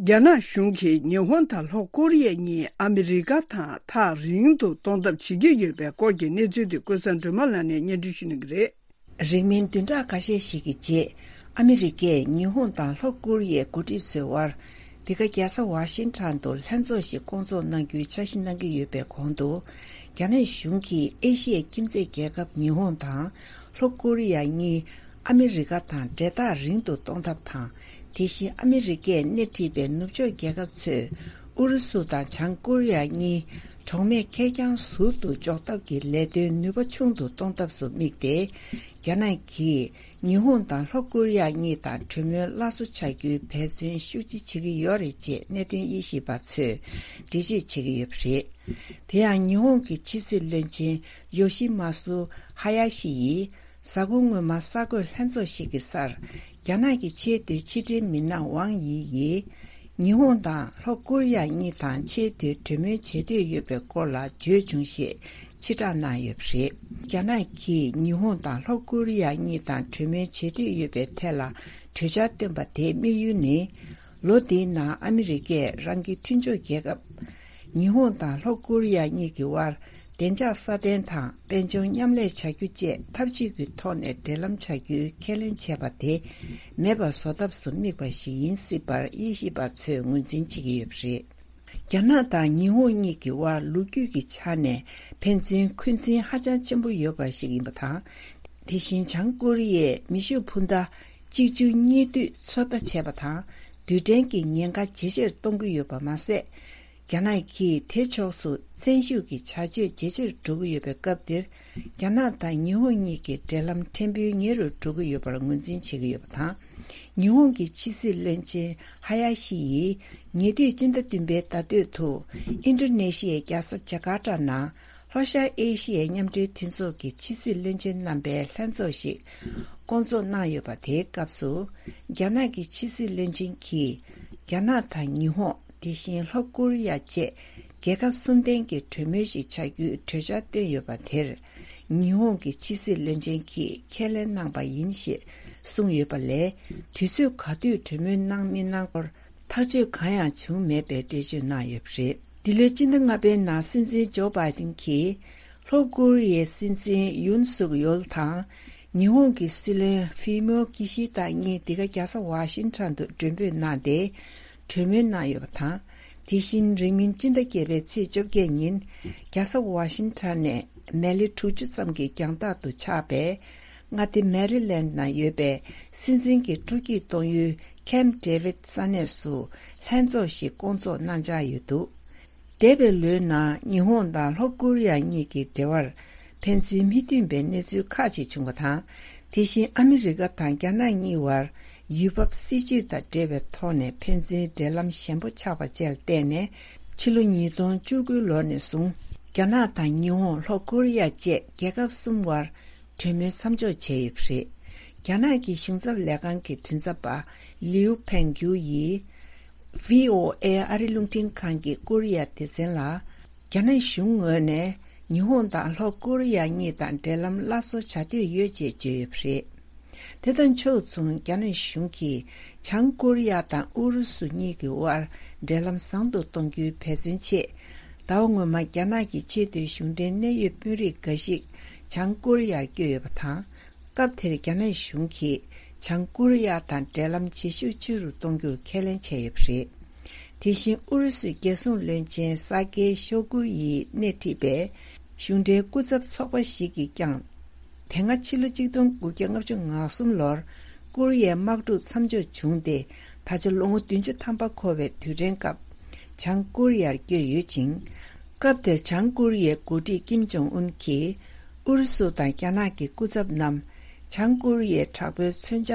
རྒྱ་ནག་གཞུང་གིས་ཉི་ཧོང་དང་ལྷོ་ཀོ་རི་ཡ་གཉིས་ཨ་མི་རི་ཀ་དང་ཐག་རིང་དུ་གཏོང་ཐབས་བྱེད་ཀྱི་ཡོད་པའི་སྐོར་གྱི་གནས་ཚུལ་དེ་ཀུན་བཟང་སྒྲོལ་མ་ལགས་ནས་སྙན་སྒྲོན་ཞུ་གནང་གི་རེད། རིང་མིན་བདུན་ཕྲག་ཁ་ཤས་ཤིག་གི་རྗེས། ཨ་མི་རི་ཀས་ཉི་ཧོང་དང་ལྷོ་ཀོ་རི་ཡའི་འགོ་ཁྲིད་ཚོའི་དབར། འདི་ག་རྒྱལ་ས་ཝ་ཤིང་ཊོན་དུ་ལྷན་ཚོགས་ཤིག་བསྐོང་ཚོགས་གནང་རྒྱུའི་འཆར་གཞི་གནང་གི་ཡོད་པའི་གོང་དུ། རྒྱ་ནག་གཞུང་གིས་ཨེ་ཤི་ཡའི་ཁྱིམ་མཚེས་རྒྱལ་ཁབ་ཉི་ཧོང་དང་ལྷོ་ཀོ་རི་ཡ་གཉིས་ཨ་མི་རི་ཀ་དང་འབྲེལ་ཐག་རིང་དུ་གཏོང་ཐབས་དང་། དེ་བཞིན་ཨ་མི་རི་ཀས་སྣེ་ཁྲིད་པའི་ནུབ་ཕྱོགས་རྒྱལ་ཁབ་ཚོས་ཨུ་རུ་སུ་དང་བྱང་ཀོ་རི་ཡ་གཉིས་གྲོགས་མེད་ཁེར་རྐྱང་ཟུར་དུ་འཇོག་ཐབས་ཀྱི་ལས་དོན་ནུས་པ་ཆུང་དུ་གཏོང་ཐབས་སུ་དམིགས་ཏེ། རྒྱ་ནག་གིས་ཉི་ཧོང་དང་ལྷོ་ཀོ་རི་ཡ་གཉིས་དང་གྲོས་མོལ་སླར་གསོ་བྱ་རྒྱུའི་འབད་བརྩོན་ཤུགས་ཆེ་བྱེད་ཀྱི་ཡོད་རེད་ཅེས་གནད་དོན་དབྱེ་ཞིབ་པ་ཚོས་འགྲེལ་བརྗོད་བྱེད་ཀྱི་ཡོད་པ་རེད། དེ་ཡང་ཉི་ཧོང་གི་ཕྱི་སྲིད་བློན་ཆེན་ཡོ་ཤི་མ་སུ་ཧ་ཡ་ཤི་ཡིས་གཟའ་འཁོར་སྔོན་མ་གསར་འགོད་ལྷན་ཚོགས་ཤིག་གི་སར། རྒྱ་ནག་གི་ཆེས་མཐོའི་ཕྱི་འབྲེལ་མི་སྣ་ཝང་ཡི་ཡིས། ཉི་ཧོང་དང་ལྷོ་ཀོ་རི་ཡ་གཉིས་དང་ཆེས་མཐོའི་གྲོས་མོལ་བྱེད་འདོད་ཡོད་པའི་སྐོར་ལ་བརྗོད་བྱུང་ཞེས་ཕྱིར་བསྒྲགས་གནང་ཡོད་པ་རེད། རྒྱ་ནག་གིས་ཉི་ཧོང་དང་ལྷོ་ཀོ་རི་ཡ་གཉིས་དང་གྲོས་མོལ་བྱེད་འདོད་ཡོད་པའི་ཐད་ལ་གྲོས་འཆར་བཏོན་པ་དེའི་དམིགས་ཡུལ་ནི། ལོ་འདིའི་ནང་ཨ་མི་རི་ཀས་རང་གི་མཐུན་ཕྱོགས་རྒྱལ་ཁབ། ཉི་ཧོང་དང་ལྷོ་ཀོ་རི་ཡ་གཉིས་ཀྱི་དབར་བདེ་འཇགས་སྲ་བརྟན་དང་དཔལ་འབྱོར་མཉམ་ལས་བྱ་རྒྱུ་བཅས་འཐབ་ཇུས་ཀྱི་ཐོག་ནས་འབྲེལ་ལམ་བྱ་རྒྱུའི་ཁས་ལེན་བྱས་པ་དེ་མེད་པ་བཟོ་ཐབས་སུ་དམིགས་པ་ཞིག་ཡིན་སྲིད་པར་དབྱེ་ཞིབ་པ་ཚོས་ངོས་འཛིན་བྱེད་ཀྱི་ཡོད་པ་རེད། རྒྱ་ནག་དང་ཉི་ཧོང་གཉིས་ཀྱི་དབར་ལོ་རྒྱུས་ཀྱི་ཆ་ནས་ཕན་ཚུན་འཁོན་འཛིན་ཧ་ཅང་ཆེན་པོ་ཡོད་པ་ཞིག་ཡིན་པ་དང་། དེ་བཞིན་བྱང་ཀོ་རི་ཡས་མེ་ཤུགས་འཕུར་མདའ་གཅིག་མཇུག་གཉིས་མཐུད་ཚོད་ལྟ་བྱས་པ་དང་། རྡུལ་ཕྲན་གྱི་ཉེན་ཁ་ཇེ་ཆེར་གཏོང་གི་ཡོད་པ་མ་ཟད། རྒྱ་ནག་གིས་དེ་ཕྱོགས་སུ་བཙན་ཤུགས་ཀྱི་བྱ་སྤྱོད་ཇེ་ཆེར་འགྲོ་གི་ཡོད་པའི་སྐབས་འདིར། རྒྱ་ནག་དང་ཉི་ཧོང་གཉིས་ཀྱི་འབྲེལ་ལམ་ཕྲན་བུ་ཉེ་རུ་འགྲོ་གི་ཡོད་པར་ངོས་འཛིན་བྱེད་ཀྱི་ཡོད་པ་དང་། ཉི་ཧོང་གི་ཕྱི་སྲིད་བློན་ཆེན་ཧ་ཡ་ཤི་ཡིས་ཉེ་དུས་སྤྱི་ཟླ་བདུན་པའི་ཟླ་སྟོད་དུ་ཨིན་ཌོ་ནེ་ཤི་ཡའི་རྒྱལ་ས་ཇ་ཀར་ཏ་ནང་ལྷོ་ཤར་ཨེ་ཤི་ཡའི་མཉམ་འབྲེལ་མཐུན་ཚོགས་ཀྱི་ཕྱི་སྲིད་བློན་ཆེན་རྣམ་པའི་ལྷན་ཚོགས་ཤིག་བསྐོང་ཚོགས་གནང་ཡོད་པ། དེའི་སྐབས་སུ་རྒྱ་ནག་གི་ཕྱི་སྲིད་བློན་ཆེན་གྱིས་རྒྱ་ནག་དང་ཉི་ཧོང་། དེ་བཞིན་ལྷོ་ཀོ་རི་ཡ་བཅས་རྒྱལ་ཁབ་གསུམ་ལྡན་གྱི་གྲོས་མོལ་ཞིག་བྱ་རྒྱུའི་གྲོས་འཆར་བཏོན་ཡོད་པ་དེར། ཉི་ཧོང་གི་ཕྱི་སྲིད་བློན་ཆེན་གྱིས་ཁས་ལེན་གནང་པ་ཡིན་ཞེས་གསུངས་ཡོད་པ་ལས། དུས་ཚོད་ག་དུས་གྲོས་མོལ་གནང་མི་གནང་སྐོར་ཐག་གཅོད་གང་ཡང་བྱུང་མེད་པའི་འགྲེལ་བརྗོད་གནང་ཡོད་པ་རེད། འདི་ལོའི་སྤྱི་ཟླ་ལྔ་པའི་ནང་སྲིད་འཛིན་ཇོ་བྷའི་ཏིན་གྱིས་ལྷོ་ཀོ་རི་ཡའི་སྲིད་འཛིན་ཡུན་སུག་ཡོལ་དང་། ཉི་ཧོང་གི་སྲིད་བློན་ཧྥུ་མིའོ་ཀི་ཤི་ད་གཉིས་འདི་ག་རྒྱལ་ས་ཝ་ཤིང་ཊོན་དུ་མགྲོན་འབོད་གནང་སྟེ། གྲོས་མོལ་གནང་ཡོད་པ་དང་། དེ་བཞིན་རིང་མིན་སྤྱི་ཟླ་བརྒྱད་པའི་ཚེས་བཅོ་བརྒྱད་ཉིན། རྒྱལ་ས་ཝ་ཤིང་ཊོན་ནས་མལ་ལེ་དྲུག་ཅུ་ཙམ་གྱི་རྒྱང་ཐག་ཏུ་ཆགས་པའི་མངའ་སྡེ་མེ་རི་ལེན་ནང་ཡོད་པའི་སྲིད་འཛིན་གྱི་སྤྲོ་སྐྱིད་གཏོང་ཡུལ་ཁེམ་ཌེ་ཝིད་ས་གནས་སུ་ལྷན་ཚོགས་ཤིག་བསྐོང་ཚོགས་གནང་འཆར་ཡོད་འདུག་འདས་པའི་ལོའི་ནང་ཉི་ཧོང་དང་ལྷོ་ཀོ་རི་ཡ་གཉིས་ཀྱི་འབྲེལ་བར་ཕན་ཚུན་མི་མཐུན་པའི་གནས་ཚུལ་ཁག་ཅིག་བྱུང་བ་དང་། དེ་བཞིན་ཨ་མི་རི་ཀ་དང་རྒྱ་ནག་གཉིས་བར་ཡུལ་བབ་སྲིད་ཇུས་དང་འབྲེལ་བའི་ཐོག་ནས་ཕན་ཚུན་འབྲེལ་ལམ་ཞན་པོ་ཆགས་པ་བཅས་ལ་བརྟེན་ནས། ཕྱི་ལོ་ཉིས་སྟོང་བཅུ་དགུ་ལོ་ནས་བཟུང་རྒྱ་ནག་དང་ཉི་ཧོང་ལྷོ་ཀོ་རི་ཡ་བཅས་རྒྱལ་ཁབ་གསུམ་བར་གྲོས་མོལ་མཚམས་འཇོག་བྱས་ཡོད་པ་རེད། རྒྱ་ནག་གི་གཞུང་ཚབ་ལས་ཁང་གི་མགྲིན་ཚབ་པ་ལིའུ་ཕེང་གུའུ་ཡིས། ཝི་ཨོ་ཨེ་ཨ་རི་རླུང་འཕྲིན་ཁང་གི་ཀོ་རི་ཡ་སྡེ་ཚན་ལ། རྒྱ་ནག་གཞུང་ངོས་ནས་ཉི་ཧོང་དང་ལྷོ་ཀོ་རི་ཡ་གཉིས་དང་འབྲེལ་ལམ་སླར་གསོ་བྱ་འདོད་ཡོད་ཅེས་བརྗོད་ཡོད་པ་རེད། དེ་དང་ཕྱོགས་མཚུངས་རྒྱ་ནག་གཞུང་གིས་བྱང་ཀོ་རི་ཡ་དང་ཨུ་རུ་སུ་གཉིས་ཀྱི་དབར་འབྲེལ་ལམ་བཟང་དུ་གཏོང་རྒྱུའི་འབད་བརྩོན་ཆེད། ཟླ་བ་སྔོན་མ་རྒྱ་ནག་གི་ཆེས་མཐོའི་གཞུང་འབྲེལ་གནད་ཡོད་དཔོན་རིགས་འགའ་ཞིག་བྱང་ཀོ་རི་ཡར་བསྐྱོད་ཡོད་པ་དང་། སྐབས་དེར་རྒྱ་ནག་གཞུང་གིས་བྱང་ཀོ་རི་ཡ་དང་འབྲེལ་ལམ་བྱེད་ཤུགས་ཆེ་རུ་གཏོང་རྒྱུར་ཁས་ལེན་བྱས་ཡོད་པ་རེད། དེ་བཞིན་ཨུ་རུ་སུའི་རྒྱལ་སྲུང་བློན་ཆེན་ས་ཀེ་ཤོ་གུ་ཡིས་སྣེ་ཁྲིད་པའི་གཞུང་འབྲེལ་སྐུ་ཚབ་ཚོགས་པ་ཞིག་གིས་ཀྱང་། དེ་སྔ་ཕྱི་ལོ་ཆིག་སྟོང་དགུ་བརྒྱ་ལྔ་བཅུ་ང་གསུམ་ལོར་ཀོ་རི་ཡའི་དམག་འཁྲུག་མཚམས་འཇོག་བྱུང་སྟེ། ད་ཆ་ལོ་ངོ་བདུན་ཅུ་ཐམ་པ་འཁོར་བའི་དུས་དྲན་སྐབས་བྱང་ཀོ་རི་ཡར་བསྐྱོད་ཡོད་ཅིང་། སྐབས་དེར་བྱང་ཀོ་རི་ཡའི་འགོ་ཁྲིད་ཀིམ་ཇོང་ཨུན་གྱིས་ཨུ་རུ་སུ་དང་རྒྱ་ནག་གི་སྐུ་ཚབ་རྣམས་བྱང་ཀོ་རི་ཡའི་དྲག་པོའི་མཚོན་ཆ་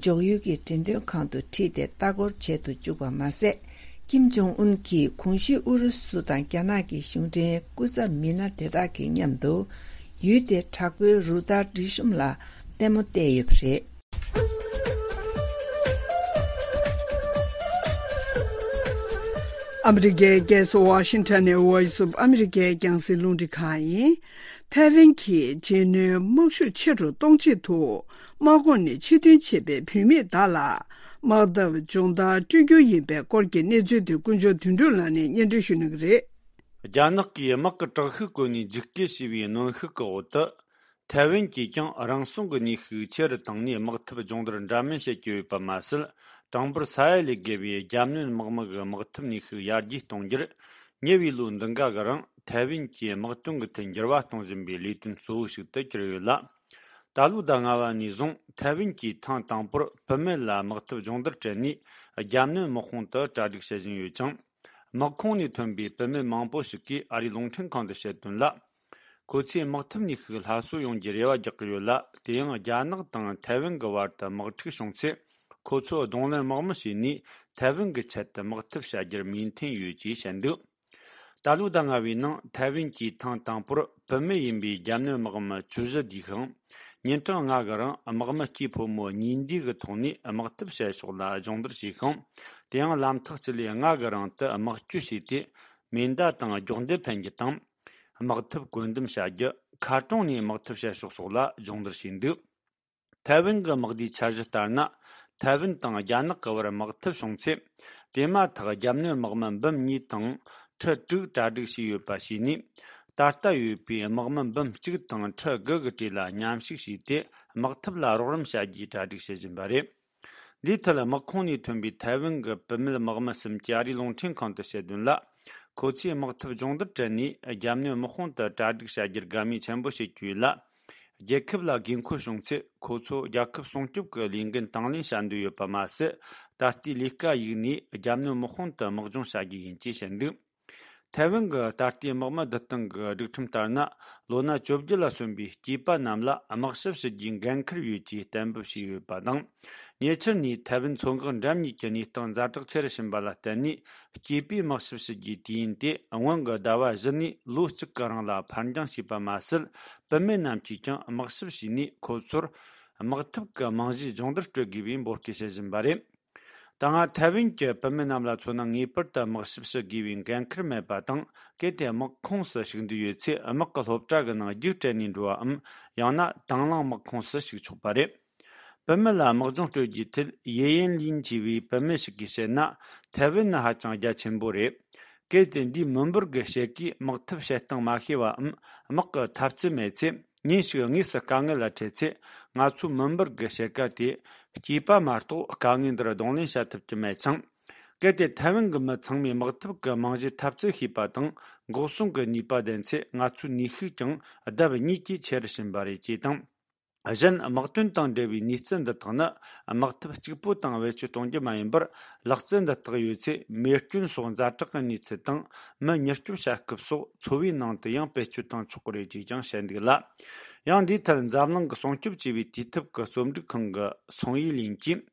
འཇོག་ཡུལ་གྱི་འགྲེམས་སྟོན་ཁང་དུ་ཁྲིད་དེ་ལྟ་སྐོར་བྱེད་དུ་བཅུག་པ་མ་ཟད། ཀིམ་ཇོང་ཨུན་གྱིས་གོང་ཞུས་ཨུ་རུ་སུ་དང་རྒྱ་ནག་གི་གཞུང་འབྲེལ་སྐུ་ཚབ་མི་སྣ་དེ་དག་གི་མཉམ་དུ་ཡུལ་དེའི་དྲག་པོའི་རུ་སྟར་སྒྲིག་གཤོམ་ལ་ལྟད་མོ་བལྟས་ཡོད་པ་རེད། ཨ་མི་རི་ཀའི་རྒྱལ་ས་ཝ་ཤིང་ཊོན་ནས་Voice of America་རྒྱང་སྲིང་རླུང་འཕྲིན་ཁང་ཡིན། ཐའེ་ཝན་གྱིས་རྗེས་སྣོན་དམག་ཤུགས་ཆེ་རུ་གཏོང་ཆེད་དུ། དམག་ཁོངས་ནས་ཕྱིར་ཐོན་བྱས་པའི་བུད་མེད་དག་ལ་དམག་འཐབ་སྦྱོང་བརྡར་སྤྲོད་རྒྱུ་ཡིན་པའི་སྐོར་གྱི་གནས་ཚུལ་དེ་དཀོན་མཆོག་དོན་གྲུབ་ལགས་ནས་སྙན་སྒྲོན་ཞུ་གནང་གི་རེད། རྒྱ་ནག་གིས་དམག་གི་དྲག་ཤུགས་བཀོལ་ནས་འཇིགས་སྐུལ་བྱས་པའི་གནོན་ཤུགས་ཀྱི་འོག་ཏུ། ཐའེ་ཝན་གྱིས་ཀྱང་རང་སྲུང་གི་ནུས་ཤུགས་ཆེ་རུ་བཏང་ནས་དམག་འཐབ་སྦྱོང་བརྡར་འདྲ་མིན་བྱེད་ཀྱི་ཡོད་པ་མ་ཟད། གྲངས་འབོར་ས་ཡ་ལས་བརྒལ་བའི་རྒྱ་སྣོན་དམག་མི་གི་དམག་འཐབ་ནུས་ཤུགས་ཡར་རྒྱས་གཏོང་རྒྱུར། ཉེ་བའི་ལོ་འདི་འགའ་གི་རིང་ཐའེ་ཝན་གྱིས་དམག་དོན་གྱི་ཐད་འགྱུར་བ་གཏོང་བཞིན་པའི་ལས་དོན་གཙོ་བོ་ཞིག་ཏུ་གྱུར་ཡོད་ལ། ད་ལོའི་ཟླ་ལྔ་པ་ནས་བཟུང་ཐའེ་ཝན་གྱིས་ཐེངས་དང་པོར་བུད་མེད་ལ་དམག་འཐབ་སྦྱོང་བརྡར་སྤྲད་ནས། རྒྱ་སྣོན་དམག་དཔུང་དུ་གྲ་སྒྲིག་བྱེད་བཞིན་ཡོད་ཅིང་། དམག་ཁོངས་ནས་ཐོན་པའི་བུད་མེད་མང་པོ་ཞིག་གིས་ཨ་རིའི་རླུང་འཕྲིན་ཁང་དུ་བཤད་དོན་ལ། ཁོ་ཚོས་དམག་འཐབ་ནུས་ཤུགས་སླར་གསོ་ཡོང་རྒྱུའི་རེ་བ་རྒྱག་གི་ཡོད་ལ། དེ་ཡང་རྒྱ་ནག་དང་ཐའེ་ཝན་གྱི་བར་དུ་དམག་འཁྲུག་བྱུང་ཚེ། ཁོ་ཚོ་གདོང་ལེན་དམག་མི་བྱས་ནས་ཐའེ་ཝན་གྱི་ཆེད་དུ་དམག་འཐབ་བྱ་རྒྱུར་མོས་མཐུན་ཡོད་ཅེས་བཤད་འདུག་ད་ལོའི་ཟླ་ལྔ་པའི་ནང་ཐའེ་ཝན་གྱིས་ཐེངས་དང་པོར་བུད་མེད་ཡིན་པའི་རྒྱ་སྣོན་དམག་མི་བཅུ་བཞི་བསྡུས་ཤིང་། ཉིན་གྲངས་ལྔ་གི་རིང་དམག་མི་སྐྱེས་ཕོ་མོ་གཉིས་འདུས་ཀྱི་ཐོག་ནས་དམག་འཐབ་བྱེད་ཕྱོགས་ལ་སྦྱོང་བརྡར་བྱས་ཤིང་། དེ་ཡང་ལམ་ཐག་གཅིག་ལས་ལྔ་གི་རིང་དུ་དམག་སྐྱོད་བྱས་ཏེ། མེ་མདའ་དང་སྒྱོགས་མདེལ་འཕེན་རྒྱུ་དང་། དམག་འཐབ་བཀོད་འདོམས་བྱ་རྒྱུ། མཁར་གྲོང་ནས་དམག་འཐབ་བྱེད་ཕྱོགས་སོགས་ལ་སྦྱོང་བརྡར་བྱས་འདུག་ཐའེ་ཝན་གྱི་དམག་སྡེའི་འཆར་གཞི་ལྟར་ན། ཐའེ་ཝན་དང་རྒྱ་ནག་གི་བར་དམག་འཐབ་བྱུང་ཚེ། དེ་མ་ཐག་རྒྱབ་གནོན་དམག་མི་འབུམ་གཉིས་དང་ཁྲི་དྲུག་གྲ་སྒྲིག་བྱས་ཡོད་པ་བྱས་ནས། ད་ལྟ་ཡོད་པའི་དམག་མི་འབུམ་གཅིག་དང་ཁྲི་དགུ་གི་གྲས་ལ་མཉམ་ཞུགས་བྱས་ཏེ། དམག་འཐབ་ལ་རོགས་རམ་བྱ་རྒྱུའི་གྲ་སྒྲིག་བྱེད་བཞིན་པ་རེད། འདིའི་ཐད་དམག་ཁོངས་ནས་ཐོན་པའི་ཐའེ་ཝན་གྱི་བུད་མེད་དམག་མི་གསུམ་གྱིས་ཨ་རིའི་རླུང་འཕྲིན་ཁང་དུ་བཤད་དོན་ལ། ཁོ་ཚོས་དམག་འཐབ་སྦྱོང་བརྡར་སྤྲད་ནས་རྒྱབ་གནོན་དམག་དཔུང་དུ་གྲ་སྒྲིག་བྱ་རྒྱུར་དགའ་མོས་ཆེན་པོ་བྱེད་ཀྱི་ཡོད་ལ། རྒྱལ་ཁབ་ལ་དགོས་མཁོ་བྱུང་ཚེ་ཁོ་ཚོ་རྒྱལ་ཁབ་སྲུང་སྐྱོབ་ཀྱི་ལས་འགན་དང་ལེན་བྱ་འདོད་ཡོད་པ་མ་ཟད། ད་ལྟའི་ལས་ཀ་གཞིགས་ནས་རྒྱབ་གནོན་དམག་དཔུང་དུ་དམག་སྦྱོང་བྱ་རྒྱུ་ཡིན་ཅེས་བཤད་འདུག་ཐའེ་ཝན་གྱི་ད་ལྟའི་དམག་མི་བསྡུ་སྟངས་ཀྱི་སྒྲིག་ཁྲིམས་ལྟར་ན། ལོ་ན་བཅོ་བརྒྱད་ལ་སོན་པའི་སྐྱེས་པ་རྣམས་ལ་དམག་ཞབས་ཞུ་རྒྱུའི་འགན་འཁུར་ཡོད་ཅེས་གཏན་འབེབས་བྱས་ཡོད་པ་དང་། ཉེ་ཆར་ནས་ཐའེ་ཝན་མཚོ་འགག་འགྲམ་གཉིས་ཀྱི་གནས་སྟངས་ཛ་དྲག་ཆེ་རུ་ཕྱིན་པ་ལ་བརྟེན་ནས། སྐྱེས་པས་དམག་ཞབས་ཞུ་རྒྱུའི་དུས་ཡུན་དེ་སྔོན་གྱི་ཟླ་བ་བཞི་ནས་ལོ་གཅིག་གི་རིང་ལ་ཕར་འགྱངས་བྱས་པ་མ་ཟད། བུད་མེད་རྣམས་ཀྱིས་ཀྱང་དམག་ཞབས་བྱས་ནས་ཁོ་ཚོར་དམག་འཐབ་ཀྱི་རྨང་གཞིའི་སྦྱོང་བརྡར་སྤྲོད་དགོས་པའི་འབོད་སྐུལ་བྱེད་བཞིན་པ་རེད། ད་སྔ་ཐའེ་ཝན་གྱི་བུད་མེད་རྣམས་ལ་མཚོན་ན། ངེས་པར་དུ་དམག་ཞབས་ཞུ་དགོས་པའི་འགན་འཁུར་མེད་པ་དང་། གལ་ཏེ་དམག་ཁོངས་སུ་ཞུགས་འདོད་ཡོད་ཚེ། དམག་གི་སློབ་གྲྭ་གི་ནང་རྒྱུགས་སྤྲད་ནས་འགྲོ་བའམ། ཡང་ན་དང་བླངས་དམག་ཁོངས་སུ་ཞུགས་ཆོག་པ་རེད། བུད་མེད་ལ་དམག་སྦྱོང་སྤྲོད་རྒྱུའི་ཐད། ཡེ་ཡན་ལིན་ཅེས་པའི་བུད་མེད་ཞིག་གིས་བཤད་ན། ཐའེ་ཝན་ནི་ཧ་ཅང་རྒྱ་ཆེན་པོ་རེད། གལ་ཏེ་འདིའི་མི་འབོར་གྱི་ཕྱེད་ཀས་དམག་འཐབ་བྱེད་སྟངས་མ་ཤེས་པའམ། དམག་གི་འཐབ་རྩལ་མེད་ཚེ། ཉིན་ཞིག་དངོས་སུ་དཀའ་ངལ་ལ་འཕྲད་ཚེ། ང་ཚོའི་མི་འབོར་གྱི་ཕྱེད་ཀ་དེ་སྐྱེས་པ་མ་གཏོགས་དཀའ་ངལ་འདིར་གདོང་ལེན་བྱ་ཐུབ་ཀྱི་མེད་ཅིང་། གལ་ཏེ་ཐའེ་ཝན་གྱི་མི་ཚང་མས་དམག་འཐབ་ཀྱི་རྨང་གཞིའི་འཐབ་རྩལ་ཤེས་པ་དང་། འགོག་སྲུང་གི་ནུས་པ་ལྡན་ཚེ། ང་ཚོའི་ནུས་ཤུགས་ཀྱང་ལྡབ་གཉིས་ཀྱིས་ཆེ་རུ་ཕྱིན་པ་རེད་ཅེས་དང་། གཞན། དམག་དོན་དང་འབྲེལ་བའི་ནུས་རྩལ་འདི་དག་ནི། དམག་འཐབ་གཅིག་པུ་དང་བེད་སྤྱོད་གཏོང་རྒྱུ་མ་ཡིན་པར། ལག་རྩལ་འདི་དག་ཡོད་ཚེ། མེ་སྐྱོན་སོགས་ཛ་དྲག་གི་གནས་ཚུལ་དང་། མི་མྱུར་སྐྱོབ་བྱ་སྐབས་སོགས་འཚོ་བའི་ནང་དུ་ཡང་བེད་སྤྱོད་བཏང་ཆོག་གི་རེད་ཅེས་ཀྱང་བཤད་འདུག་ལ། ཡང་འདིའི་ཐད་འཛམ་གླིང་གི་སྲུང་སྐྱོབ་ཅེས་པའི་དུས་དེབ་ཀྱི་རྩོམ་སྒྲིག་ཁང་གི་སུང་ཡི་ལིན་གྱིས།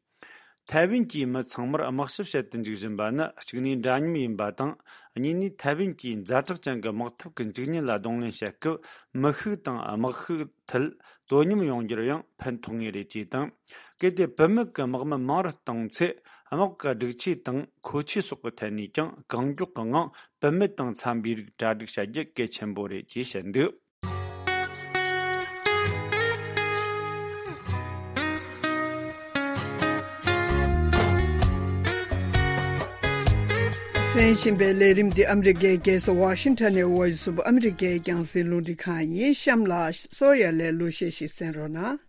ཐའེ་ཝན་གྱི་མི་ཚང་མར་དམག་ཞབས་བྱེད་དུ་འཇུག་བཞིན་པ་ནི། གཅིག་ནས་འདྲ་མཉམ་ཡིན་པ་དང་། གཉིས་ནས་ཐའེ་ཝན་གྱིས་ཛ་དྲག་ཅན་གྱི་དམག་འཐབ་ཀྱི་འཇིགས་ཉེན་ལ་གདོང་ལེན་བྱེད་སྐབས། མི་ཤུགས་དང་དམག་ཤུགས་ཐད་དོ་མཉམ་ཡོང་རྒྱུར་ཡང་ཕན་ཐོགས་ངེས་རེད་ཅེས་དང་། གལ་ཏེ་བུད་མེད་ཀྱི་དམག་མི་མང་རུ་བཏང་ཚེ། དམག་གི་སྒྲིག་ཆས་དང་མཁོ་ཆས་སོགས་ཀྱི་ཐད་ནས་ཀྱང་གང་མགྱོགས་ཀྱི་ངང་བུད་མེད་དང་འཚམ་པའི་རིགས་གྲ་སྒྲིག་བྱ་རྒྱུ་གལ་ཆེན་པོ་རེད་ཅེས་བཤད་འདུག་གསན་བཞིན་པའི་ལས་རིམ་འདི་ཨ་མི་རི་ཀའི་རྒྱལ་ས་ཝ་ཤིང་ཊོན་ནས་Voice of America་རྒྱང་སྲིང་རླུང་འཕྲིན་ཁང་ཡིན། གཤམ་ལ་གསོ་ཡ་ལས་གླུ་གཞས་ཤིག་གསན་རོགས་གནང་།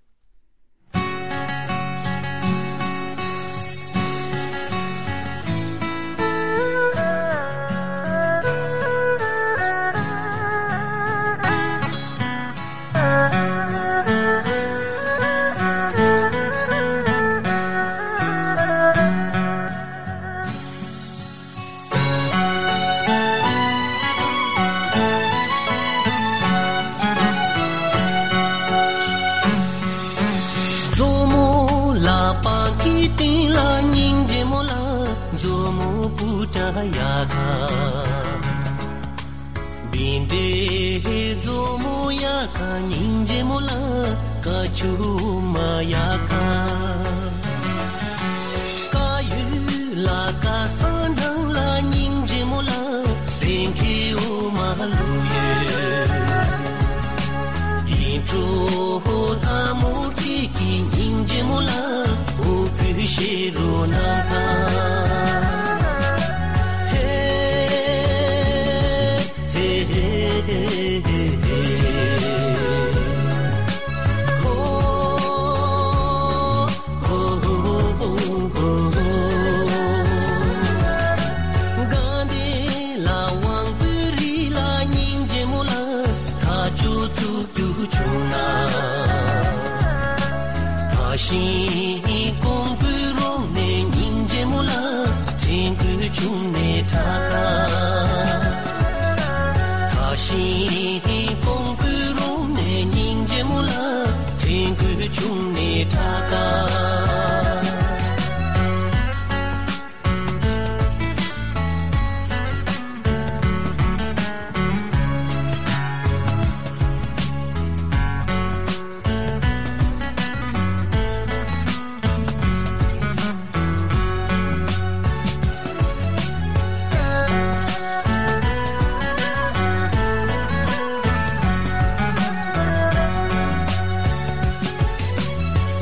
ཆུ་མ་ཡ་ཁ། ཀ་ཡུ་ལ་ཀ་ས་ནང་ལ་སྙིང་རྗེ་མོ་ལ། སེང་གེ་འོ་མ་ལུ་ཡོད། ཡིན་གྲོ་ལྷ་མོ་ཁྱེད་ཀྱི་སྙིང་རྗེ་མོ་ལ། འོ་བུ་ཤེ་རོ་ནང་ཁ། ཧེ། ཧེ་ཧེ་ཧེ་ཧེ་ཧེ། ཧོ། ཧོ་ཧོ་ཧོ་ཧོ་ཧོ། དགའ་ལྡན་ལ་དབང་པོའི་རི་ལ་སྙིང་རྗེ་མོ་ལ། ཐག་ཆོད་ཚུགས་རྒྱུ་བྱུང་ན། ཐག་ཤིང་ཀོང་པོའི་རོང་ནས་སྙིང་རྗེ་མོ་ལ། དྲན་དགོས་བྱུང་ནས་ཁྲ་ཁ། ཐག་ཤིང་ཀོང་པོའི་རོང་ནས་སྙིང་རྗེ་མོ་ལ། དྲན་དགོས་བྱུང་ནས་ཁྲ་ཁ།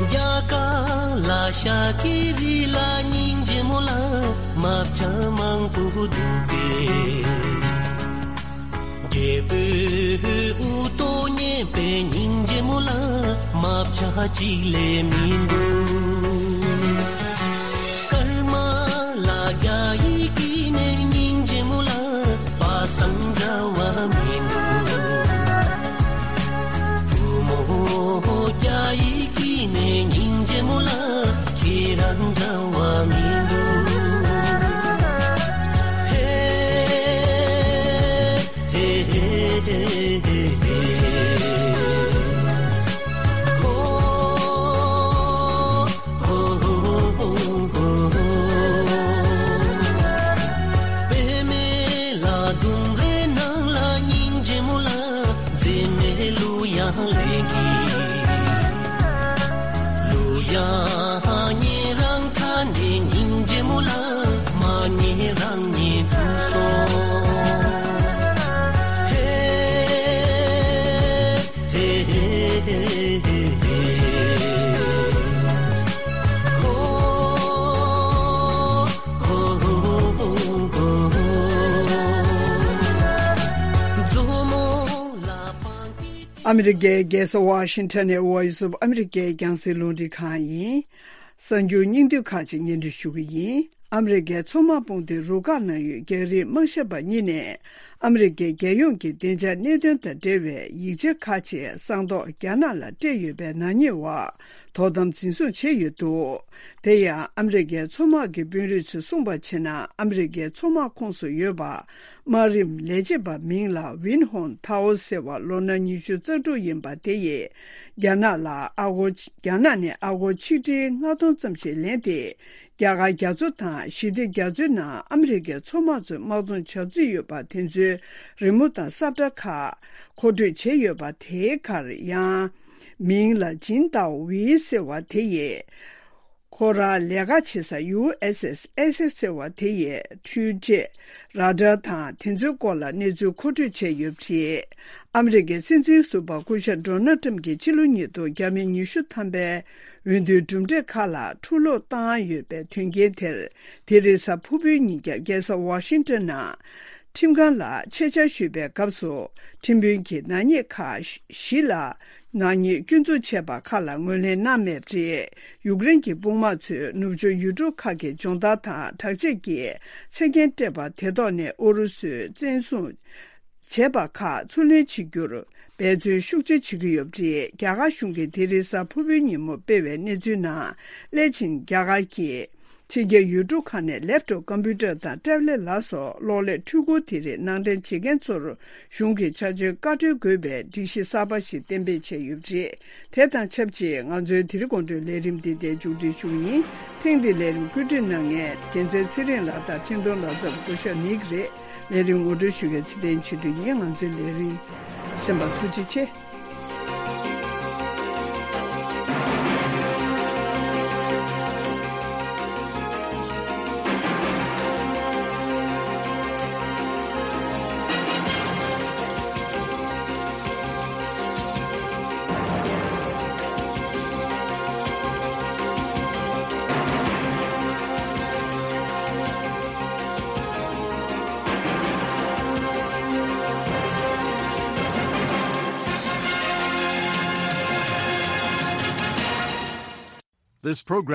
རྒྱ་གར་ལ་ཤཱཀྱའི་རི་ལ་སྙིང་རྗེ་མོ་ལ། རྨ་བྱ་མང་པོ་འདུག་པས། རྒྱལ་པོའི་དབུ་ཏོ་མཉེས་པའི་སྙིང་རྗེ་མོ་ལ། རྨ་བྱ་གཅིག་ལས་མི་འདུག། ཀརྨ་ལ་རྒྱ་ཡིག་གི་ནས་སྙིང་རྗེ་མོ་ལ། པ་སངས་འདྲ་བ་མི་འདུག། བུ་མོ་རྒྱ་ཡིག་གི་ནས་སྙིང་རྗེ་མོ་ལ། ཁྱེད་རང་འདྲ་བ་མི་འདུག། ཧེ། ཧེ་ཧེ་ཧེ་ཧེ་ཧེ། ཧོ། ཧོ་ཧོ་ཧོ་ཧོ་ཧོ། པདྨའི་ལ་ལྡུམ་རའི་ནང་ལ་སྙིང་རྗེ་མོ་ལ། མཛེས་མའི་གླུ་དབྱངས་ལེན་གྱི། གླུ་དབྱངས་ཉན་རང་ཁྲ་ནས་སྙིང་རྗེ་མོ་ལ། མ་ཉན་རང་ཉན་དུ་སོང་། ཧེ། ཧེ་ཧེ་ཧེ་ཧེ་ཧེ། ཧོ། ཧོ་ཧོ་ཧོ་ཧོ། མཛོ་མོ་ལ་པང་ཏི། ཨ་མི་རི་ཀའི་རྒྱལ་ས་ཝ་ཤིང་ཊོན་ནས་ཝོ་ཡི་སི་ཨོཕ་ཨ་མི་རི་ཀའི་རྒྱང་སྲིང་རླུང་འཕྲིན་ཁང་ཡིན། གསར་འགྱུར་སྙིང་བསྡུས་ཁག་ཅིག་སྙན་སྒྲོན་ཞུ་གི་ཡིན། ཨ་མི་རི་ཀའི་མཚོ་དམག་དཔུང་སྡེ་རུ་ཁག་ནང་ཡོད་རྒྱ་རིགས་དམག་ཞབས་པ་གཉིས་ནས་ཨ་མི་རི་ཀའི་རྒྱལ་ཡོངས་ཀྱི་བདེ་འཇགས་གནད་དོན་དང་འབྲེལ་བའི་ཡིག་ཆ་ཁག་ཅིག་གསང་རྟོགས་རྒྱ་ནག་ལ་སྤྲད་ཡོད་པའི་ནག་ཉེས་འོག་དོ་དམ་འཛིན་བཟུང་བྱས་ཡོད་འདུག། དེ་ཡང་ཨ་མི་རི་ཀའི་མཚོ་དམག་གི་དཔོན་རིགས་ཚོས་གསུངས་པར་བྱས་ན། ཨ་མི་རི་ཀའི་མཚོ་དམག་ཁོངས་སུ་ཡོད་པ། དམག་རིམ་ལས་བྱེད་པ་མིང་ལ་ཝིན་ཧོང་ཐའོ་ཟེར་བ་ལོ་ན་ཉི་ཤུ་རྩ་དྲུག་ཡིན་པ་དེ་ཡིས་རྒྱ་ནག་ལ་ཨ་སྒོར། རྒྱ་ནག་ནས་ཨ་སྒོར་ཆིག་ཁྲི་ལྔ་སྟོང་ཙམ་ཞིག་ལེན་ཏེ། རྒྱ་གར་རྒྱ་མཚོ་དང་ཞི་བདེ་རྒྱ་མཚོའི་ནང་ཨ་མི་རི་ཀའི་མཚོ་དམག་ཚོས་དམག་རྫོང་བྱ་རྩིས་ཡོད་པ་དེ་ཚོའི་རི་མོ་དང་ས་བཀྲ་ཁག་མཁོ་སྤྲོད་བྱས་ཡོད་པ་དེའི་ཁར་ཡང་། མིང་ལ་ཇིན་ཏའོ་ཝི་ཟེར་བ་དེ་ཡིས། ཁོ་རང་ལས་ཀ་བྱེད་ས་ཡུ་ཨེས་ཨེས་ཨེ་སེ་ཟེར་བ་དེ་ཡི་འཕྲུལ་ཆས་ར་ཌར་དང་དེ་ཚོའི་སྐོར་ལ་གནས་ཚུལ་མཁོ་སྤྲོད་བྱས་ཡོད་པ་རེད། ཨ་མི་རི་ཀའི་སྲིད་འཛིན་ཟུར་པ་སྐུ་ཞབས་ཌོ་ནལ་ཊམ་གྱིས་ཕྱི་ལོ་ཉིས་སྟོང་བརྒྱ་མེད་ཉི་ཤུ་ཐམ་པའི་འོས་བསྡུའི་གྲུབ་འབྲས་ཁག་ལ་འཁྲུག་སློང་བཏང་ཡོད་པའི་དོན་རྐྱེན་དེར། དེ་རིང་གཟའ་ཕུར་བུའི་ཉིན་རྒྱབ་རྒྱལ་ས་ཝ་ཤིང་ཊོན་ནང་ཁྲིམས་ཁང་ལ་ཆེད་བཅར་ཞུས་པའི་སྐབས་སུ། ཁྲིམས་དཔོན་གྱིས་ནག་ཉེས་ཁག་བཞི་ལ། ནག་ཉེས་སྐྱོན་འཛུགས་བྱས་པ་ཁག་ལ་ངོས་ལེན་གནང་མེད་པ་རེད། ཡུཀ་རེན་གྱི་དཔུང་དམག་ཚོས་ནུབ་ཕྱོགས་ཡུལ་གྲུ་ཁག་གི་སྦྱོང་བརྡར་དང་དྲག་ཆས་ཀྱི་ཆ་རྐྱེན་སྤྲད་པ་དེ་ཐོག་ནས་ཨུ་རུ་སུས་བཙན་བཟུང་བྱས་པ་ཁག་ཚུར་ལེན་བྱེད་རྒྱུར་འབད་བརྩོན་ཤུགས་ཆེ་བྱེད་ཀྱི་ཡོད་པ་རེད། རྒྱ་གར་གཞུང་གིས་དེ་རིང་གཟའ་ཕུར་བུའི་ཉིན་མོ་སྤེལ་བའི་གནས་ཚུལ་ནང་། སླད་ཕྱིན་རྒྱ་གར་གྱི་ཕྱི་རྒྱལ་ཡུལ་གྲུ་ཁག་ནས་ལེབ་ཊོབ་ཀམ་པུ་ཊར་དང་ཊེབ་ལེཊ་ལ་སོགས་གློག་ཀླད་འཕྲུལ་འཁོར་དེ་རིགས་ནང་འདྲེན་བྱེད་མཁན་ཚོར་གཞུང་གིས་ཆ་འཇོག་བཀའ་འཁྲོལ་དགོས་པའི་སྒྲིག་གཞི་གསར་པ་ཞིག་གཏན་འབེབས་བྱས་ཡོད་པ་རེད། དེ་དང་ཆབས་ཅིག་ང་ཚོའི་དེ་རིང་དགོང་དྲོའི་ལས་རིམ་འདི་དེ་མཇུག་སྒྲིལ་ཞུ་གི་ཡིན། ཐེངས་འདིའི་ལས་རིམ་བཀོད་སྒྲིག་གནང་མཁན་རྒྱལ་མཚན་ཚེ་རིང་ལགས་དང་འཕྲིན་གཏོང་ལག་རྩལ་སྐུ་ཞབས་ནིག་རེད། ལས་རིམ་ངོ་སྤྲོད་ཞུ་མཁན་ཚེ་བརྟན་ཆོས་སྒྲོན་ཡིན། ང་ཚོའི་ལས་རིམ་གསན་པར་ཐུགས་རྗེ་ཆེ། This program